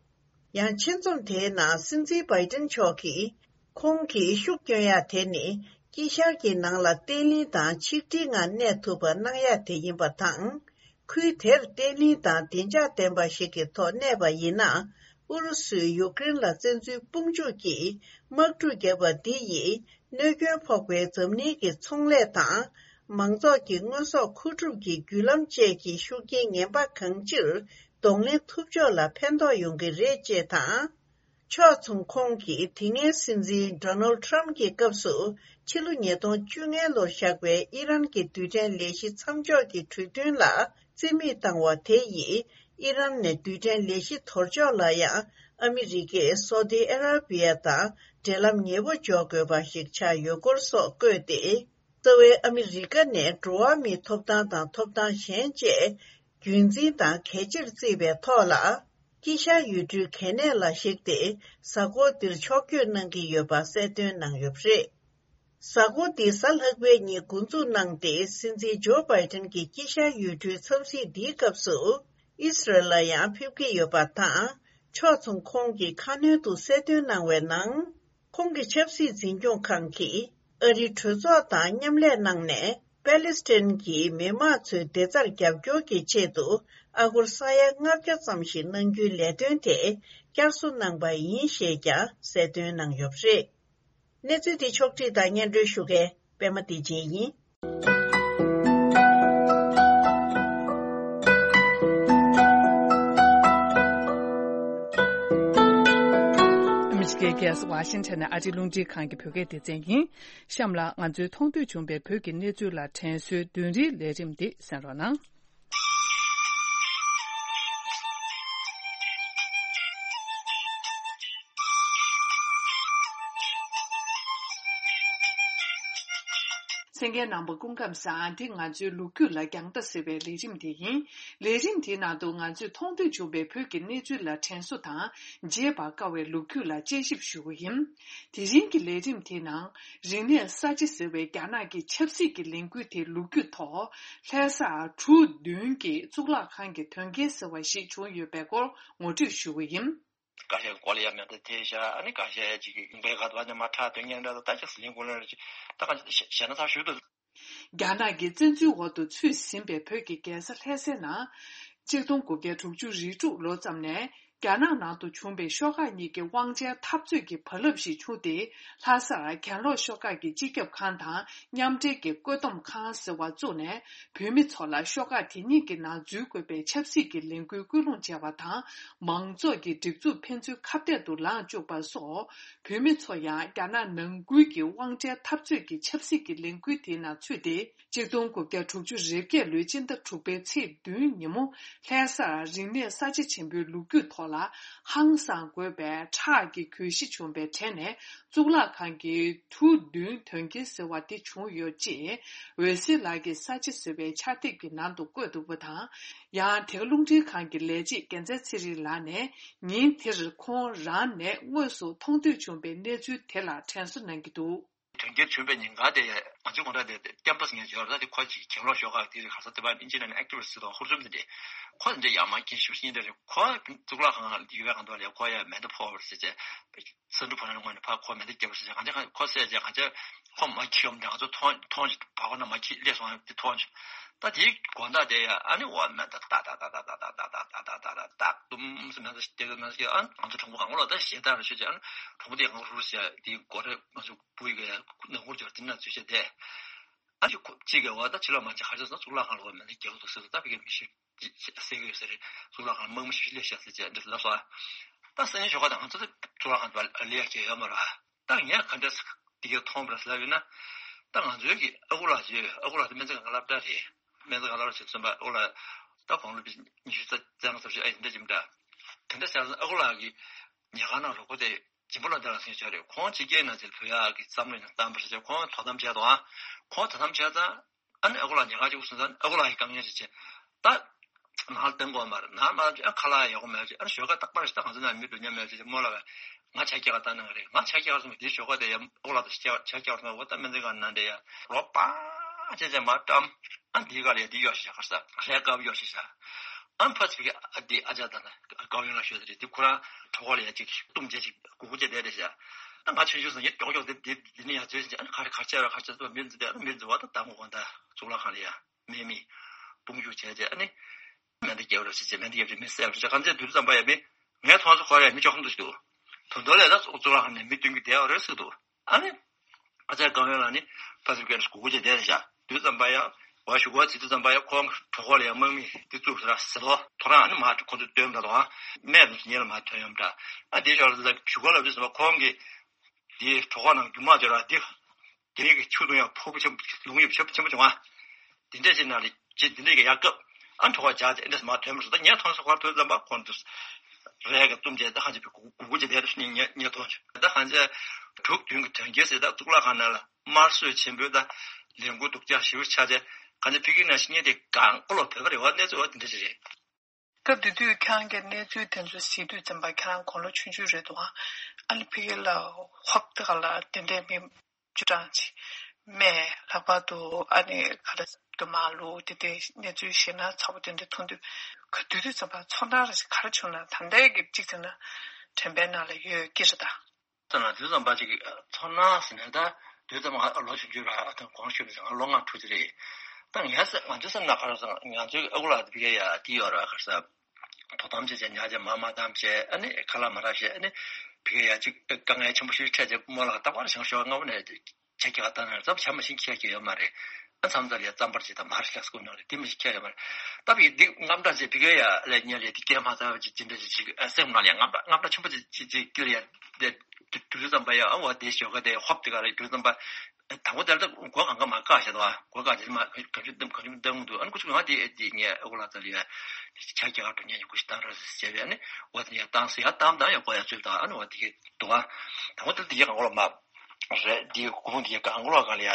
ཡང་ཆེད་རྩོམ་དེའི་ནང་སྲིད་འཛིན་བྷའི་ཏིན་མཆོག་གིས། ཁོང་གིས་ཤུགས་བསྐྱོན་ཡ་དེ་ནི་དཀྱིལ་ཤར་གྱི་ནང་ལ་བརྟན་ལྷིང་དང་ཆིག་སྒྲིལ་ངང་གནས་ཐུབ་པ་གནང་ཡ་དེ་ཡིན་པ་དང་། ཁུལ་དེར་བརྟན་ལྷིང་དང་བདེ་འཇགས་ལྡན་པ་ཞིག་གི་ཐོག་གནས་པ་ཡིན་ན། ཨུ་རུ་སུས་ཡུཀ་རེན་ལ་བཙན་འཛུལ་དཔུང་འཇུག་གིས་དམག་འཁྲུག་བརྒྱབ་པ་འདི་ཡིས་གནོད་སྐྱོན་ཕོག་པའི་འཛམ་གླིང་གི་ཚོང་ལས་དང་། མང་ཚོགས་ཀྱི་དངོས་ཟོག་མཁོ་སྒྲུབ་ཀྱི་བརྒྱུད་ལམ་བཅས་ཀྱི་ཤུགས་རྐྱེན་ངན་པ་གང་ཅིར་གདོང་ལེན་ཐུབ་ཕྱོགས་ལ་ཕན་ཐོགས་ཡོང་གི་རེད་ཅེས་དང་། ཕྱོགས་མཚུངས་ཁོང་གིས་དེ་སྔའི་སྲིད་འཛིན་ཌོ་ནལ་ཌི་ཊརམ་ཕི་གྱི་སྐབས་སུ་ཕྱི་ལོ་ཉིས་སྟོང་བཅོ་ལྔ་ལོར་བཞག་པའི་ཨི་རན་གྱི་རྡུལ་ཕྲན་ལས་གཞི་མཚམས་འཇོག་གི་གྲོས་མཐུན་ལ་རྩིས་མེད་བཏང་བ་དེ་ཡིས་ཨི་རན་ནས་རྡུལ་ཕྲན་ལས་གཞི་དོར་ཕྱོགས་ལ་ཡང་ཨ་མི་རི་ཀས་སོ་ཏི་ཨ་ར་པི་ཡ་དང་འབྲེལ་ལམ་ཉེ་པོ་འཇོག་དགོས་པ་ཞིག་ཆགས་ཡོད་སྐོར་སོགས་བཀོད་དེ། རྩ་བའི་ཨ་མི་རི་ཀ་ནས་འགྲོ་བ་མིའི་ཐོབ་ཐང་དང་ཐོབ་ཐང་གཞན་བཅས་རྒྱུན་འཛིན་དང་གལ་ཆེར་བརྩིས་པའི་ཐོག་ལ། དཀྱིལ་ཤར་ཡུལ་གྲུའི་གལ་གནད་ལ་གཞིགས་ཏེ་གཟའ་འཁོར་འདིར་ཕྱོགས་བསྐྱོད་གནང་གི་ཡོད་པ་གསལ་སྟོན་གནང་ཡོད་པ་རེད། གཟའ་འཁོར་འདི་གཟའ་ལྷག་པའི་ཉིན་འགོ་འཛུགས་གནང་སྟེ། སྲིད་འཛིན་ཇོ་བྷའི་ཏིན་གྱིས་དཀྱིལ་ཤར་ཡུལ་གྲུའི་འཚམས་གཟིགས་འདིའི་སྐབས་སུ་ཨི་སི་རལ་ལ་ཡང་ཕེབས་ཀྱི་ཡོད་པ་དང་། ཕྱོགས་མཚུངས་ཁོང་གིས་ཁ་སྣོན་དུ་གསལ་སྟོན་གནང་བའི་ནང་། ཁོང་གི་ཆབ་སྲིད་འཛིན་སྐྱོང་ཁང་གིས་ཨ་རིའི་གྲོས་ཚོགས་དང་མཉམ་ལས་གནང་ནས། པེ་ལི་སི་ཐན་གྱི་མི་དམངས་ཚོའི་བདེ་རྩར་རྒྱབ་སྐྱོར་གྱི་ཆེད་དུ་ཨ་སྒོར་ས་ཡ་ལྔ་བརྒྱ་ཙམ་ཞིག་གནང་རྒྱུའི་ལས་དོན་དེ་བསྐྱར་གསོ་གནང་པ་ཡིན་ཞེས་ཀྱང་གསལ་སྟོན་གནང་ཡོད་པ་རེད། གནས་ཚུལ་འདི་ཕྱོགས་བསྒྲིགས་དང་སྙན་སྒྲོན་ཞུ་མཁན་པད་མ་བདེ་ཆེན་ཡིན། ཨ་མི་རི་ཀའི་རྒྱལ་ས་ཝ་ཤིང་ཊོན་ནས་ཨ་རིའི་རླུང་འཕྲིན་ཁང་གི་བོད་སྐད་སྡེ་ཚན་ཡིན། གཤམ་ལ་ང་ཚོའི་མཐོང་ཐོས་བྱུང་བའི་བོད་ཀྱི་གནས་ཚུལ་ལ་དྲན་གསོའི་བདུན་རེའི་ལས་རིམ་འདི་གསན་རོགས་གནང་། གསན་མཁན་རྣམ་པ་སྐུ་ཁམས་བཟང་། འདི་ང་ཚོའི་ལོ་རྒྱུས་ལ་རྒྱང་ལྟ་ཟེར་བའི་ལས་རིམ་དེ་ཡིན། ལས་རིམ་དེའི་ནང་དུ་ང་ཚོས་མཐོང་ཐོས་བྱུང་བའི་བོད་ཀྱི་གནས་ཚུལ་ལ་དྲན་གསོ་དང་བརྗེད་པར་དཀའ་བའི་ལོ་རྒྱུས་ལ་དཔྱད་ཞིབ་ཞུ་རྒྱུ་ཡིན། དེ་རིང་གི་ལས་རིམ་དེའི་ནང་རིག་གནས་གསར་བརྗེ་ཟེར་བའི་རྒྱ་ནག་གི་ཆབ་སྲིད་ཀྱི་ལས་འགུལ་དེའི་ལོ་རྒྱུས་ཐོག་ལྷ་ས་གྲུ་བདུན་གྱི་གཙུག་ལག་ཁང་གི་དོན་རྐྱེན་ཟེར་བ་ཞིག་བྱུང་ཡོད་པའི་སྐོར་ངོ་སྤྲོད་ཞུ་རྒྱུ་ཡིན། ཀ་ཤའི་སྐོར་ལ་ཡང་མེ་མདའ་ཐེབས་ཤག་ཨ་ནི་ཀ་ཤའི་ཅིག་གི་ཡུང་པའི་ཁ་ཐུག་ཨ་ནི་མ་ཁྲག་དོན་ངན་འདྲ་ད་ཅིག་ཟི་ལིང་གུ་ལ་ཅིག་ད་ག་ཅིག་ཞེ་ན་ཚ་ཞུ་དུ། རྒྱ་ནག་གི་བཙན་འཛུལ་འོག་ཏུ་ཚུད་ཟིན་པའི་བོད་ཀྱི་རྒྱལ་ས་ལྷ་སའི་ནང་། གཅིག་སྟོང་དགུ་བརྒྱ་དྲུག་ཅུ་རེ་དྲུག་ལོ་ཙམ་ནས་རྒྱ་ནག་ནང་དུ་བྱུང་བའི་ཤོག་ཁག་གཉིས་ཀྱི་དབང་ཆའི་འཐབ་རྩོད་ཀྱི་བར་རླབས་ཤིག་བྱུང་སྟེ། ལྷ་སར་གྱེན་ལོག་ཤོག་ཁག་གི་སྤྱི་ཁྱབ་ཁང་དང་མཉམ་འབྲེལ་གྱི་བཀོད་འདོམས་ཁང་ཟེར་བ་བཙུགས་ནས། བོད་མི་ཚོ་ལ་ཤོག་ཁག་དེ་གཉིས་ཀྱི་ནང་འཛུལ་དགོས་པའི་ཆབ་སྲིད་ཀྱི་ལས་འགུལ་སྐུལ་སློང་བྱས་པ་དང་། མང་ཚོགས་ཀྱི་སྒྲིག་འཛུགས་ཕན་ཚུན་ཁ་གཏད་དུ་ལངས་བཅུག་པ་སོགས། བོད་མི་ཚོ་ཡང་རྒྱ་ནག་ནང་ཁུལ་གྱི་དབང་ཆའི་འཐབ་རྩོད་ཀྱི་ཆབ་སྲིད་ཀྱི་ལས་འགུལ་དེའི་ནང་ཚུད་དེ། གཅིག་སྟོང་དགུ་བརྒྱ་དྲུག་ཅུ་རེ་བརྒྱད་ལོའི་སྤྱི་ཟླ་དྲུག་པའི་ཚེས་བདུན་ཉིན་མོ། ལྷ་སར་རིག་གནས་གསར་བརྗེ་ཆེན་པོའི་ལོ་རྒྱུས་ཐོག་ལ་ཧང་སངས་དགོས་པའི་ཁྲག་གི་གྱོད་གཞི་བྱུང་བའི་གྲས་ནས། གཙུག་ལག་ཁང་གི་གྲུ་བདུན་དོན་རྐྱེན་ཟེར་བ་དེ་བྱུང་ཡོད་ཅེས། འོད་ཟེར་ལགས་ཀྱིས་གསར་བརྗེ་ཟེར་བའི་ཕྱག་དེབ་ཀྱི་ནང་དུ་བཀོད་འདུག་པ་དང་། ཡང་དེ་ག་རླུང་འཕྲིན་ཁང་གི་ལས་བྱེད་རྒྱལ་མཚན་ཚེ་རིང་ལགས་ནས། ཉིན་དེར་ཁོང་རང་ནས་དངོས་སུ་མཐོང་ཐོས་བྱུང་བའི་གནས་ཚུལ་དེ་ལ་དྲན་གསོ་གནང་གི་འདུག་དོན་རྐྱེན་བྱུང་བའི་ཉིན་ག་དེ་ང་ཚོའི་ངོ་ར་དེ་ཀེམ་པ་སི་ངས་བརྗོད་ར་དེ་ཁོ་ཅིག་གྱེན་ལོག་ཤོག་ཁག་དེ་རེད། ག་ས་དེ་བ་ཨིན་ཇི་ནང་ནས་ཨེག་ཊི་བི་སི་ཊི་དང་ཧུར་བརྩོན་དེ་འདྲས་ཁོ་དེ་འདྲས་ཡག་མ་མཁན་ཞིབ་ཤིང་དེ་རེད། ཁོ་གཙུག་ལག་ཁང་ལ་ཡོད་པའི་གང་དུ་ལ་ཡ་ཁོ་ཡ་མེ་མདའ་ཕོག་པ་རེད་ཟེར་བྱས། ས་འབྲུ་བ་ནང་ངོས་ནས་ཕར་ཁོ་མེ་མདའ་བརྒྱབ་པ་ཟེར་བྱས། གང་ཅི་ཁོ་བསད་བྱས་གང་ཅི་ཁོ་མ་འཁྱེར་ཡོང་དེ་ང་ཚོ་མཐོང་མཐོང་ཞིག་བ་ཁོ་ན་མ་འཁྱེར་སླེབས་སོང་དེ་མཐོང་ཞིག་ད་དེའི་དགོང་དག་དེ་ཡ་ཨ་ནི་འོ་མེ་མདའ་ཏག་ཏག་ཏག་ཏག་ཏག་ཏག་ཏག་ཏག་ཏག་ཏག་ཏག་ཏག་ཏག་ཏུམ་སེ་མེ་མདའ་ཞིག་བརྒྱབ་ན་ཞིག་ཨ་ང་ཚོ་གྲོགས་པོ་གང་ག་ལོག་ད་ཞེ་དྲག་རེ་ཤོད་ཅིག་ཨ་ནི་གྲོགས་པོ་དེ་གང་ག་རུ་རུ་ཞིག་དེའི་སྒོ་རེ་ང་ཚོ་བུ་ཡི་ག་ཡ་ནང་ཁུར་འབྱོར་དེ་ན་ཚུད་བྱས་དེ་ཨ་ཅིག་ཁོ་གཅིག་གི་བ་ད་ཕྱི་ལོགས་མ་ཅིག་ཧ་ཅང་སོང་གཙུག་ལག་ཁང་ལ་བ་མེ་མདའ་བརྒྱབ་འདུག་ཟེར་སོང་། ད་ཕ་གིའི་མི་ཤི་ཟེར་གི་ཡོད་ས་རེད། གཙུག་ལག་ཁང་ལ་དམག་མི་ཤི་ཤི་སླེབས་ཤག་ཟེར་བྱས་འདྲི་ལབ་སོང་། ད་སང་ཉིན་ཞོགས་ཀ་དང་ང་ཚོ་ད་གཙུག་ལག་ཁང་དུ་ལ་ལས་ཀྱི་ཡོད་མ་རེད། ད་ངས་ག་འདྲ་འདི་གའི་མཐོང་བ་ལབ་ཡོད་ན། ད་ང་ཚོའི་གི་ཨ་ཁུ་ལགས་ཀྱི་ཨ་ཁུ་ལགས་དེ་སྨན་རྩིས་ཁང་གི་སློབ་གྲྭ་རེད། སྨན་རྩིས་ཁང་སློབ་གྲྭ་ཆེན་མོ་ཚན་པ་ཨ་ཁུ་ལགས་ད་དགུང་ལོ་བརྒྱད་ཅུ་རྩ་ལྔ་རྩ་བཞི་ཨ་ཡིན་འདྲ་ཅིག་འདྲ། དེ་འདྲ་ཟེར་ཨ་ཁུ་ལགས་ཀྱི་ཉལ་ཁང་ནང་རོགས་པ་དེ་སྦྱིན་པ་ལ་འདྲ་ལ་སེང་ཆ་རེད། ཁོང་ཕྱི་རྒྱལ་ནང་ཚེ་བོད་ཡག་གི་བསམ་བློ་ཡང་བཏང་པ་ཞིག་བྱས་ཁོང་དོ་དམ་བྱས་འདུག་ཨ། ཁོང་དོ་དམ་བྱས་ཙང་ཨ་ནི་ཨ་ཁུ་ལགས་ཉལ་ཁང་གཅིག་པུ་སོང་ཙང་ཨ་ཁུ་ལགས་ཀྱིས་དཀའ་ངལ་ཞིག་བྱས་ད། ནང་ལ་བཏང་དགོས་མ་རེད། ནང་མ་བཏང་ཨ་ཁ་ལག་ཡག་པོ་མེད་ཅེས་ཨ་ནི་ཞོགས་ཀ་རྟག་པར་ཞིག་ད་ང་ཚོ་ནང་མི་འགྲོ་མཉམ་མེད་ཅེས་རྨོ་ལགས་ང་ཇ་རྒྱག་ག་བཏང་གནང་གི་རེད། ང་ཇ་རྒྱག་ག་སོང་བ་དེའི་ཞོགས་ཀ་དེ་ཡ་ཨོ་ལགས་དང་ཇ་རྒྱག་ག་སོང་བ་ད་སྨན་རྩིས་ཁང་ནང་དེ་ཡ་རོ་པ་ཅེས་ཅེས་མ་བཀྲམ། ཨ་འདིའི་ག་ལ་ཡ་འདི་གཡོག་ཤིག་ཤག་ག་ས་རས་དཀར་པོ་གཡོག་ཤིག་ཤག་ཨ་ཕ་ཚིག་གི་ཨ་འདི་ཨ་ཅག་དང་ན་དཀར་ཡོང་ལ་ཤོད་དེ་རེད། འདི་ཁོ་རང་གྲོད་ཁོག་ལ་ཡ་ཅིག་སྟུམ་བྱས་ཅིག་སྒུར་སྒུར་བྱས་བསྡད་རེད་ཤག་ཨ་ང་ཆུང་ཆུང་སོང་ངས་ཀྱོག་ཀྱོག་དེ་དེ་དེ་ནི་ཡ་ཚོད་ཅིག་ཨ་ནི་ག་རེ་ག་རེ་བྱས་ར་ག་རེ་བྱས་སོང་མི་འཛི་དེ་ཨ་ནི་མི་འཛི་བ་ད་ད་ངོ་གོང་ད་གཙུག་ལག་ཁང་ལ་ཡ། མེ་མི། དཔུང་འཇུག་བྱས་རྗེས་ཨ་ནི། མེ་མདའ་བརྒྱབ་རོགས་བྱེད་ཅེས་མེ་མདའ་བརྒྱབ་རྗེས་མི་བསད་རོགས་བྱེད་གང་ཚེ་དུས་ཙམ་པ་ཡ་མི། ངས་མཐོང་སོང་ཁོ་ར་ཡ་མི་ཅོག་ཁམ་དུ་ཞིག་འདུག་དོན་དག་ལས་ད་གཙུག་ལག་ཁང་ནས་མི་སྟོན་གྱི་བསྡད་ཡོད་རེད་ཟེར་འདུག་ཨ་ནི། ཨ་ཅག་གང་ཡོད་ལ་ནི། ཕ་ཚུལ་སྐད་སྒུག་སྒུག་བྱས་བསྡད་རེད་ཤག་དུས་ཙམ་པ་ཡ། བ་ཞུ་གོ་ཚིག་དུས་ཙམ་པ་ཡ་ཁོང་གྲོད་ཁོག་ལ་ཡ་དམག་མི་འདི་བཙུགས་ཟེར་ཟེར་ལོ། ཐོ་རངས་ཨ་ནི་མ་ཁོ་ཚོ་སྟོན་པ་དང་། སྨད་དུ་ཉེ་ལ་མ་ཐོན་ཡོང་འདྲ། ཨ་དེ་ཞོར་ལ་ཞུ་གོ་ལ་དུས་ཙམ་པ་ཁོང་གིས། དེའི་གྲོད་ཁོག་ནང་རྒྱུ་མ་འབྱོར་བ་དེ། དེ་རིགས་ཀྱི་ཆུ་བཏུང་ཡང་ཕོར་པ་ཆེན་པོ་ལུང་ཡོད་ཆེན་པོ་ཆེན་པོ་བྱུང་བ། དེ་འདྲས་ཅིག་ནང་ལ་ཅི་དེ་འདྲས་ཀྱི་ཡག་སྐབས་ཨ་གྲོད་ཁོག་འཇགས་ཏེ་འདྲས་མ་ཐོན་མ་སོང་ད་ངས་མཐོང་སོང་ཁོ་དུས་ཙམ་པ་ཁོང་དུ་རས་ཀྱི་བཏུམ་བྱས་ད་ཧ་ཅང་པའི་གུ་གུ་གུ་ཅིག་བསྡད་འདུག་ནི་ངས་ངས་མཐོང་བྱུང་ད་ཧ་ཅང་དྲུག་བདུན་གྱི་དོན་རྐྱེན་ཟེར་ད་གཙུག་ལག་ཁང་ནང་ལ་དམར་གསོད་ཆེན་པོས་ད་ལས་འགུལ་སྡུག་ཅག་ཞེ་པོ་ཆགས་བྱས་གང་ཅི་ཕི་གི་ན་ཤི་ཉེ་དེ་གང་ཀོ་ལོ་བོད་པ་རེད་བ་གནས་ཚུལ་བ་དེ་འདྲས་ཅིག་རེད། སྐབས་དེ་དུས་ཁྱེད་རང་གིས་གནས་ཚུལ་དེ་ཚོ་གཟིགས་དུས་ཙམ་པ་ཁྱེད་རང་དགུང་ལོ་ཆུང་ཆུང་རེད་འདུག་ཨ། ཨ་ནི་ཕ་གི་ལ་ཧོབ་ཏེ་ག་ལ་དེ་འདྲའི་མི་བཅུ་གྲངས་ཅིག་རྨས་ལྷག་པར་དུ་ཨ་ནི་ག་ལ་དུ་མ་ལུ་དེ་འདྲའི་གནས་ཚུལ་ཞེ་ན་ཚ་པོ་དེ་འདྲ་མཐོང་དུས་ག་དུས་དུས་ཙམ་པ་ཚོར་སྣང་རེ་ཞིག་ག་རེ་བྱུང་ན་ད་ལྟའི་གི་གཅིག་ཟེར་ན་དྲན་པའི་ནང་ལ་ཡོད་ཀྱི་རེད་ད། ཙམ་ལ་དུས་ཙམ་པ་ཅིག་ཚོར་སྣང་ཟེར་ནས་ད་དུས་ཙམ་ང་ལོ་ཆུང་ཆུང་ར་ཨ་ཐང་གོང་ཞུས་པ་ང་ལོ་ལྔ་དྲུག་ཅིག་རེད། ད་ངས་ང་ཚོའི་སེམས་ནང་ག་རེ་ཟེར་ང་ཚོའི་ཨ་ཁུ་ལགས་དེ་ཕ་གི་ཡ་དེ་ཡོད་ར་ག་རེ་ཟེར། དོ་དམ་བྱས་བྱས་ཉག་བྱས་མ་མ་དམ་བྱས་ཨ་ནི་ཁ་ལག་མ་རག་བྱས་ཨ་ནི་ཕ་གི་ཡ་ཅིག་དཀའ་ངལ་ཆེན་པོ་ཞིག་འཕྲད་བྱས་རྨོ་ལགས་ད་བར་བཞེངས་ཤོག་སྔ་པོ་ནས་ཇ་རྒྱག་ག་བཏང་ན་རྫབ་ཇ་མ་ཞིག་ཁྱེར་ཁྱེར་ཡོད་མ་རེད། ཨ་མཚམས་མཚམས་ལ་ཡ་རྩམ་པར་ཅིག་དང་མར་ལྷག་སྐུ་ནང་ལ་དེ་མ་ཞིག་ཁྱེར་ཡོད་མ་རེད། ད་བི་འདི་དངངས་སྐྲག་ཅིག་ཕ་གི་ཡ་ལས་ཉལ་ཡ་དེ་སྐྱེལ་མ་ཚར་བ་ཅིག་ཅི་འདྲ་ཅིག་ཅིག་ཨ་སེམས་ནང་ལ་ཡ་དངངས་སྐྲག་དངངས་སྐྲག་ཆེན་པོ་ཅིག་ཅིག་ཅིག་སྐྱེལ་ཡ་དེ་དུས་ཙམ་པ་ཡ་ཨ་བ་དེ་ཞོགས་ཀ་དེ་ཧོབ་དེ་ག་རེ་དུས་ཙམ་པ་དང་པོ་དེར་ད་སྒོ་གང་ག་མ་བཀག་བྱས་དོ་ཨ་སྒོ་བཀག་དེ་མ་ག་ཆུ་ག་ཆུ་ག་ཆུ་འདང་འདུག་ཨ་ནི་ཁུ་ཆུ་ང་དེ་དེ་ངས་ཨ་ཁུ་ལགས་ཚ་ལ་ཡ་ཆ་རྒྱག་ག་འགྲོ་ཉན་ཡ་ཁུ་ཞིག་བཏང་ར་ཟེར་བྱས་པས་ཨ་ནི་བ་དེ་ཡ་བཏང་ཟེར་ཡ་བཏང་བཏང་ཡ་སྒོ་ཡ་ཚུད་དང་ཨ་ནི་བ་དེ་གི་འདུག་ཨ་དང་པོ་དེར་དེ་ག་གང་གོ་ལ་མ། རེད། འདི་གུང་འདི་གང་གོ་ལོག་གང་ལ་ཡ།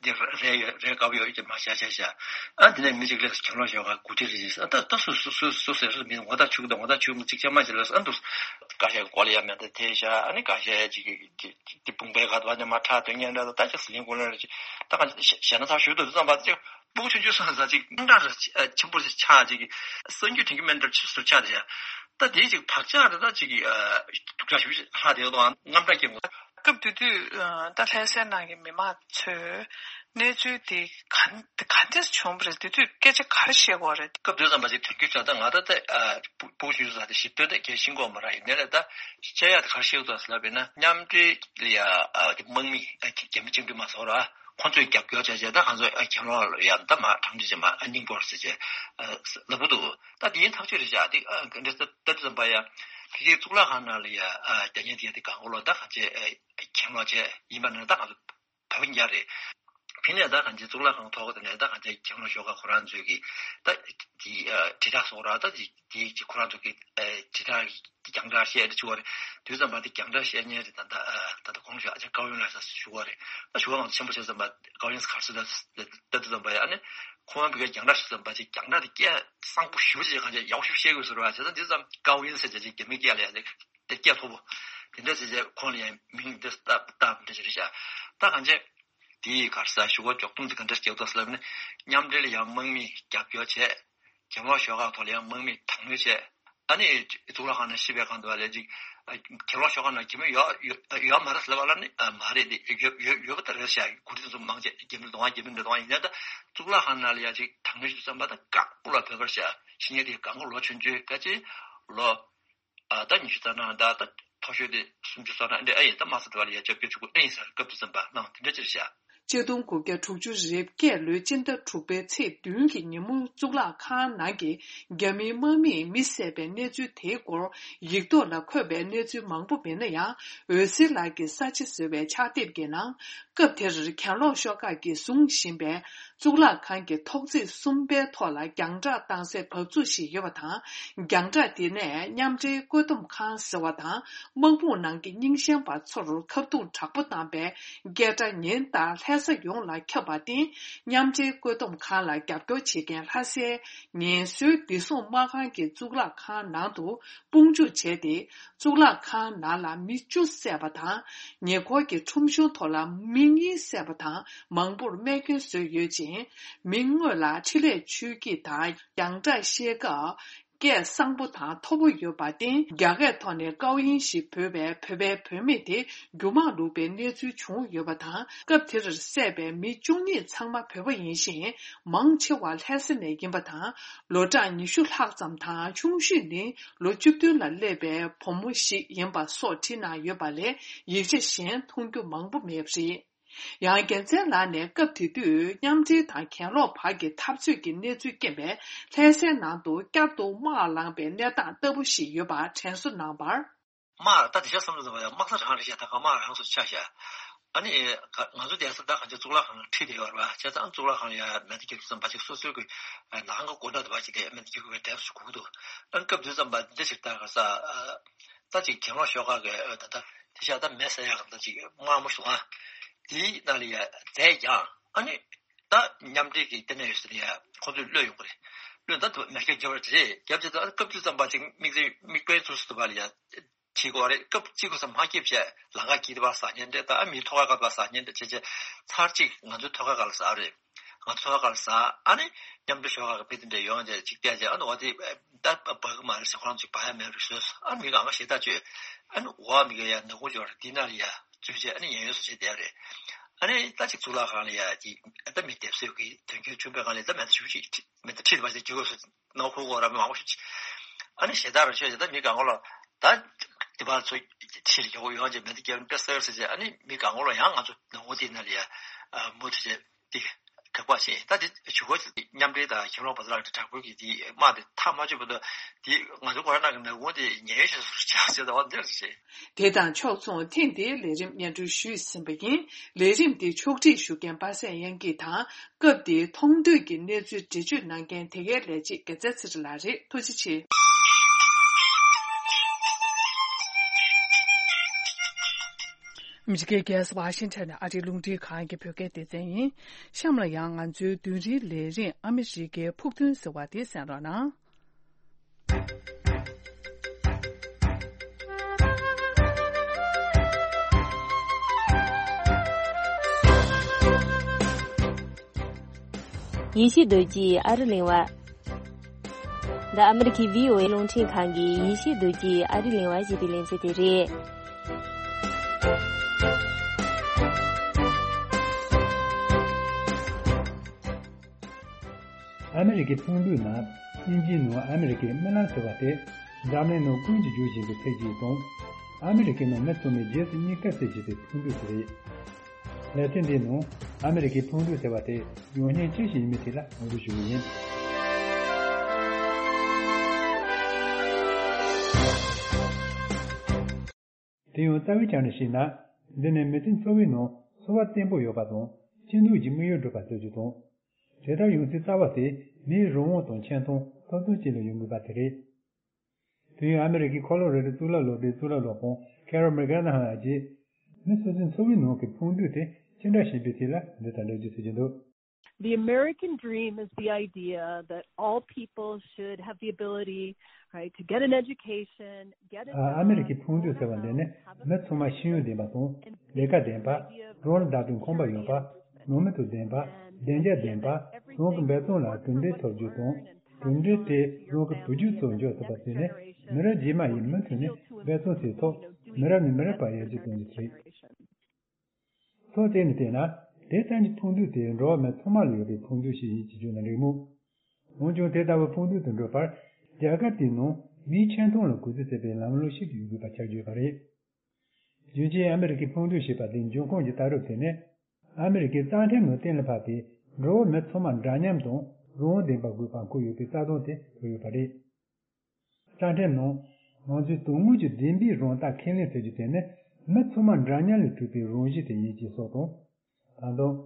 འདི་རེད་ཡོད་རེད། དགའ་པོ་ཡོད་ཀྱི་མ་བྱ་བྱ་བྱ། ཨ་འདི་ནས་མི་གཅིག་ལས་གྱེན་ལོག་ཞོག་ག་གུ་ཁྲི་རེད་ཅེས། ཨ་ད་ད་སུ་སུ་སུ་སུ་ཟེར་མི་ངོ་ཐག་ཆུག་དང་ངོ་ཐག་ཆུག་མི་གཅིག་ཆ་མ་བྱེད་ལ། ཨ་འདུག་ཀ་ཤའི་གོ་ལ་ཡ་མེད་ད་དེ་བྱ། ཨ་ནི་ཀ་ཤའི་ཅིག་གི་དེ་དཔུང་པའི་ག་དུ་བ་ནས་མ་ཁྲག་དོན་ཉན་འདྲ་ད་ད་ཅིག་ཟི་ལིང་གོ་ལ་རེད་ཅེས། ད་གང་ཞེ་ན་ཚར་ཞུ་དུ་ཙམ་པ་ཅིག་སྤུ་གུ་ཆུང་ཆུང་ས་ས་ཅིག་སྙིང་ཁྲག་ར་ཆེན་པོ་ཞིག་ཆགས་ཅིག་གསང་རྒྱུད་དྲན་གྱི་མེད་འདྲ་ཆུ་སུ་ཆགས་དེ་ཡ། ད་དེའི་ཅིག་བག་ཆགས་རེ་ད་ཅིག་གི་སྡུག་ཅག་ཞུ་ལྷག་དེ་དང་རྔམ་སྐྲག་སྐྱེ་དགོས། སྐབས་དེ་དུས་ད་ལྷ་སའི་ནང་གི་མི་མང་ཚོས་གནས་ཚུལ་དེ་ག་ག་འདྲས་བྱུང་བ་རེད། དེ་དུས་སྐད་ཆ་ག་རེ་བཤད་དགོས་རེད། སྐབས་དེ་ཙམ་པ་ཅིག་དོན་རྒྱུ་ཆ་ད་ང་ད་ད་སྤུ་གུ་ཆུང་ཆུང་ས་དེ་ཞིབ་ཏོག་ད་གལ་ཤེས་ཀྱི་མ་རེད། ཡིན་ནའི་ད་བཤད་ཡ་ད་ག་རེ་བཤད་དགོས་ལབ་པ་ཡིན་ན། མཉམ་འབྲེལ་ལ་ཡ་དམག་མི་རྒྱ་མི་བཅིངས་འགྲོལ་དམག་ཚོ་ར། ཁོང་ཚོས་རྒྱབ་སྐྱོར་བྱས་བྱས་ད་ང་ཚོ་གྱེན་ལོག་ལ་ཡང་ད་མ་གྲངས་ཀྱིས་མ་སྙིང་པོར་ཟེར་བྱས་ལབ་ཀྱི་འདུག་ད་དེ་ཡིན་ཐག་ཆོད་རེད་བཞག་དེ་འདྲ་ད་ད་དུ་ཙམ་པ་ཡ་ཕ་གིའི་གཙུག་ལག་ཁང་ནང་ལ་ཡ་རྒྱ་ཉེ་དེ་དེ་གང་གོ་ལོག་ད་གང་བྱས་གྱེན་ལོག་བྱས་ཡིན་པ་ན་ད་ང་ཚོ་བོད་པ་ཉག་རེད། ཕི་ནས་ད་གང་བྱས་གཙུག་ལག་ཁང་ཐོག་དེ་ནས་ད་གང་བྱས་གྱེན་ལོག་ཞོག་ག་ཁོ་རང་ཚོས་ཀྱི་ད་དེ་དྲིལ་བསྒྲགས་སོགས་ར་ད་དེ། དེའི་ཅིག་ཁོ་རང་ཚོ་གི་ཨེ་དྲིལ་བསྒྲགས་ཀྱི་རྒྱང་བསྒྲགས་བཤད་དེ་བྱུང་བ་རེད། དུས་ཙམ་པ་དེ་རྒྱང་བསྒྲགས་བཤད་མཁན་རེད། ད་ལྟ་ཨ་ད་ལྟ་གོང་ཞུས་ཨ་ཅག་ཀའོ་ཡུན་ལགས་ཞུ་བ་རེད། ད་ཞུ་བ་མང་ཆེན་པོ་བྱས་ཙམ་པ་ཀའོ་ཡུན་ག་རེ་ཟེར་ད་ད་དུས་ཙམ་པ་ཡ། ཨ་ནི་ཁོང་བོད་པའི་རྒྱང་བསྒྲགས་ཞུ་ཙམ་པ་ཅིག་རྒྱང་བསྒྲགས་དེ་སྐད་གསང་པོ་ཞུ་བྱས་གང་ཅི་ཡག་ཤོས་བཤད་དགོས་ཟེར་བ་བྱས་ཙང་དུས་ཙམ་ཀའོ་ཡུན་ཟེར་བྱས་ཅིག་རྒྱ་མི་སྐད་ལ་ཡ་དེ་སྐད་མཐོ་པོ་དེ་འདྲ་བྱས་བྱས་ཁོང་ལ་ཡང་མིང་འདི་བཏགས་བཏགས་འདྲ་ཅིག་རེད་བྱས། ད་གང་ཅི། དེའི་ག་རེ་ཟ་ཞུ་བ་འཇོག་སྟངས་དེ་ག་འདྲ་སྐྱེལ་ཐུབ་ཟེར་ལབ་ན། མཉམ་འབྲེལ་ལ་ཡང་དམག་མི་རྒྱབ་སྐྱོར་བྱས། གྱེན་ལོག་ཞོག་ཁག་ཐོག་ལ་ཡང་དམག་མི་དྲག་གནོན་བྱས། ཨ་ནི་གཙུག་ལག་ཁང་ནང་ཤི་བའི་སྒང་དུ་བ་ལས་ཅིག་གྱེན་ལོག་ཞོག་ཁག་ནང་རྒྱ་མི་ཡོད་ཡོད་ཡོད་མ་རེད་ཟེར་ལབ་པ་ལ་ནི་མ་རེད་དེ་ཡོད་ཡོད་ཡོད་པ་ད་རེད་ཤག་གུ་རི་དེ་ཚོ་མང་ཆེ་རྒྱ་མི་རེད་འདུག་ཨང་། རྒྱ་མི་རེད་འདུག་ཨང་། ཡིན་ན་ད་གཙུག་ལག་ཁང་ནང་ལ་ཡང་ཅིག་དྲག་གནོན་ཞུ་བསམ་པ་ད་བཀག་སྐུ་ལ་བོད་པར་ཤག་ཤི་ཉེན་དེ་གང་ག་ལོ་ཆུང་ཆུང་ག་ཅིག་ལོ། ཨ་ད་ཉི་ཤུ་རྩ་ལྔ་ད་ད་མཐོ་ཤོས་དེ་སུམ་ཅུ་སོ་ལྔ་འདྲ་ཨ་ཡིན་ད་མ་ས་དེ་བ་ལ་ཡ་རྒྱབ་སྐྱོར་བྱེད་དགོས་ཨ་ཡིན་ཟེར་སྐབས་དུས་ཙམ་པ་གནང་དེ་འདྲ་ཅིག་བྱ། ཆིག་སྟོང་དགུ་བརྒྱ་དྲུག་ཅུ་རེ་བརྒྱད་ལོའི་སྤྱི་ཟླ་དྲུག་པའི་ཚེས་བདུན་གྱི་ཉིན་མོ་གཙུག་ལག་ཁང་ནང་གི་རྒྱ་མིའི་དམག་མིས་མི་བསད་པའི་གནས་ཚུལ་དེའི་སྐོར་ཡིག་ཐོག་ལ་འཁོད་པའི་གནས་ཚུལ་མང་པོ་མེད་ན་ཡང་། འོད་ཟེར་ལགས་ཀྱི་ས་ཆ་ཟེར་བའི་ཕྱག་དེབ་ཀྱི་ནང་། སྐབས་དེར་གྱེན་ལོག་ཤོག་ཁག་གིས་བཟུང་བཞིན་པའི་གཙུག་ལག་ཁང་གི་ཐོག་བརྩེགས་གསུམ་པའི་ཐོག་ལ་རྒྱང་བསྒྲགས་བཏང་སའི་བབས་ཚུགས་ཤིག་ཡོད་པ་དང་། རྒྱང་བསྒྲགས་དེ་ནས་མཉམ་འབྲེལ་བཀོད་འདོམས་ཁང་ཟེར་བ་དང་། དམག་དཔུང་ནང་གི་རྙིང་ཞེན་པ་ཚོར་ཁ་རྡུང་དྲག་པོ་བཏང་པའི་སྐད་སྒྲ་ཉིན་ལྟར་ལྷ་ས་ཡོངས་ལ་ཁྱབ་པར་བརྟེན། མཉམ་འབྲེལ་བཀོད་འདོམས་ཁང་ལ་རྒྱབ་སྐྱོར་བྱེད་མཁན་ལྷ་སའི་ངལ་གསོའི་བདེ་སྲུང་དམག་ཁང་གི་གཙུག་ལག་ཁང་ནང་དུ་དཔུང་འཇུག་བྱས་ཏེ། གཙུག་ལག་ཁང་ནང་ལ་མི་བཅུ་བསད་པ་དང་། ཉེ་འཁོར་གྱི་ཁྲོམ་གཞུང་ཐོག་ལ་མི་གཉིས་བསད་པ་དང་མང་པོར་རྨས་སྐྱོན་བཟོས་ཡོད་ཅིང་། མི་དངོས་ལ་འཕྲིན་ལས་ཆུ་སྐྱིད་དང་རྒྱང་བསྒྲགས་བཤད་སྐབས་སྐད་གསང་པོ་དང་མཐོ་པོ་ཡོད་པར་བརྟེན། རྒྱ་སྐད་ཐོག་ནས་ཀའོ་ཡིན་ཞེས་འབོད་པའི་བོད་པའི་བུད་མེད་དེ་རྒྱུ་མང་ལུག་པའི་གནས་ཚུལ་བྱུང་ཡོད་པ་དང་། སྐབས་དེར་བསད་པའི་མི་བཅུ་གཉིས་ཚང་མ་བོད་པ་ཡིན་ཞིང་། མང་ཆེ་བ་ལྷ་ས་ནས་ཡིན་པ་དང་། ལོ་གྲངས་ཉི་ཤུ་ལྷག་ཙམ་དང་ཆུང་ཤོས་ནི། ལོ་བཅུ་བདུན་ལ་སླེབས་པའི་བུ་མོ་ཞིག་ཡིན་པ་སོགས་བྲིས་གནང་ཡོད་པ་ལས་ཡིག་ཆ་གཞན་མཐོང་རྒྱུ་མང་པོ་མེད་པ་རེད། ཡང་རྒྱལ་མཚན་ལགས་ནས་སྐབས་དེ་དུས་མཉམ་འབྲེལ་དང་གྱེན་ལོག་བར་གྱི་འཐབ་རྩོད་ཀྱི་གནས་ཚུལ་རྐྱེན་པས་ལྷ་སའི་ནང་དུ་བསྐྱར་དུ་དམག་ལངས་པའི་གནས་སྟངས་ལྟ་བུ་ཞིག་ཡོད་པ་དྲན་གསོ་གནང་བར། དམག་ད་དེ་ཆ་བསམ་བློ་བཏང་བ་ཡང་དམག་ས་རང་རེད་ཤག་ད་ག་དམག་རང་སོ་ཆགས་ཤག་ཨ་ནི་ང་ཚོ་དེང་སང་ད་གང་ཅི་གཙུག་ལག་ཁང་ཁྲིད་དེ་ཡོད་རེད་བ། བྱས་ཙང་གཙུག་ལག་ཁང་ལ་ཡ་མེ་མདའ་རྒྱག་དུས་ཙམ་པ་ཅིག་སོ་སོའི་གི་ནང་གི་སྒོ་འགྲམ་དུ་བ་ཅིག་ལ་མེ་མདའ་རྒྱག་དགོས་པའི་གྲས་སུ་གོ་གི་འདུག་ཨ་ནི་སྐབས་དུས་ཙམ་པ་འདི་ཞིག་ད་ག་ས་ད་ཅིག་གྱེན་ལོག་ཤོག་ཁག་གི་ད་ད་དེ་ཤག་ད་མེ་ཟ་ཡག་གི་ད་ཅིག་དམག་མོ་ཞུ་ཨ་དེའི་ནང་ལ་ཡ་རྫས་ཀྱང་ཨ་ནི་ད་མཉམ་འབྲེལ་གི་ལྟེ་གནས་ཡོད་ས་ལ་ཡ་ཁོ་ཚོས་གློད་ཡོང་གི་རེད། གློད་ད་དུ་མེ་ཁྱེར་རྒྱབ་རེད་རྒྱབ་བྱས་ད་སྐབས་དུས་ཙམ་པ་ཅིག་དམིགས་བསལ་དམིགས་དཔེ་ཚུལ་སུ་དུ་བ་ལ་ཡ། བྱེད་དགོས་རེད། སྐབས་གཅིག་གོ་ས་མ་སྐྱིད་བྱས་ལམ་ཁ་གྱིས་དེ་བ་ཟ་ཉན་འདྲ་ད་མིའི་ཐོག་ཁ་ག་ལ་ཟ་ཉན་འདྲ་བྱས་བྱས་ཚར་གཅིག་ང་ཚོའི་ཐོག་ཁ་ག་ལ་ཟ་རེད། ང་ཚོའི་ཐོག་ཁ་ག་ལ་ཟ་ཨ་ནི་མཉམ་དུ་ཤོག་ཁ་གི་དཔེ་དེ་འདྲ་ཡོང་བྱས་གཅིག་བལྟས་བྱས་ཨ་ནི་འོ་དེ་ད་བ་གི་མ་རེད་ཟེར་ཁོ་རང་ཚོས་བ་ཡ་མེད་རེད་ཟེར་ཨ་ནི་མི་གང་ག་ཞེ་ད་བཅོས་ཨ་ནི་འོ་མི་ག་ཡ་ནག་ཁུང་འབྱོར་འདི་ན་ལ་ཡ་བཙུད་བྱས་ཨ་ནི་ཉན་ཡོད་སོ་བྱས་བསྡད་རེད། ཨ་ནི་ད་ཅིག་གཙུག་ལག་ཁང་ལ་ཡ་ཅིག་ད་མི་སྡེབ་གསོད་ཀྱི་དོན་རྐྱེན་བྱུང་བའི་སྒང་ལ་ད་མེད་ད་ཞུ་ཅིག་མེད་ད་ཁྲིད་པ་ཞིག་བྱེད་དགོས་སོ། ནང་ཁུལ་གོ་ར་མི་མང་པོ་ཞིག་ཨ་ནི་ཞེ་དྲག་ར་ཆོས་ཞེ་དྲག་མི་གང་གོ་ལ་ད་དེ་བར་ཚོ་ཁྲིད་ལ་ཡོང་ཡོང་ཅེས་མེད་དེ་སྐྱེ་བ་དཔེ་གསར་ཟེར་ཅེས་ཨ་ནི་མི་གང་གོ་ལ་ཡང་ང་ཚོ་ནང་ཁུལ་དེ་ན་ལ་ཡ་མུ་མཐུད་བྱས་དེ་དགག་པ་བྱས་ད་དེ་ཞུ་གོ་མཉམ་འབྲེལ་དང་གྱེན་ལོག་པ་ཚོ་ལ་དྲག་པོའི་གི་དེ་དམག་དེ་ཐག་མ་ཆོད་བར་དུ་དེ་ང་ཚོ་ཁོ་ར་ནང་གི་ནང་ཁུལ་དེ་ཉེན་ཞིག་སུ་ཆགས་ཟེར་ད་བ་འདིར་བྱས། དེ་དང་ཕྱོགས་མཚུངས་ཐེངས་འདིའི་ལས་རིམ་སྙན་སྒྲོན་ཞུས་ཟིན་པ་ཡིན། ལས་རིམ་འདི་ཕྱོགས་སྒྲིག་ཞུ་མཁན་པ་སངས་དབྱངས་སྐྱིད་དང་སྐབས་དེའི་མཐོང་ཐོས་ཀྱི་གནས་ཚུལ་འགྲེལ་བརྗོད་གནང་མཁན་དེ་གའི་ལས་བྱེད་དགེ་རྩེ་ཚེ་རིང་ལགས་རེད། ཐུགས་རྗེ་ཆེ། ཨ་མི་རི་ཀའི་རྒྱལ་ས་ཝ་ཤིང་ཊོན་ནས་ཨ་རིའི་རླུང་འཕྲིན་ཁང་གི་བོད་སྐད་སྡེ་ཚན་ཡིན། གཤམ་ལ་ཡང་ང་ཚོའི་བདུན་རེའི་ལས་རིམ་ཨ་མི་རི་ཀའི་ཕུགས་འདུན་ཟེར་བ་དེ་གསན་རོགས་གནང་། ཡེ་ཤེས་རྡོ་རྗེའི་ཨ་རི་གླེང་བ། འདི་ཨ་མི་རི་ཁའི་བྷི་ཨོ་ཨེ་རླུང་འཕྲིན་ཁང་གི་ཡེ་ཤེས་རྡོ་རྗེའི་ཨ་རི་གླེང་བ་ཞེས་པའི་ལེ་ཚན་དེ་རེད། ཨ་མི་རི་ཀའི་ཕུགས་འདུན་ནང་དབྱིན་ཇིའི་ནང་ཨ་མི་རི་ཀའི་རྨི་ལམ་ཟེར་བ་དེ་འཛམ་གླིང་ནང་ཀུན་གྱིས་བརྗོད་བཞིན་པའི་ཚིག་ཅིག་དང་། ཨ་མི་རི་ཀའི་ནང་མི་ཚང་མས་རྗེས་སུ་སྙེག་དཀའ་ཟེར་བཞིན་པའི་ཕུགས་འདུན་ཞིག་རེད། ལེ་ཚན་འདིའི་ནང་ཨ་མི་རི་ཀའི་ཕུགས་འདུན་ཟེར་བ་དེ་ཡང་སྙིང་ཅི་ཞིག་ཡིན་མིན་ཐད་ལ་ངོ་སྤྲོད་ཞུ་གི་ཡིན། དེ་ཡང་རྩ་བའི་ཆ་ནས་བཤད་ན། འདི་ནི་མི་ཚེ་འཚོ་བའི་ནང་འཚོ་བ་བརྟན་པོ་ཡོད་པ་དང་སྐྱིད་སྡུག་གི་དམིགས་ཡུལ་འགྲུབ་པ་བཟོ་རྒྱུ་དང་། དེ་ལྟར་ཡོང་སའི་རྩ་བ་དེ་མིའི་རང་དབང་དང་ཆེ་མཐོང་ཐོབ་ཐང་བཅས་ལ་ཡོང་དགོས་པ་དེ་རེད། དུས་ཡུན་ཨ་མི་རི་ཀའི་ཁོ་ལོ་རེ་རེ་གཙུག་ལག་སློབ་གྲྭའི་གཙུག་ལག་སློབ་དཔོན་ཁེ་རོལ་མེག་གྷ་ནམ་ལགས་ཀྱིས། མི་སོ་སོའི་འཚོ་བའི་ནང་གི་ཕུགས་འདུན་དེ་ཅི་འདྲ་ཞིག་ཡིན་པའི་ཐད་ལ་འདི་ལྟར་འགྲེལ་བརྗོད་བྱེད་ཀྱི་འདུག། The American dream is the idea that all people should have the ability, right, to get an education, get a job, ཨ་ཨ་མི་རི་ཀའི་ཕུགས་འདུན་ཟེར་བ་འདི་ནི་མི་ཚང་མ་ཤེས་ཡོན་ལྡན་པ་དང་ལས་ཀ་ལྡན་པ། རང་ལ་བདག་པོའི་ཁང་པ་ཡོད་པ། ནང་མི་དང་ལྡན་པ། བདེ་འཇགས་ལྡན་པ། རང་གི་འབད་བརྩོན་ལ་གྲུབ་འབྲས་ཐོབ་རྒྱུ་དང་། གྲུབ་འབྲས་དེ་རང་གི་བུ་རྒྱུད་ཚོར་འཇོག་ཐུབ་པ་བྱས་ནས་མི་རབས་རྗེས་མ་ཡིས་མུ་མཐུད་ནས་འབད་བརྩོན་བྱས་ཐོག་མི་རབས་ནས་མི་རབས་བར་ཡར་རྒྱས་གཏོང་རྒྱུ་རེད། ཐོག་བལྟས་ནས་བལྟས་ན་དེ་ལྟ་བུའི་ཕུགས་འདུན་དེ་འགྲོ་བ་མི་ཚང་མ་ལ་ཡོད་པའི་ཕུགས་འདུན་ཞིག་ཡིན་ཅེས་བརྗོད་ན་འགྲིག་མོད། འོན་ཀྱང་དེ་ལྟ་བུའི་ཕུགས་འདུན་དུ་འགྲོ་བར་རྒྱལ་ཁབ་དེའི་ནང་མིའི་ཆེ་མཐོང་ལ་གུས་བརྩི་བྱེད་པའི་ལམ་ལུགས་ཤིག་ཡོད་དགོས་པ་ཆགས་ཀྱི་ཡོད་པ་རེད། རྒྱུ་མཚན་ཨ་མི་རི་ཀའི་ཕུགས་འདུན་ཞེས་པ་དེའི་འབྱུང་ཁུངས་ཀྱི་ལྟ་གྲུབ་དེ་ནི། ཨ་མི་རི་ཀའི་རྩ་ཁྲིམས་ནང་གཏན་ལ་ཕབ་པའི་འགྲོ་བ་མི་ཚང་མ་འདྲ་མཉམ་དང་རང་དབང་ལྡན་པ་དགོས་པ་འཁོད་ཡོད་པའི་རྩ་དོན་དེ་གོ་ཡོད་པ་རེད། རྩ་ཁྲིམས་ནང་ང་ཚོའི་དོན་དངོས་ཀྱི་བདེན་པའི་རང་རྟགས་ཁས་ལེན་ཟེར་རྒྱུ་དེ་ནི་མི་ཚང་མ་འདྲ་མཉམ་ལས་གྲུབ་པའི་རང་བཞིན་དེ་ཡིན་ཅེས་སོགས་དང་། ད་དུང་།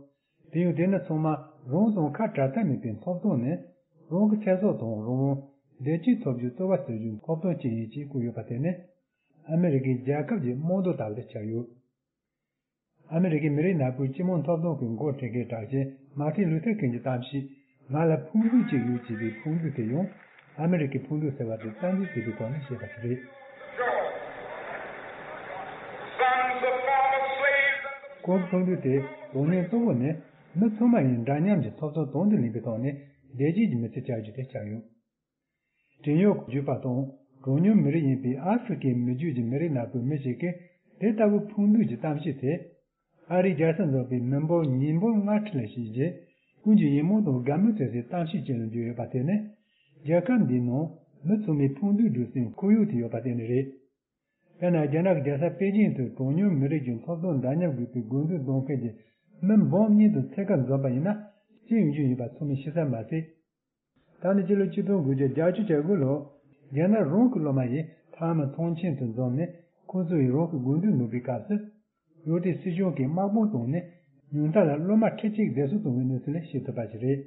དེ་ཡང་དེ་ནི་ཚང་མ་རང་དང་ཁ་བྲལ་ཐབས་མེད་པའི་ཐོབ་ཐང་ནི་རང་གི་ཚེ་སྲོག་དང་རང་དབང་བདེ་སྐྱིད་ཐོབ་རྒྱུའི་རྩོལ་བ་བྱེད་རྒྱུའི་ཐོབ་ཐང་ཅིག་ཡིན་ཅེས་བཀོད་ཡོད་པ་དེ་ནི་ཨ་མི་རི་ཀའི་རྒྱལ་ཁབ་ཀྱི་རྨང་རྡོ་ལྟ་བུ་དེ་ཆགས་ཡོད། ཨ་མི་རི་ཀའི་མི་རིགས་ནག་པོའི་སྤྱི་དམངས་ཐོབ་ཐང་གི་འགོ་ཁྲིད་མཁན་གྲགས་ཅན་མར་ཏིན་ལུ་ཐར་ཀིང་གི་གཏམ་བཤད། ང་ལ་ཕུགས་འདུན་གཅིག་ཡོད་ཅེས་པའི་ཕུགས་འདུན་དེ་ཡང་ཨ་མི་རི་ཀའི་ཕུགས་འདུན་ཟེར་བ་དེ་རྩ་འཛིན་བྱེད་པའི་ཐོག་ནས་བཤད་པ་ཞིག་རེད། ཁོང་གི་ཕུགས་འདུན་དེ་དོན་སྙིང་གཙོ་བོ་ནི་མི་ཚང་མ་ཡིས་འདྲ་མཉམ་གྱི་ཐོབ་ཐང་དང་དུ་ལེན་པའི་ཐོག་ནས་བདེ་སྐྱིད་ཀྱི་མི་ཚེ་བསྐྱལ་རྒྱུ་དེ་ཆགས་ཡོད། བྲན་གཡོག་བརྒྱུད་པ་དང་གྲངས་ཉུང་མི་རིགས་ཡིན་པའི་ཨ་ཧྥེ་རི་ཁའི་མི་རྒྱུད་ཀྱི་མི་རིགས་ནག་པོའི་མི་ཞིག་གིས་དེ་ལྟ་བུའི་ཕུགས་འདུན་གྱི་གཏམ་བཤད་དེ། ཨ་རིའི་རྒྱལ་ས་འཛོམས་པའི་མི་འབོར་ཉིས་འབོར་ལྔ་ཁྲི་ལ་བྱས་རྗེས་ཀུན་གྱིས་ཡིད་སྨོན་དང་དགའ་མོས་མཚོན་སའི་གཏམ་བཤད་ཅིག་ལ་འགྱུར་ཡོད་པ་དེ་ནི་རྒྱལ་ཁབ་འདིའི་ནང་མི་ཚང་མའི་ཕུགས་འདུན་སྒྲུབ་སའི་ཁོར་ཡུག་དེ་ཡོད་པ་བརྟེན་ནས་རེད། དཔེར་ན་རྒྱ་ནག་གི་རྒྱལ་ས་པེ་ཅིང་དུ་གྲངས་ཉུང་མི་རིགས་ཀྱི་ཐོབ་ཐང་འདྲ་མཉམ་དགོས་པའི་དགོས་འདུན་འདོན་མཁན་གྱི་མི་འབུམ་གཉིས་དང་ཕྱེད་ཀ་འཛོམས་པ་ཡིན་ན་ཅི་ཡོང་རྒྱུ་ཡིན་པ་ཚང་མས་ཤེས་ས་མ་ཟད། ད་ནི་སྤྱི་ལོ་ཆིག་སྟོང་དགུ་བརྒྱ་བརྒྱད་ཅུ་གྱ་དགུ་ལོར་རྒྱ་ནག་རང་གི་སློབ་མ་ཡིས་མཐའ་མ་ཚོགས་ཆེན་དུ་འཛོམས་ནས་ཁོང་ཚོ་ཡིས་རང་གི་དགོས་འདུན་འདོན་པའི་སྐབས་སུ། ཡུལ་དེའི་སྲིད་གཞུང་གིས་དམག་དཔུང་བཏང་ནས་ཉུང་མཐའ་ལ་སློབ་མ་ཁྲི་གཅིག་བདེ་སྲུང་བཏང་བའི་གནས་ཚུལ་ལས་ཤེས་ཐུབ་པ་ཞིག་རེད།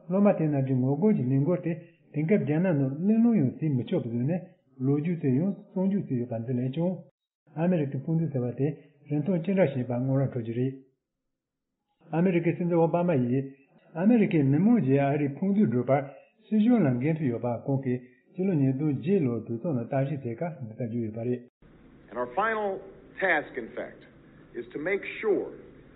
སློབ་མ་དེ་རྣམས་ཀྱི་ངོ་རྒོལ་གྱི་ལས་འགུལ་དེ་དེང་སྐབས་རྒྱ་ནག་ནང་གླེང་སློང་ཡང་བྱེད་མི་ཆོག་པ་བཟོས་ནས་ལོ་རྒྱུས་སུ་ཡང་བརྩམས་འཇུག་བྱས་ཡོད་པ་འདི་ལས་ཀྱང་། ཨ་མི་རི་ཀའི་ཕུགས་འདུན་ཟེར་བ་དེ་རིན་ཐང་ཅི་འདྲ་ཞིག་ཡིན་པ་ངོ་ར་འཕྲོད་ཀྱི་རེད། ཨ་མི་རི་ཀའི་སྲིད་འཛིན་ཨོ་བྷ་མ་ཡིས་ཨ་མི་རི་ཀའི་མི་མང་གིས་ཨ་རིའི་ཕུགས་འདུན་སྒྲུབ་པར་སྲིད་གཞུང་ལ་འགན་འཁྲི་ཡོད་པ་ཁོང་གིས་སྤྱི་ལོ་ཉིས་སྟོང་བརྒྱད་ལོར་གྲོས་ཚོགས་ནང་གཏམ་བཤད་བྱས་སྐབས་འདི་ལྟར་བརྗོད་ཡོད་པ་རེད། And our final task, in fact, is to make sure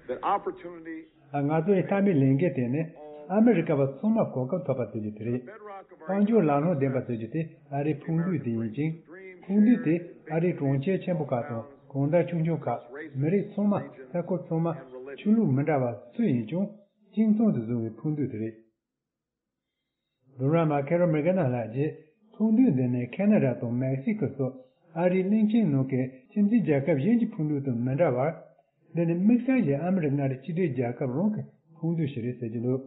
that opportunity ང་ཚོའི་མཐའ་མའི་ལས་འགན་དེ་ནི་ཨ་མི་རི་ཀ་བ་ཚང་མར་གོ་སྐབས་ཐོབ་པ་བྱེད་རྒྱུ་དེ་རེད། དཔལ་འབྱོར་ལམ་ལྷོང་ལྡན་པ་བྱེད་རྒྱུ་དེ་ཨ་རིའི་ཕུགས་འདུན་དེ་ཡིན་ཅིང་། ཕུགས་འདུན་དེ་ཨ་རིའི་གྲོང་ཁྱེར་ཆེན་པོ་ཁག་དང་གང་ཟག་ཆུང་ཆུང་ཁག་མི་རིགས་ཚང་མ། ས་ཁུལ་ཚང་མ། ཆོས་ལུགས་མི་འདྲ་བ་སུ་ཡིན་ཀྱང་གཅིག་མཚུངས་སུ་བཟུང་བའི་ཕུགས་འདུན་དེ་རེད། ལྡུམ་ར་མ་ཁེ་རོ་མེ་གྷ་ན་ལགས་ཀྱིས་ཕུགས་འདུན་འདི་ནི་ཁེ་ན་ཌ་དང་མེག་སི་ཀོ་སོགས་ཨ་རིའི་གླིང་ཆེན་ནང་གི་ཁྱིམ་མཚེས་རྒྱལ་ཁབ་གཞན་གྱི་ཕུགས་འདུན་དང་མི་འདྲ་བར། འདི་ནི་དམིགས་བསལ་གྱིས་ཨ་མི་རི་ཀ་མངའ་སྡེ་གཅིག་སྒྲིལ་རྒྱལ་ཁབ་རང་གི་ཕུགས་འདུན་ཞིག་རེད་ཟེར་གྱི་འདུག།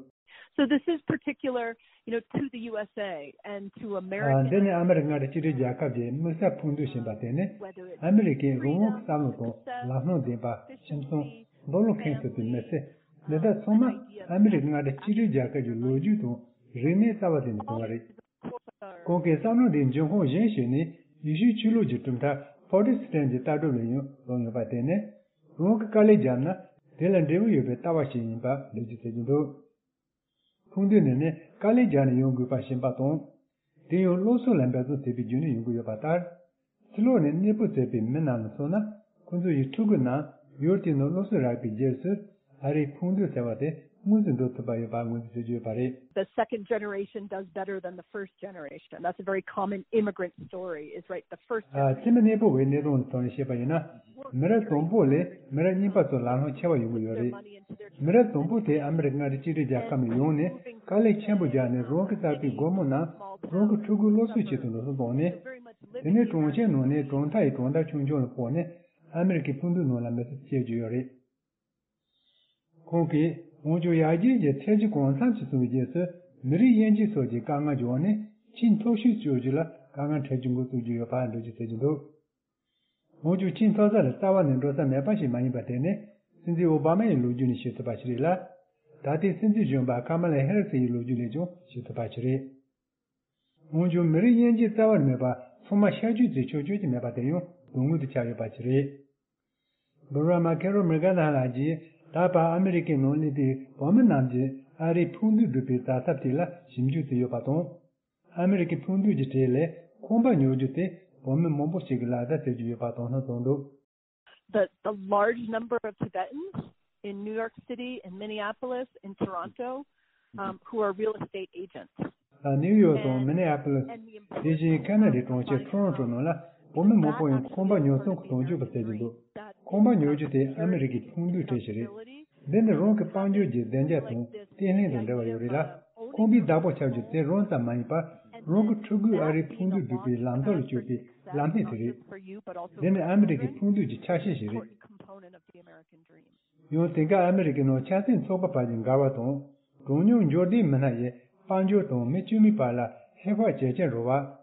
So this is particular, you know, to the U S A and to American. འདི་ནི་ཨ་མི་རི་ཀ་མངའ་སྡེ་གཅིག་སྒྲིལ་རྒྱལ་ཁབ་ཀྱི་དམིགས་བསལ་ཕུགས་འདུན་ཞིག་ཡིན་པ་དེ་ནི་ཨ་མི་རི་ཀའི་རང་དབང་གི་བསམ་བློ་དང་ལམ་ལྷོང་ལྡན་པ། ཁྱིམ་ཚང་། རྡོ་ལུང་ཁེངས་ཐུབ་པའི་མི་ཚེ། འདི་དག་ཚང་མ་ཨ་མི་རི་ཀ་མངའ་སྡེ་གཅིག་སྒྲིལ་རྒྱལ་ཁབ་ཀྱི་ལོ་རྒྱུས་དང་རིག་གནས་རྩ་བ་ལེན་ནས་བྱུང་བ་རེད། ཁོང་གིས་བསམ་བློ་འདིའི་འབྱུང་ཁུངས་གཞན་ཞིག་ནི་ཡེ་ཤུའི་ཆོས་ལུགས་ཀྱི་གྲུབ་མཐའ་པོ་རོ་ཊེ་སི་ཊན་གྱི་ལྟ་གྲུབ་ལ་ཡང་རག་ཡོད་པ་དེ་ནི། རང་གིས་དཀའ་ལས་བརྒྱབ་ན་དེ་ལ་འབྲས་བུ་ཡོད་པའི་ལྟ་བ་ཞིག་ཡིན་པ་འགྲེལ་བརྗོད་བྱེད་ཀྱི་འདུག། ཕུགས་འདུན་ནི་ནི་དཀའ་ལས་བརྒྱབ་ནས་ཡོང་དགོས་པ་ཤེས་པ་དང་། དེ་ཡང་སློབ་གསོ་ལ་འབད་བརྩོན་བྱེད་པའི་བརྒྱུད་ནས་ཡོང་གི་ཡོད་པ་ལྟར། ཕྱི་ལོགས་ནས་གནས་སྤོ་མཛད་པའི་མི་རྣམས་ལ་མཚོན་ན། ཁོ་ཚོ་ཡི་ཕྲུ་གུ་རྣམས་ཡུལ་དེའི་ནང་སློབ་གསོ་རག་པའི་རྗེས་སུ། ཨ་རིའི་ཕུགས་འདུན་ཟེར་བ་དེ་དངོས་སུ་འགྲུབ་ཐུབ་པ་ཡོད་པ་ངོས་འཛིན་བྱེད་ཀྱི་ཡོད་པ་རེད། The second generation does better than the first generation. That's a very common immigrant story, is, right? The first ཨ། generation. ཕྱི་མི་གནས་སྤོ་བའི་གནས་སྟངས་ལ་བལྟས་ནས་བཤད་པ་ཡིན་ན། མི་རབས་དང་པོ་ལས་མི་རབས་གཉིས་པ་ཚོར་ལམ་ལྷོང་ཆེ་བ་ཡོང་གི་ཡོད་རེད། མི་རབས་དང་པོ་དེ་ཨ་མི་རི་ཀ་མངའ་སྡེ་གཅིག་སྒྲིལ་རྒྱལ་ཁབ་ནས་ཡོང་ནས་དཀའ་ལས་ཆེན་པོ་བརྒྱབ་ནས་རང་གི་བསགས་པའི་སྒོར་མོ་རྣམས་རང་གི་ཕྲུ་གུའི་སློབ་གསོའི་ཆེད་དུ་འགྲོ་སོང་བཏང་ནས། དེ་ནས་གྲོང་ཁྱེར་ནང་ནས་གྲོང་མཐའ་ཡི་གྲོང་རྡལ་ཆུང་ཆུང་ལ་སྤོས་ནས་ཨ་མི་རི་ཀའི་ཕུགས་འདུན་ནང་ལ་མི་ཚེ་སྐྱེལ་གྱི་ཡོད་རེད། ཁོང་གིས་འོན་ཀྱང་ཡར་རྒྱས་ཀྱི་ཚད་གཞི་གང་འཚམ་ཞིག་བཟུང་བའི་རྗེས་སུ་མི་རིགས་དབྱེ་འབྱེད་སོགས་ཀྱི་དཀའ་ངལ་འབྱུང་བ་ནི་ཕྱིའི་མཐོ་ཤོས་སྤྱོད་རྒྱུ་ལ་དཀའ་ངལ་འཕྲད་རྒྱུ་འགོ་བཙུགས་ཀྱི་ཡོད་པ་འགྲེལ་བརྗོད་བྱེད་ཀྱི་འདུག། འོན་ཀྱང་ཕྱིའི་མཐོ་ས་ལ་རྩ་བ་ནས་འགྲོ་ས་མེད་པ་ཞིག་མ་ཡིན་པ་དེ་ནི་སྲིད་འཛིན་ཨོ་བྷ་མ་ཡི་ལོ་རྒྱུས་ནས་ཤེས་ཐུབ་པ་ཞིག་རེད་ལ། ད་ལྟའི་སྲིད་འཛིན་གཞོན་པ་ཀ་མ་ལ་ཧེ་རི་སི་ཡི་ལོ་རྒྱུས་ལས་ཀྱང་ཤེས་ཐུབ་པ་ཞིག་རེད། འོན་ཀྱང་མི་རིགས་དབྱེ་འབྱེད་རྩ་བ་ནས་མེད་པ་ཚང་མ་ཤར་བསྐྱོད་བྱེད་ཆོག་ཆོག་ཅིག་མེད་པ་དེ་ཡང་དོན་དངོས་དུ་ཆགས་ཡོད་པ་ཞིག་རེད། བྷུ་ར་མ་ཁེ་རོ་མི་ག་ན་ལགས་ཀྱིས་ད་བར་ཨ་མི་རི་ཀའི་ནང་སླེབས་པའི་བོད་མི་རྣམས་ཀྱིས་ཨ་རིའི་ཕུགས་འདུན་སྒྲུབ་པའི་བྱ་ཐབས་དེ་ལ་ཞིབ་འཇུག་བྱས་ཡོད་པ་དང་། ཨ་མི་རི་ཀའི་ཕུགས་འདུན་གྱི་གྲས་ལས་ཁང་པ་ཉོ་རྒྱུ་དེ་བོད་མི་མང་པོ་ཞིག་གིས་ལག་བསྟར་བྱེད་ཀྱི་ཡོད་པ་དོགས་སྣང་བྱུང་འདུག། The, the large number of Tibetans in New York City, in Minneapolis, in Toronto, um, who are real estate agents. ནིའུ་ཡོག་དང་མི་ནེ་ཨ་པོ་ལིས། དེ་བཞིན་ཁ་ན་ཌའི་གྲོང་ཁྱེར་ཁྲོ་རོན་ཀྲོ་ནང་ལ་བོད་མི་མང་པོ་ཡང་ཁང་པ་ཉོ་ཚོང་གི་དོན་གཅོད་པ་བྱེད་ཀྱི་འདུག། ཁང་པ་ཉོ་རྒྱུ་དེ་ཨ་མི་རི་ཀའི་ཕུགས་འདུན་གྲས་ཤིག་རེད། འདི་ནི་རང་གི་དཔལ་འབྱོར་གྱི་བདེ་འཇགས་དང་བརྟན་ལྷིང་དང་འབྲེལ་བ་ཡོད་རེད་ལ། ཁང་པའི་བདག་པོ་ཆགས་རྒྱུ་དེ་རང་ཙམ་མ་ཡིན་པར་རང་གི་ཕྲུ་གུས་ཨ་རིའི་ཕུགས་འདུན་སྒྲུབ་པའི་ལམ་ཐོག་ལ་བསྐྱོད་པའི་ལམ་སྣེ་དེ་རེད། འདི་ནི་ཨ་མི་རི་ཀའི་ཕུགས་འདུན་གྱི་ཆ་ཤས་ཤིག་རེད། ཡང་དེང་སྐབས་ཨ་མི་རི་ཀའི་ནང་ཆབ་སྲིད་ཚོགས་པ་བར་གྱི་འགལ་བ་དང་། གྲངས་ཉུང་འབྱོར་ལྡན་མི་སྣ་ཡི་དཔལ་འབྱོར་དང་མི་དཀྱུས་མའི་བར་ལ་ཧེ་བག་ཇེ་ཆེར་འགྲོ་བ།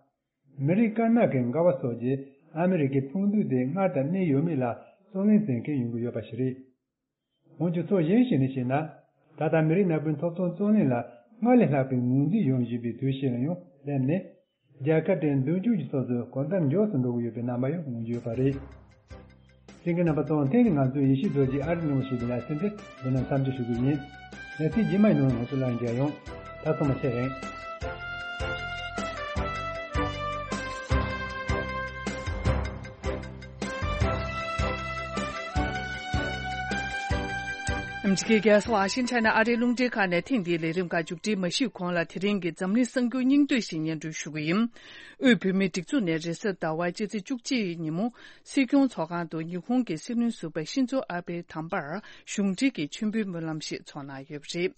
མི་རིགས་དཀར་ནག་གི་འགལ་བ་སོགས་ཀྱིས་ཨ་མི་རི་ཀའི་ཕུགས་འདུན་དེ་སྔར་ལྟར་གནས་ཡོད་མེད་ལ་རྩོད་གླེང་བྱེད་མཁན་ཡོང་གི་ཡོད་པ་ཞིག་རེད། འོན་ཀྱང་ཕྱོགས་གཞན་ཞིག་ནས་བཤད་ན། ད་ལྟ་མི་རིགས་ནག་པོའི་ཐོབ་ཐང་རྩོད་གླེང་ལ་སྔར་ལས་ལྷག་པའི་ངོས་འཛིན་ཡོང་བཞིན་པའི་དུས་ཤིག་ལ་ཡང་སླེབས་ནས། རྒྱལ་ཁབ་དེའི་མདུན་སྐྱོད་ཀྱི་ཕྱོགས་སུ་གང་ལྟར་མགྱོགས་སུ་འགྲོ་གི་ཡོད་པའི་རྣམ་པ་ཡང་མངོན་གྱི་ཡོད་པ་རེད། གསན་མཁན་རྣམ་པ་ཚོ། དེ་ནི་ང་ཚོའི་ཡེ་ཤུ་རྡོ་རྗེ་ཨ་རི་ནང་ཞེས་པའི་ལེ་ཚན་དེ་འདི་ན་མཚམས་འཇོག་ཞུ་རྒྱུ་ཡིན། ལེ་ཚན་རྗེས་མའི་ནང་ང་ཚོ་ལ་མཇལ་ཡོང་། ད་ཚང་མ་ཚེ་རིང་། ཨ་མི་རི་ཀའི་རྒྱལ་ས་ཝ་ཤིང་ཊོན་ནས་ཨ་རིའི་རླུང་འཕྲིན་ཁང་ནས་ཐེངས་འདིའི་ལས་རིམ་ཁག་མཇུག་སྒྲིལ་མ་ཞུས་གོང་ལ། དེ་རིང་གི་འཛམ་གླིང་གསར་འགྱུར་སྙིང་བསྡུས་ཤིག་སྙན་སྒྲོན་ཞུ་གི་ཡིན། དབུས་བོད་མིའི་སྒྲིག་འཛུགས་ནས་རེས་གཟའ་ཟླ་བ་སྤྱི་ཚེས་བཅུ་གཅིག་ཉིན་མོ། སྲིད་སྐྱོང་ཚོགས་ཁང་དུ་ཉི་ཧོང་གི་སྲིད་བློན་ཟུར་པ་ཤིན་ཛོ་ཨ་བྷེ་དམ་པར་གཞུང་འབྲེལ་གྱི་མཆོད་འབུལ་སྨོན་ལམ་ཞིག་འཚོགས་གནང་ཡོད་པ་རེད།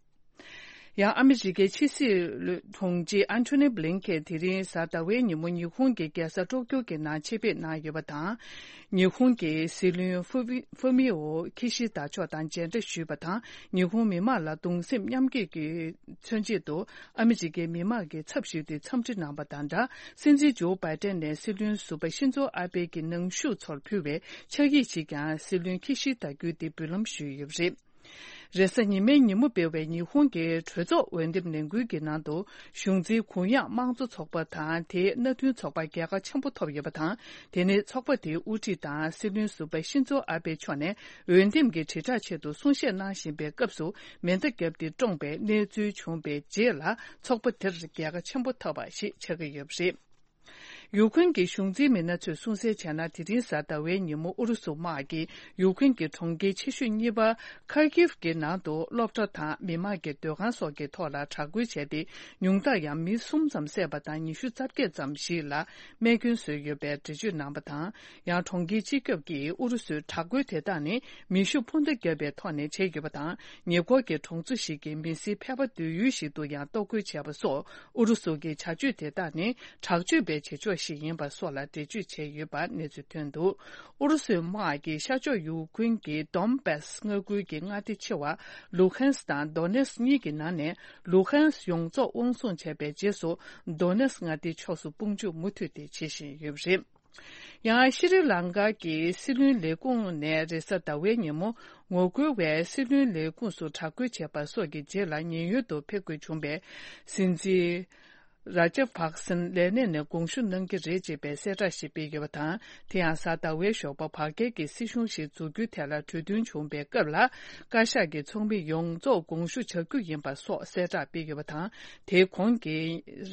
ཡང་ཨ་མི་རི་ཀའི་ཕྱི་སྲིད་དྲུང་ཆེ་ཨན་ཐོ་ནི་བྷི་ལིན་ཁེན་དེ་རིང་གཟའ་ཟླ་བའི་ཉིན་མོ་ཉི་ཧོང་གི་རྒྱལ་ས་ཊོ་ཀྱོ་གི་ནང་ཆེད་ཕེབས་གནང་ཡོད་པ་དང་། ཉི་ཧོང་གི་སྲིད་བློན་ཧྥུ་མི་ཧྥུ་མི་ཨོ་ཁི་ཤི་ད་མཆོག་དང་མཇལ་འཕྲད་ཞུས་པ་དང་། ཉི་ཧོང་མི་མང་ལ་གདུང་སེམས་མཉམ་སྐྱེད་ཀྱི་མཚོན་ཆེད་དུ་ཨ་མི་རི་ཀའི་མི་མང་གི་ཚབ་ཞུས་ཏེ་འཚམས་འདྲི་གནང་བ་དང་སྦྲགས། སྲིད་འཛིན་ཇོ་བྷའི་ཏན་ནས་སྲིད་བློན་ཟུར་པ་ཤིན་ཛོ་ཨ་བྷེ་གི་ནང་བཞུགས་ཚོར་ཕུལ་བའི་ཕྱག་ཡིག་ཅིག་ཀྱང་སྲིད་བློན་ཁི་ཤི་ད་བརྒྱུད་དེ་འབུལ་ལམ་ཞུས་ཡོད་པ་རེད། རེས་གཟའ་ཉི་མའི་ཉིན་མོ་སྤེལ་བའི་ཉི་ཧོང་གི་གྲོས་ཚོགས་འོས་འདེམས་ལས་འགུལ་གྱི་ནང་དུ། གཞུང་འཛིན་གུ་ཡངས་དམངས་གཙོ་ཚོགས་པ་དང་དེའི་མནའ་མཐུན་ཚོགས་པ་རྒྱལ་ཁ་ཆེན་པོ་ཐོབ་ཡོད་པ་དང་། དེ་ནི་ཚོགས་པ་དེའི་དབུ་ཁྲིད་དང་སྲིད་བློན་ཟུར་པ་ཤིན་ཛོ་ཨ་བྷེ་མཆོག་ནས་འོས་འདེམས་ཀྱི་དྲིལ་བསྒྲགས་ཆེད་དུ་གསུང་བཤད་གནང་བཞིན་པའི་སྐབས་སུ་མེ་མདའ་བརྒྱབ་སྟེ་བཀྲོངས་པའི་གནས་ཚུལ་བྱུང་བའི་རྗེས་ལ། ཚོགས་པ་དེར་རྒྱལ་ཁ་ཆེན་པོ་ཐོབ་པ་ཞིག་ཆགས་ཀྱི་ཡོད་པ་རེད། ཡུ་ཁུན་གྱི་གཞུང་འཛིན་མི་སྣ་ཚོས་གསུང་གསལ་བྱས་ན། དེ་རིང་གཟའ་ཟླ་བའི་ཉིན་མོ་ཨུ་རུ་སུ་དམག་གིས་ཡུ་ཁུན་གྱི་གྲོང་ཁྱེར་ཆེ་ཤོས་གཉིས་པ་ཁར་ཀིབ་ཀྱི་ནང་དུ་སློབ་གྲྭ་དང་མི་མང་གི་སྡོད་ཁང་སོགས་ཀྱི་ཐོག་ལ་དྲག་རྒོལ་བྱས་ཏེ། ཉུང་མཐར་ཡང་མི་གསུམ་ཙམ་བསད་པ་དང་ཉི་ཤུ་རྩ་བརྒྱད་ཙམ་ཞིག་ལ་རྨས་སྐྱོན་བཟོས་ཡོད་པའི་འགྲེལ་བརྗོད་གནང་བ་དང་། ཡང་གྲོང་ཁྱེར་སྤྱི་ཁྱབ་ཀྱིས་ཨུ་རུ་སུའི་དྲག་རྒོལ་དེ་དག་ནི་མེ་ཤུགས་འཕུར་མདའ་བརྒྱབ་པའི་ཐོག་ནས་བྱས་ཡོད་པ་དང་། ཉེ་འཁོར་གྱི་གྲོང་ཚོ་ཞིག་གི་མི་སེར་ཕལ་པ་སྡོད་ཡུལ་ཞིག་ཏུ་ཡང་གཏོར་རྒོལ་བྱས་པ་སོགས། ཨུ་རུ་སུ་གི་བྱ་སྤྱོད་དེ་དག་ནི་དྲག་སྤྱོད་པའི་བྱེད་ཕྱོགས་ཤིག་ཡིན་པ་སོགས་ལ་འགྲེལ་བརྗོད་བྱས་ཡོད་པ་གནས་ཚུལ་ཐོན་འདུག། ཨུ་རུ་སུའི་དམག་གིས་ཤར་ཕྱོགས་ཡུ་ཁུན་གྱི་དོན་བྷས་མངའ་ཁུལ་གྱི་མངའ་སྡེ་ཆེ་བ་ལུ་ཧན་སི་དང་དོ་ནེ་སི་གཉིས་ཀྱི་ནང་ནས་ལུ་ཧན་སི་ཡོངས་རྫོགས་དབང་བཟུང་བྱས་པའི་རྗེས་སུ། དོ་ནེ་སི་མངའ་སྡེའི་ཕྱོགས་སུ་དཔུང་འཇུག་མུ་མཐུད་དེ་བྱེད་བཞིན་ཡོད་པ་རེད། ཡང་ཤྲི་ལང་ཀ་གི་སྲིད་བློན་ལས་ཁུངས་ནས་རེས་གཟའ་ཟླ་བའི་ཉིན་མོ་ངོ་རྒོལ་བས་སྲིད་བློན་ལས་ཁུངས་སུ་དྲག་རྒོལ་བྱས་པ་སོགས་ཀྱི་རྗེས་ལ་ཉེན་གཡོལ་དུ་ཕེབས་དགོས་བྱུང་བའི་སྲིད་འཛིན་ རཱ་ཇ་ཕག་སིན་ལས་གནས་ནས་དགོངས་ཞུ་གནང་གི་རེད་ཅེས་པའི་གསལ་བསྒྲགས་ཤིག་སྤེལ་ཡོད་པ་དང་། དེ་ཡང་གཟའ་ཟླ་བའི་ཞོགས་པ་བར་བརྒལ་གྱི་སྲིད་གཞུང་ཞིག་འཛུགས་རྒྱུའི་ཐད་ལ་གྲོས་མཐུན་བྱུང་བའི་སྐབས་ལ། བཀའ་ཤག་གི་ཚོགས་མི་ཡོངས་རྫོགས་དགོངས་ཞུ་བྱ་རྒྱུ་ཡིན་པ་སོགས་གསལ་བསྒྲགས་སྤེལ་ཡོད་པ་དང་། དེའི་གོང་གི་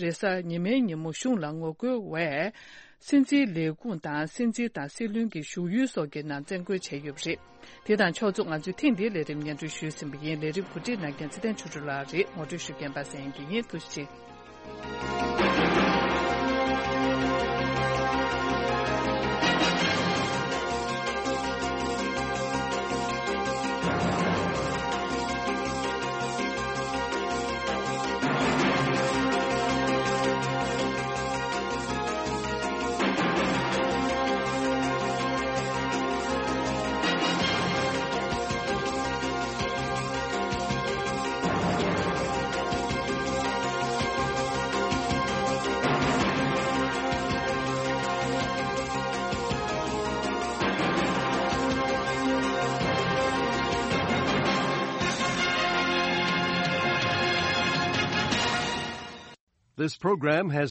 རེས་གཟའ་ཉི་མའི་ཉིན་མོ་གཞུང་ལ་ངོ་རྒོལ་བས། སྲིད་འཛིན་ལས་ཁུངས་དང་སྲིད་འཛིན་དང་སྲིད་བློན་གྱི་བཞུགས་ཡུལ་སོགས་ཀྱི་ནང་བཙན་རྒོལ་བྱས་ཡོད་པ་རེད། དེ་དང་ཕྱོགས་མཚུངས་ང་ཚོས་ཐེངས་འདིའི་ལས་རིམ་སྙན་སྒྲོན་ཞུས་ཟིན་པ་ཡིན། ལས་རིམ་གོ་སྒྲིག་གནང་མཁན་ཚེ་བརྟན་ཆོས་སྒྲོན་ལགས་རེད། ངོ་སྤྲོད་ཞུ་མཁན་པ་སངས་དགེ་ཡིན། ཐུགས་རྗེ་ཆེ། This program has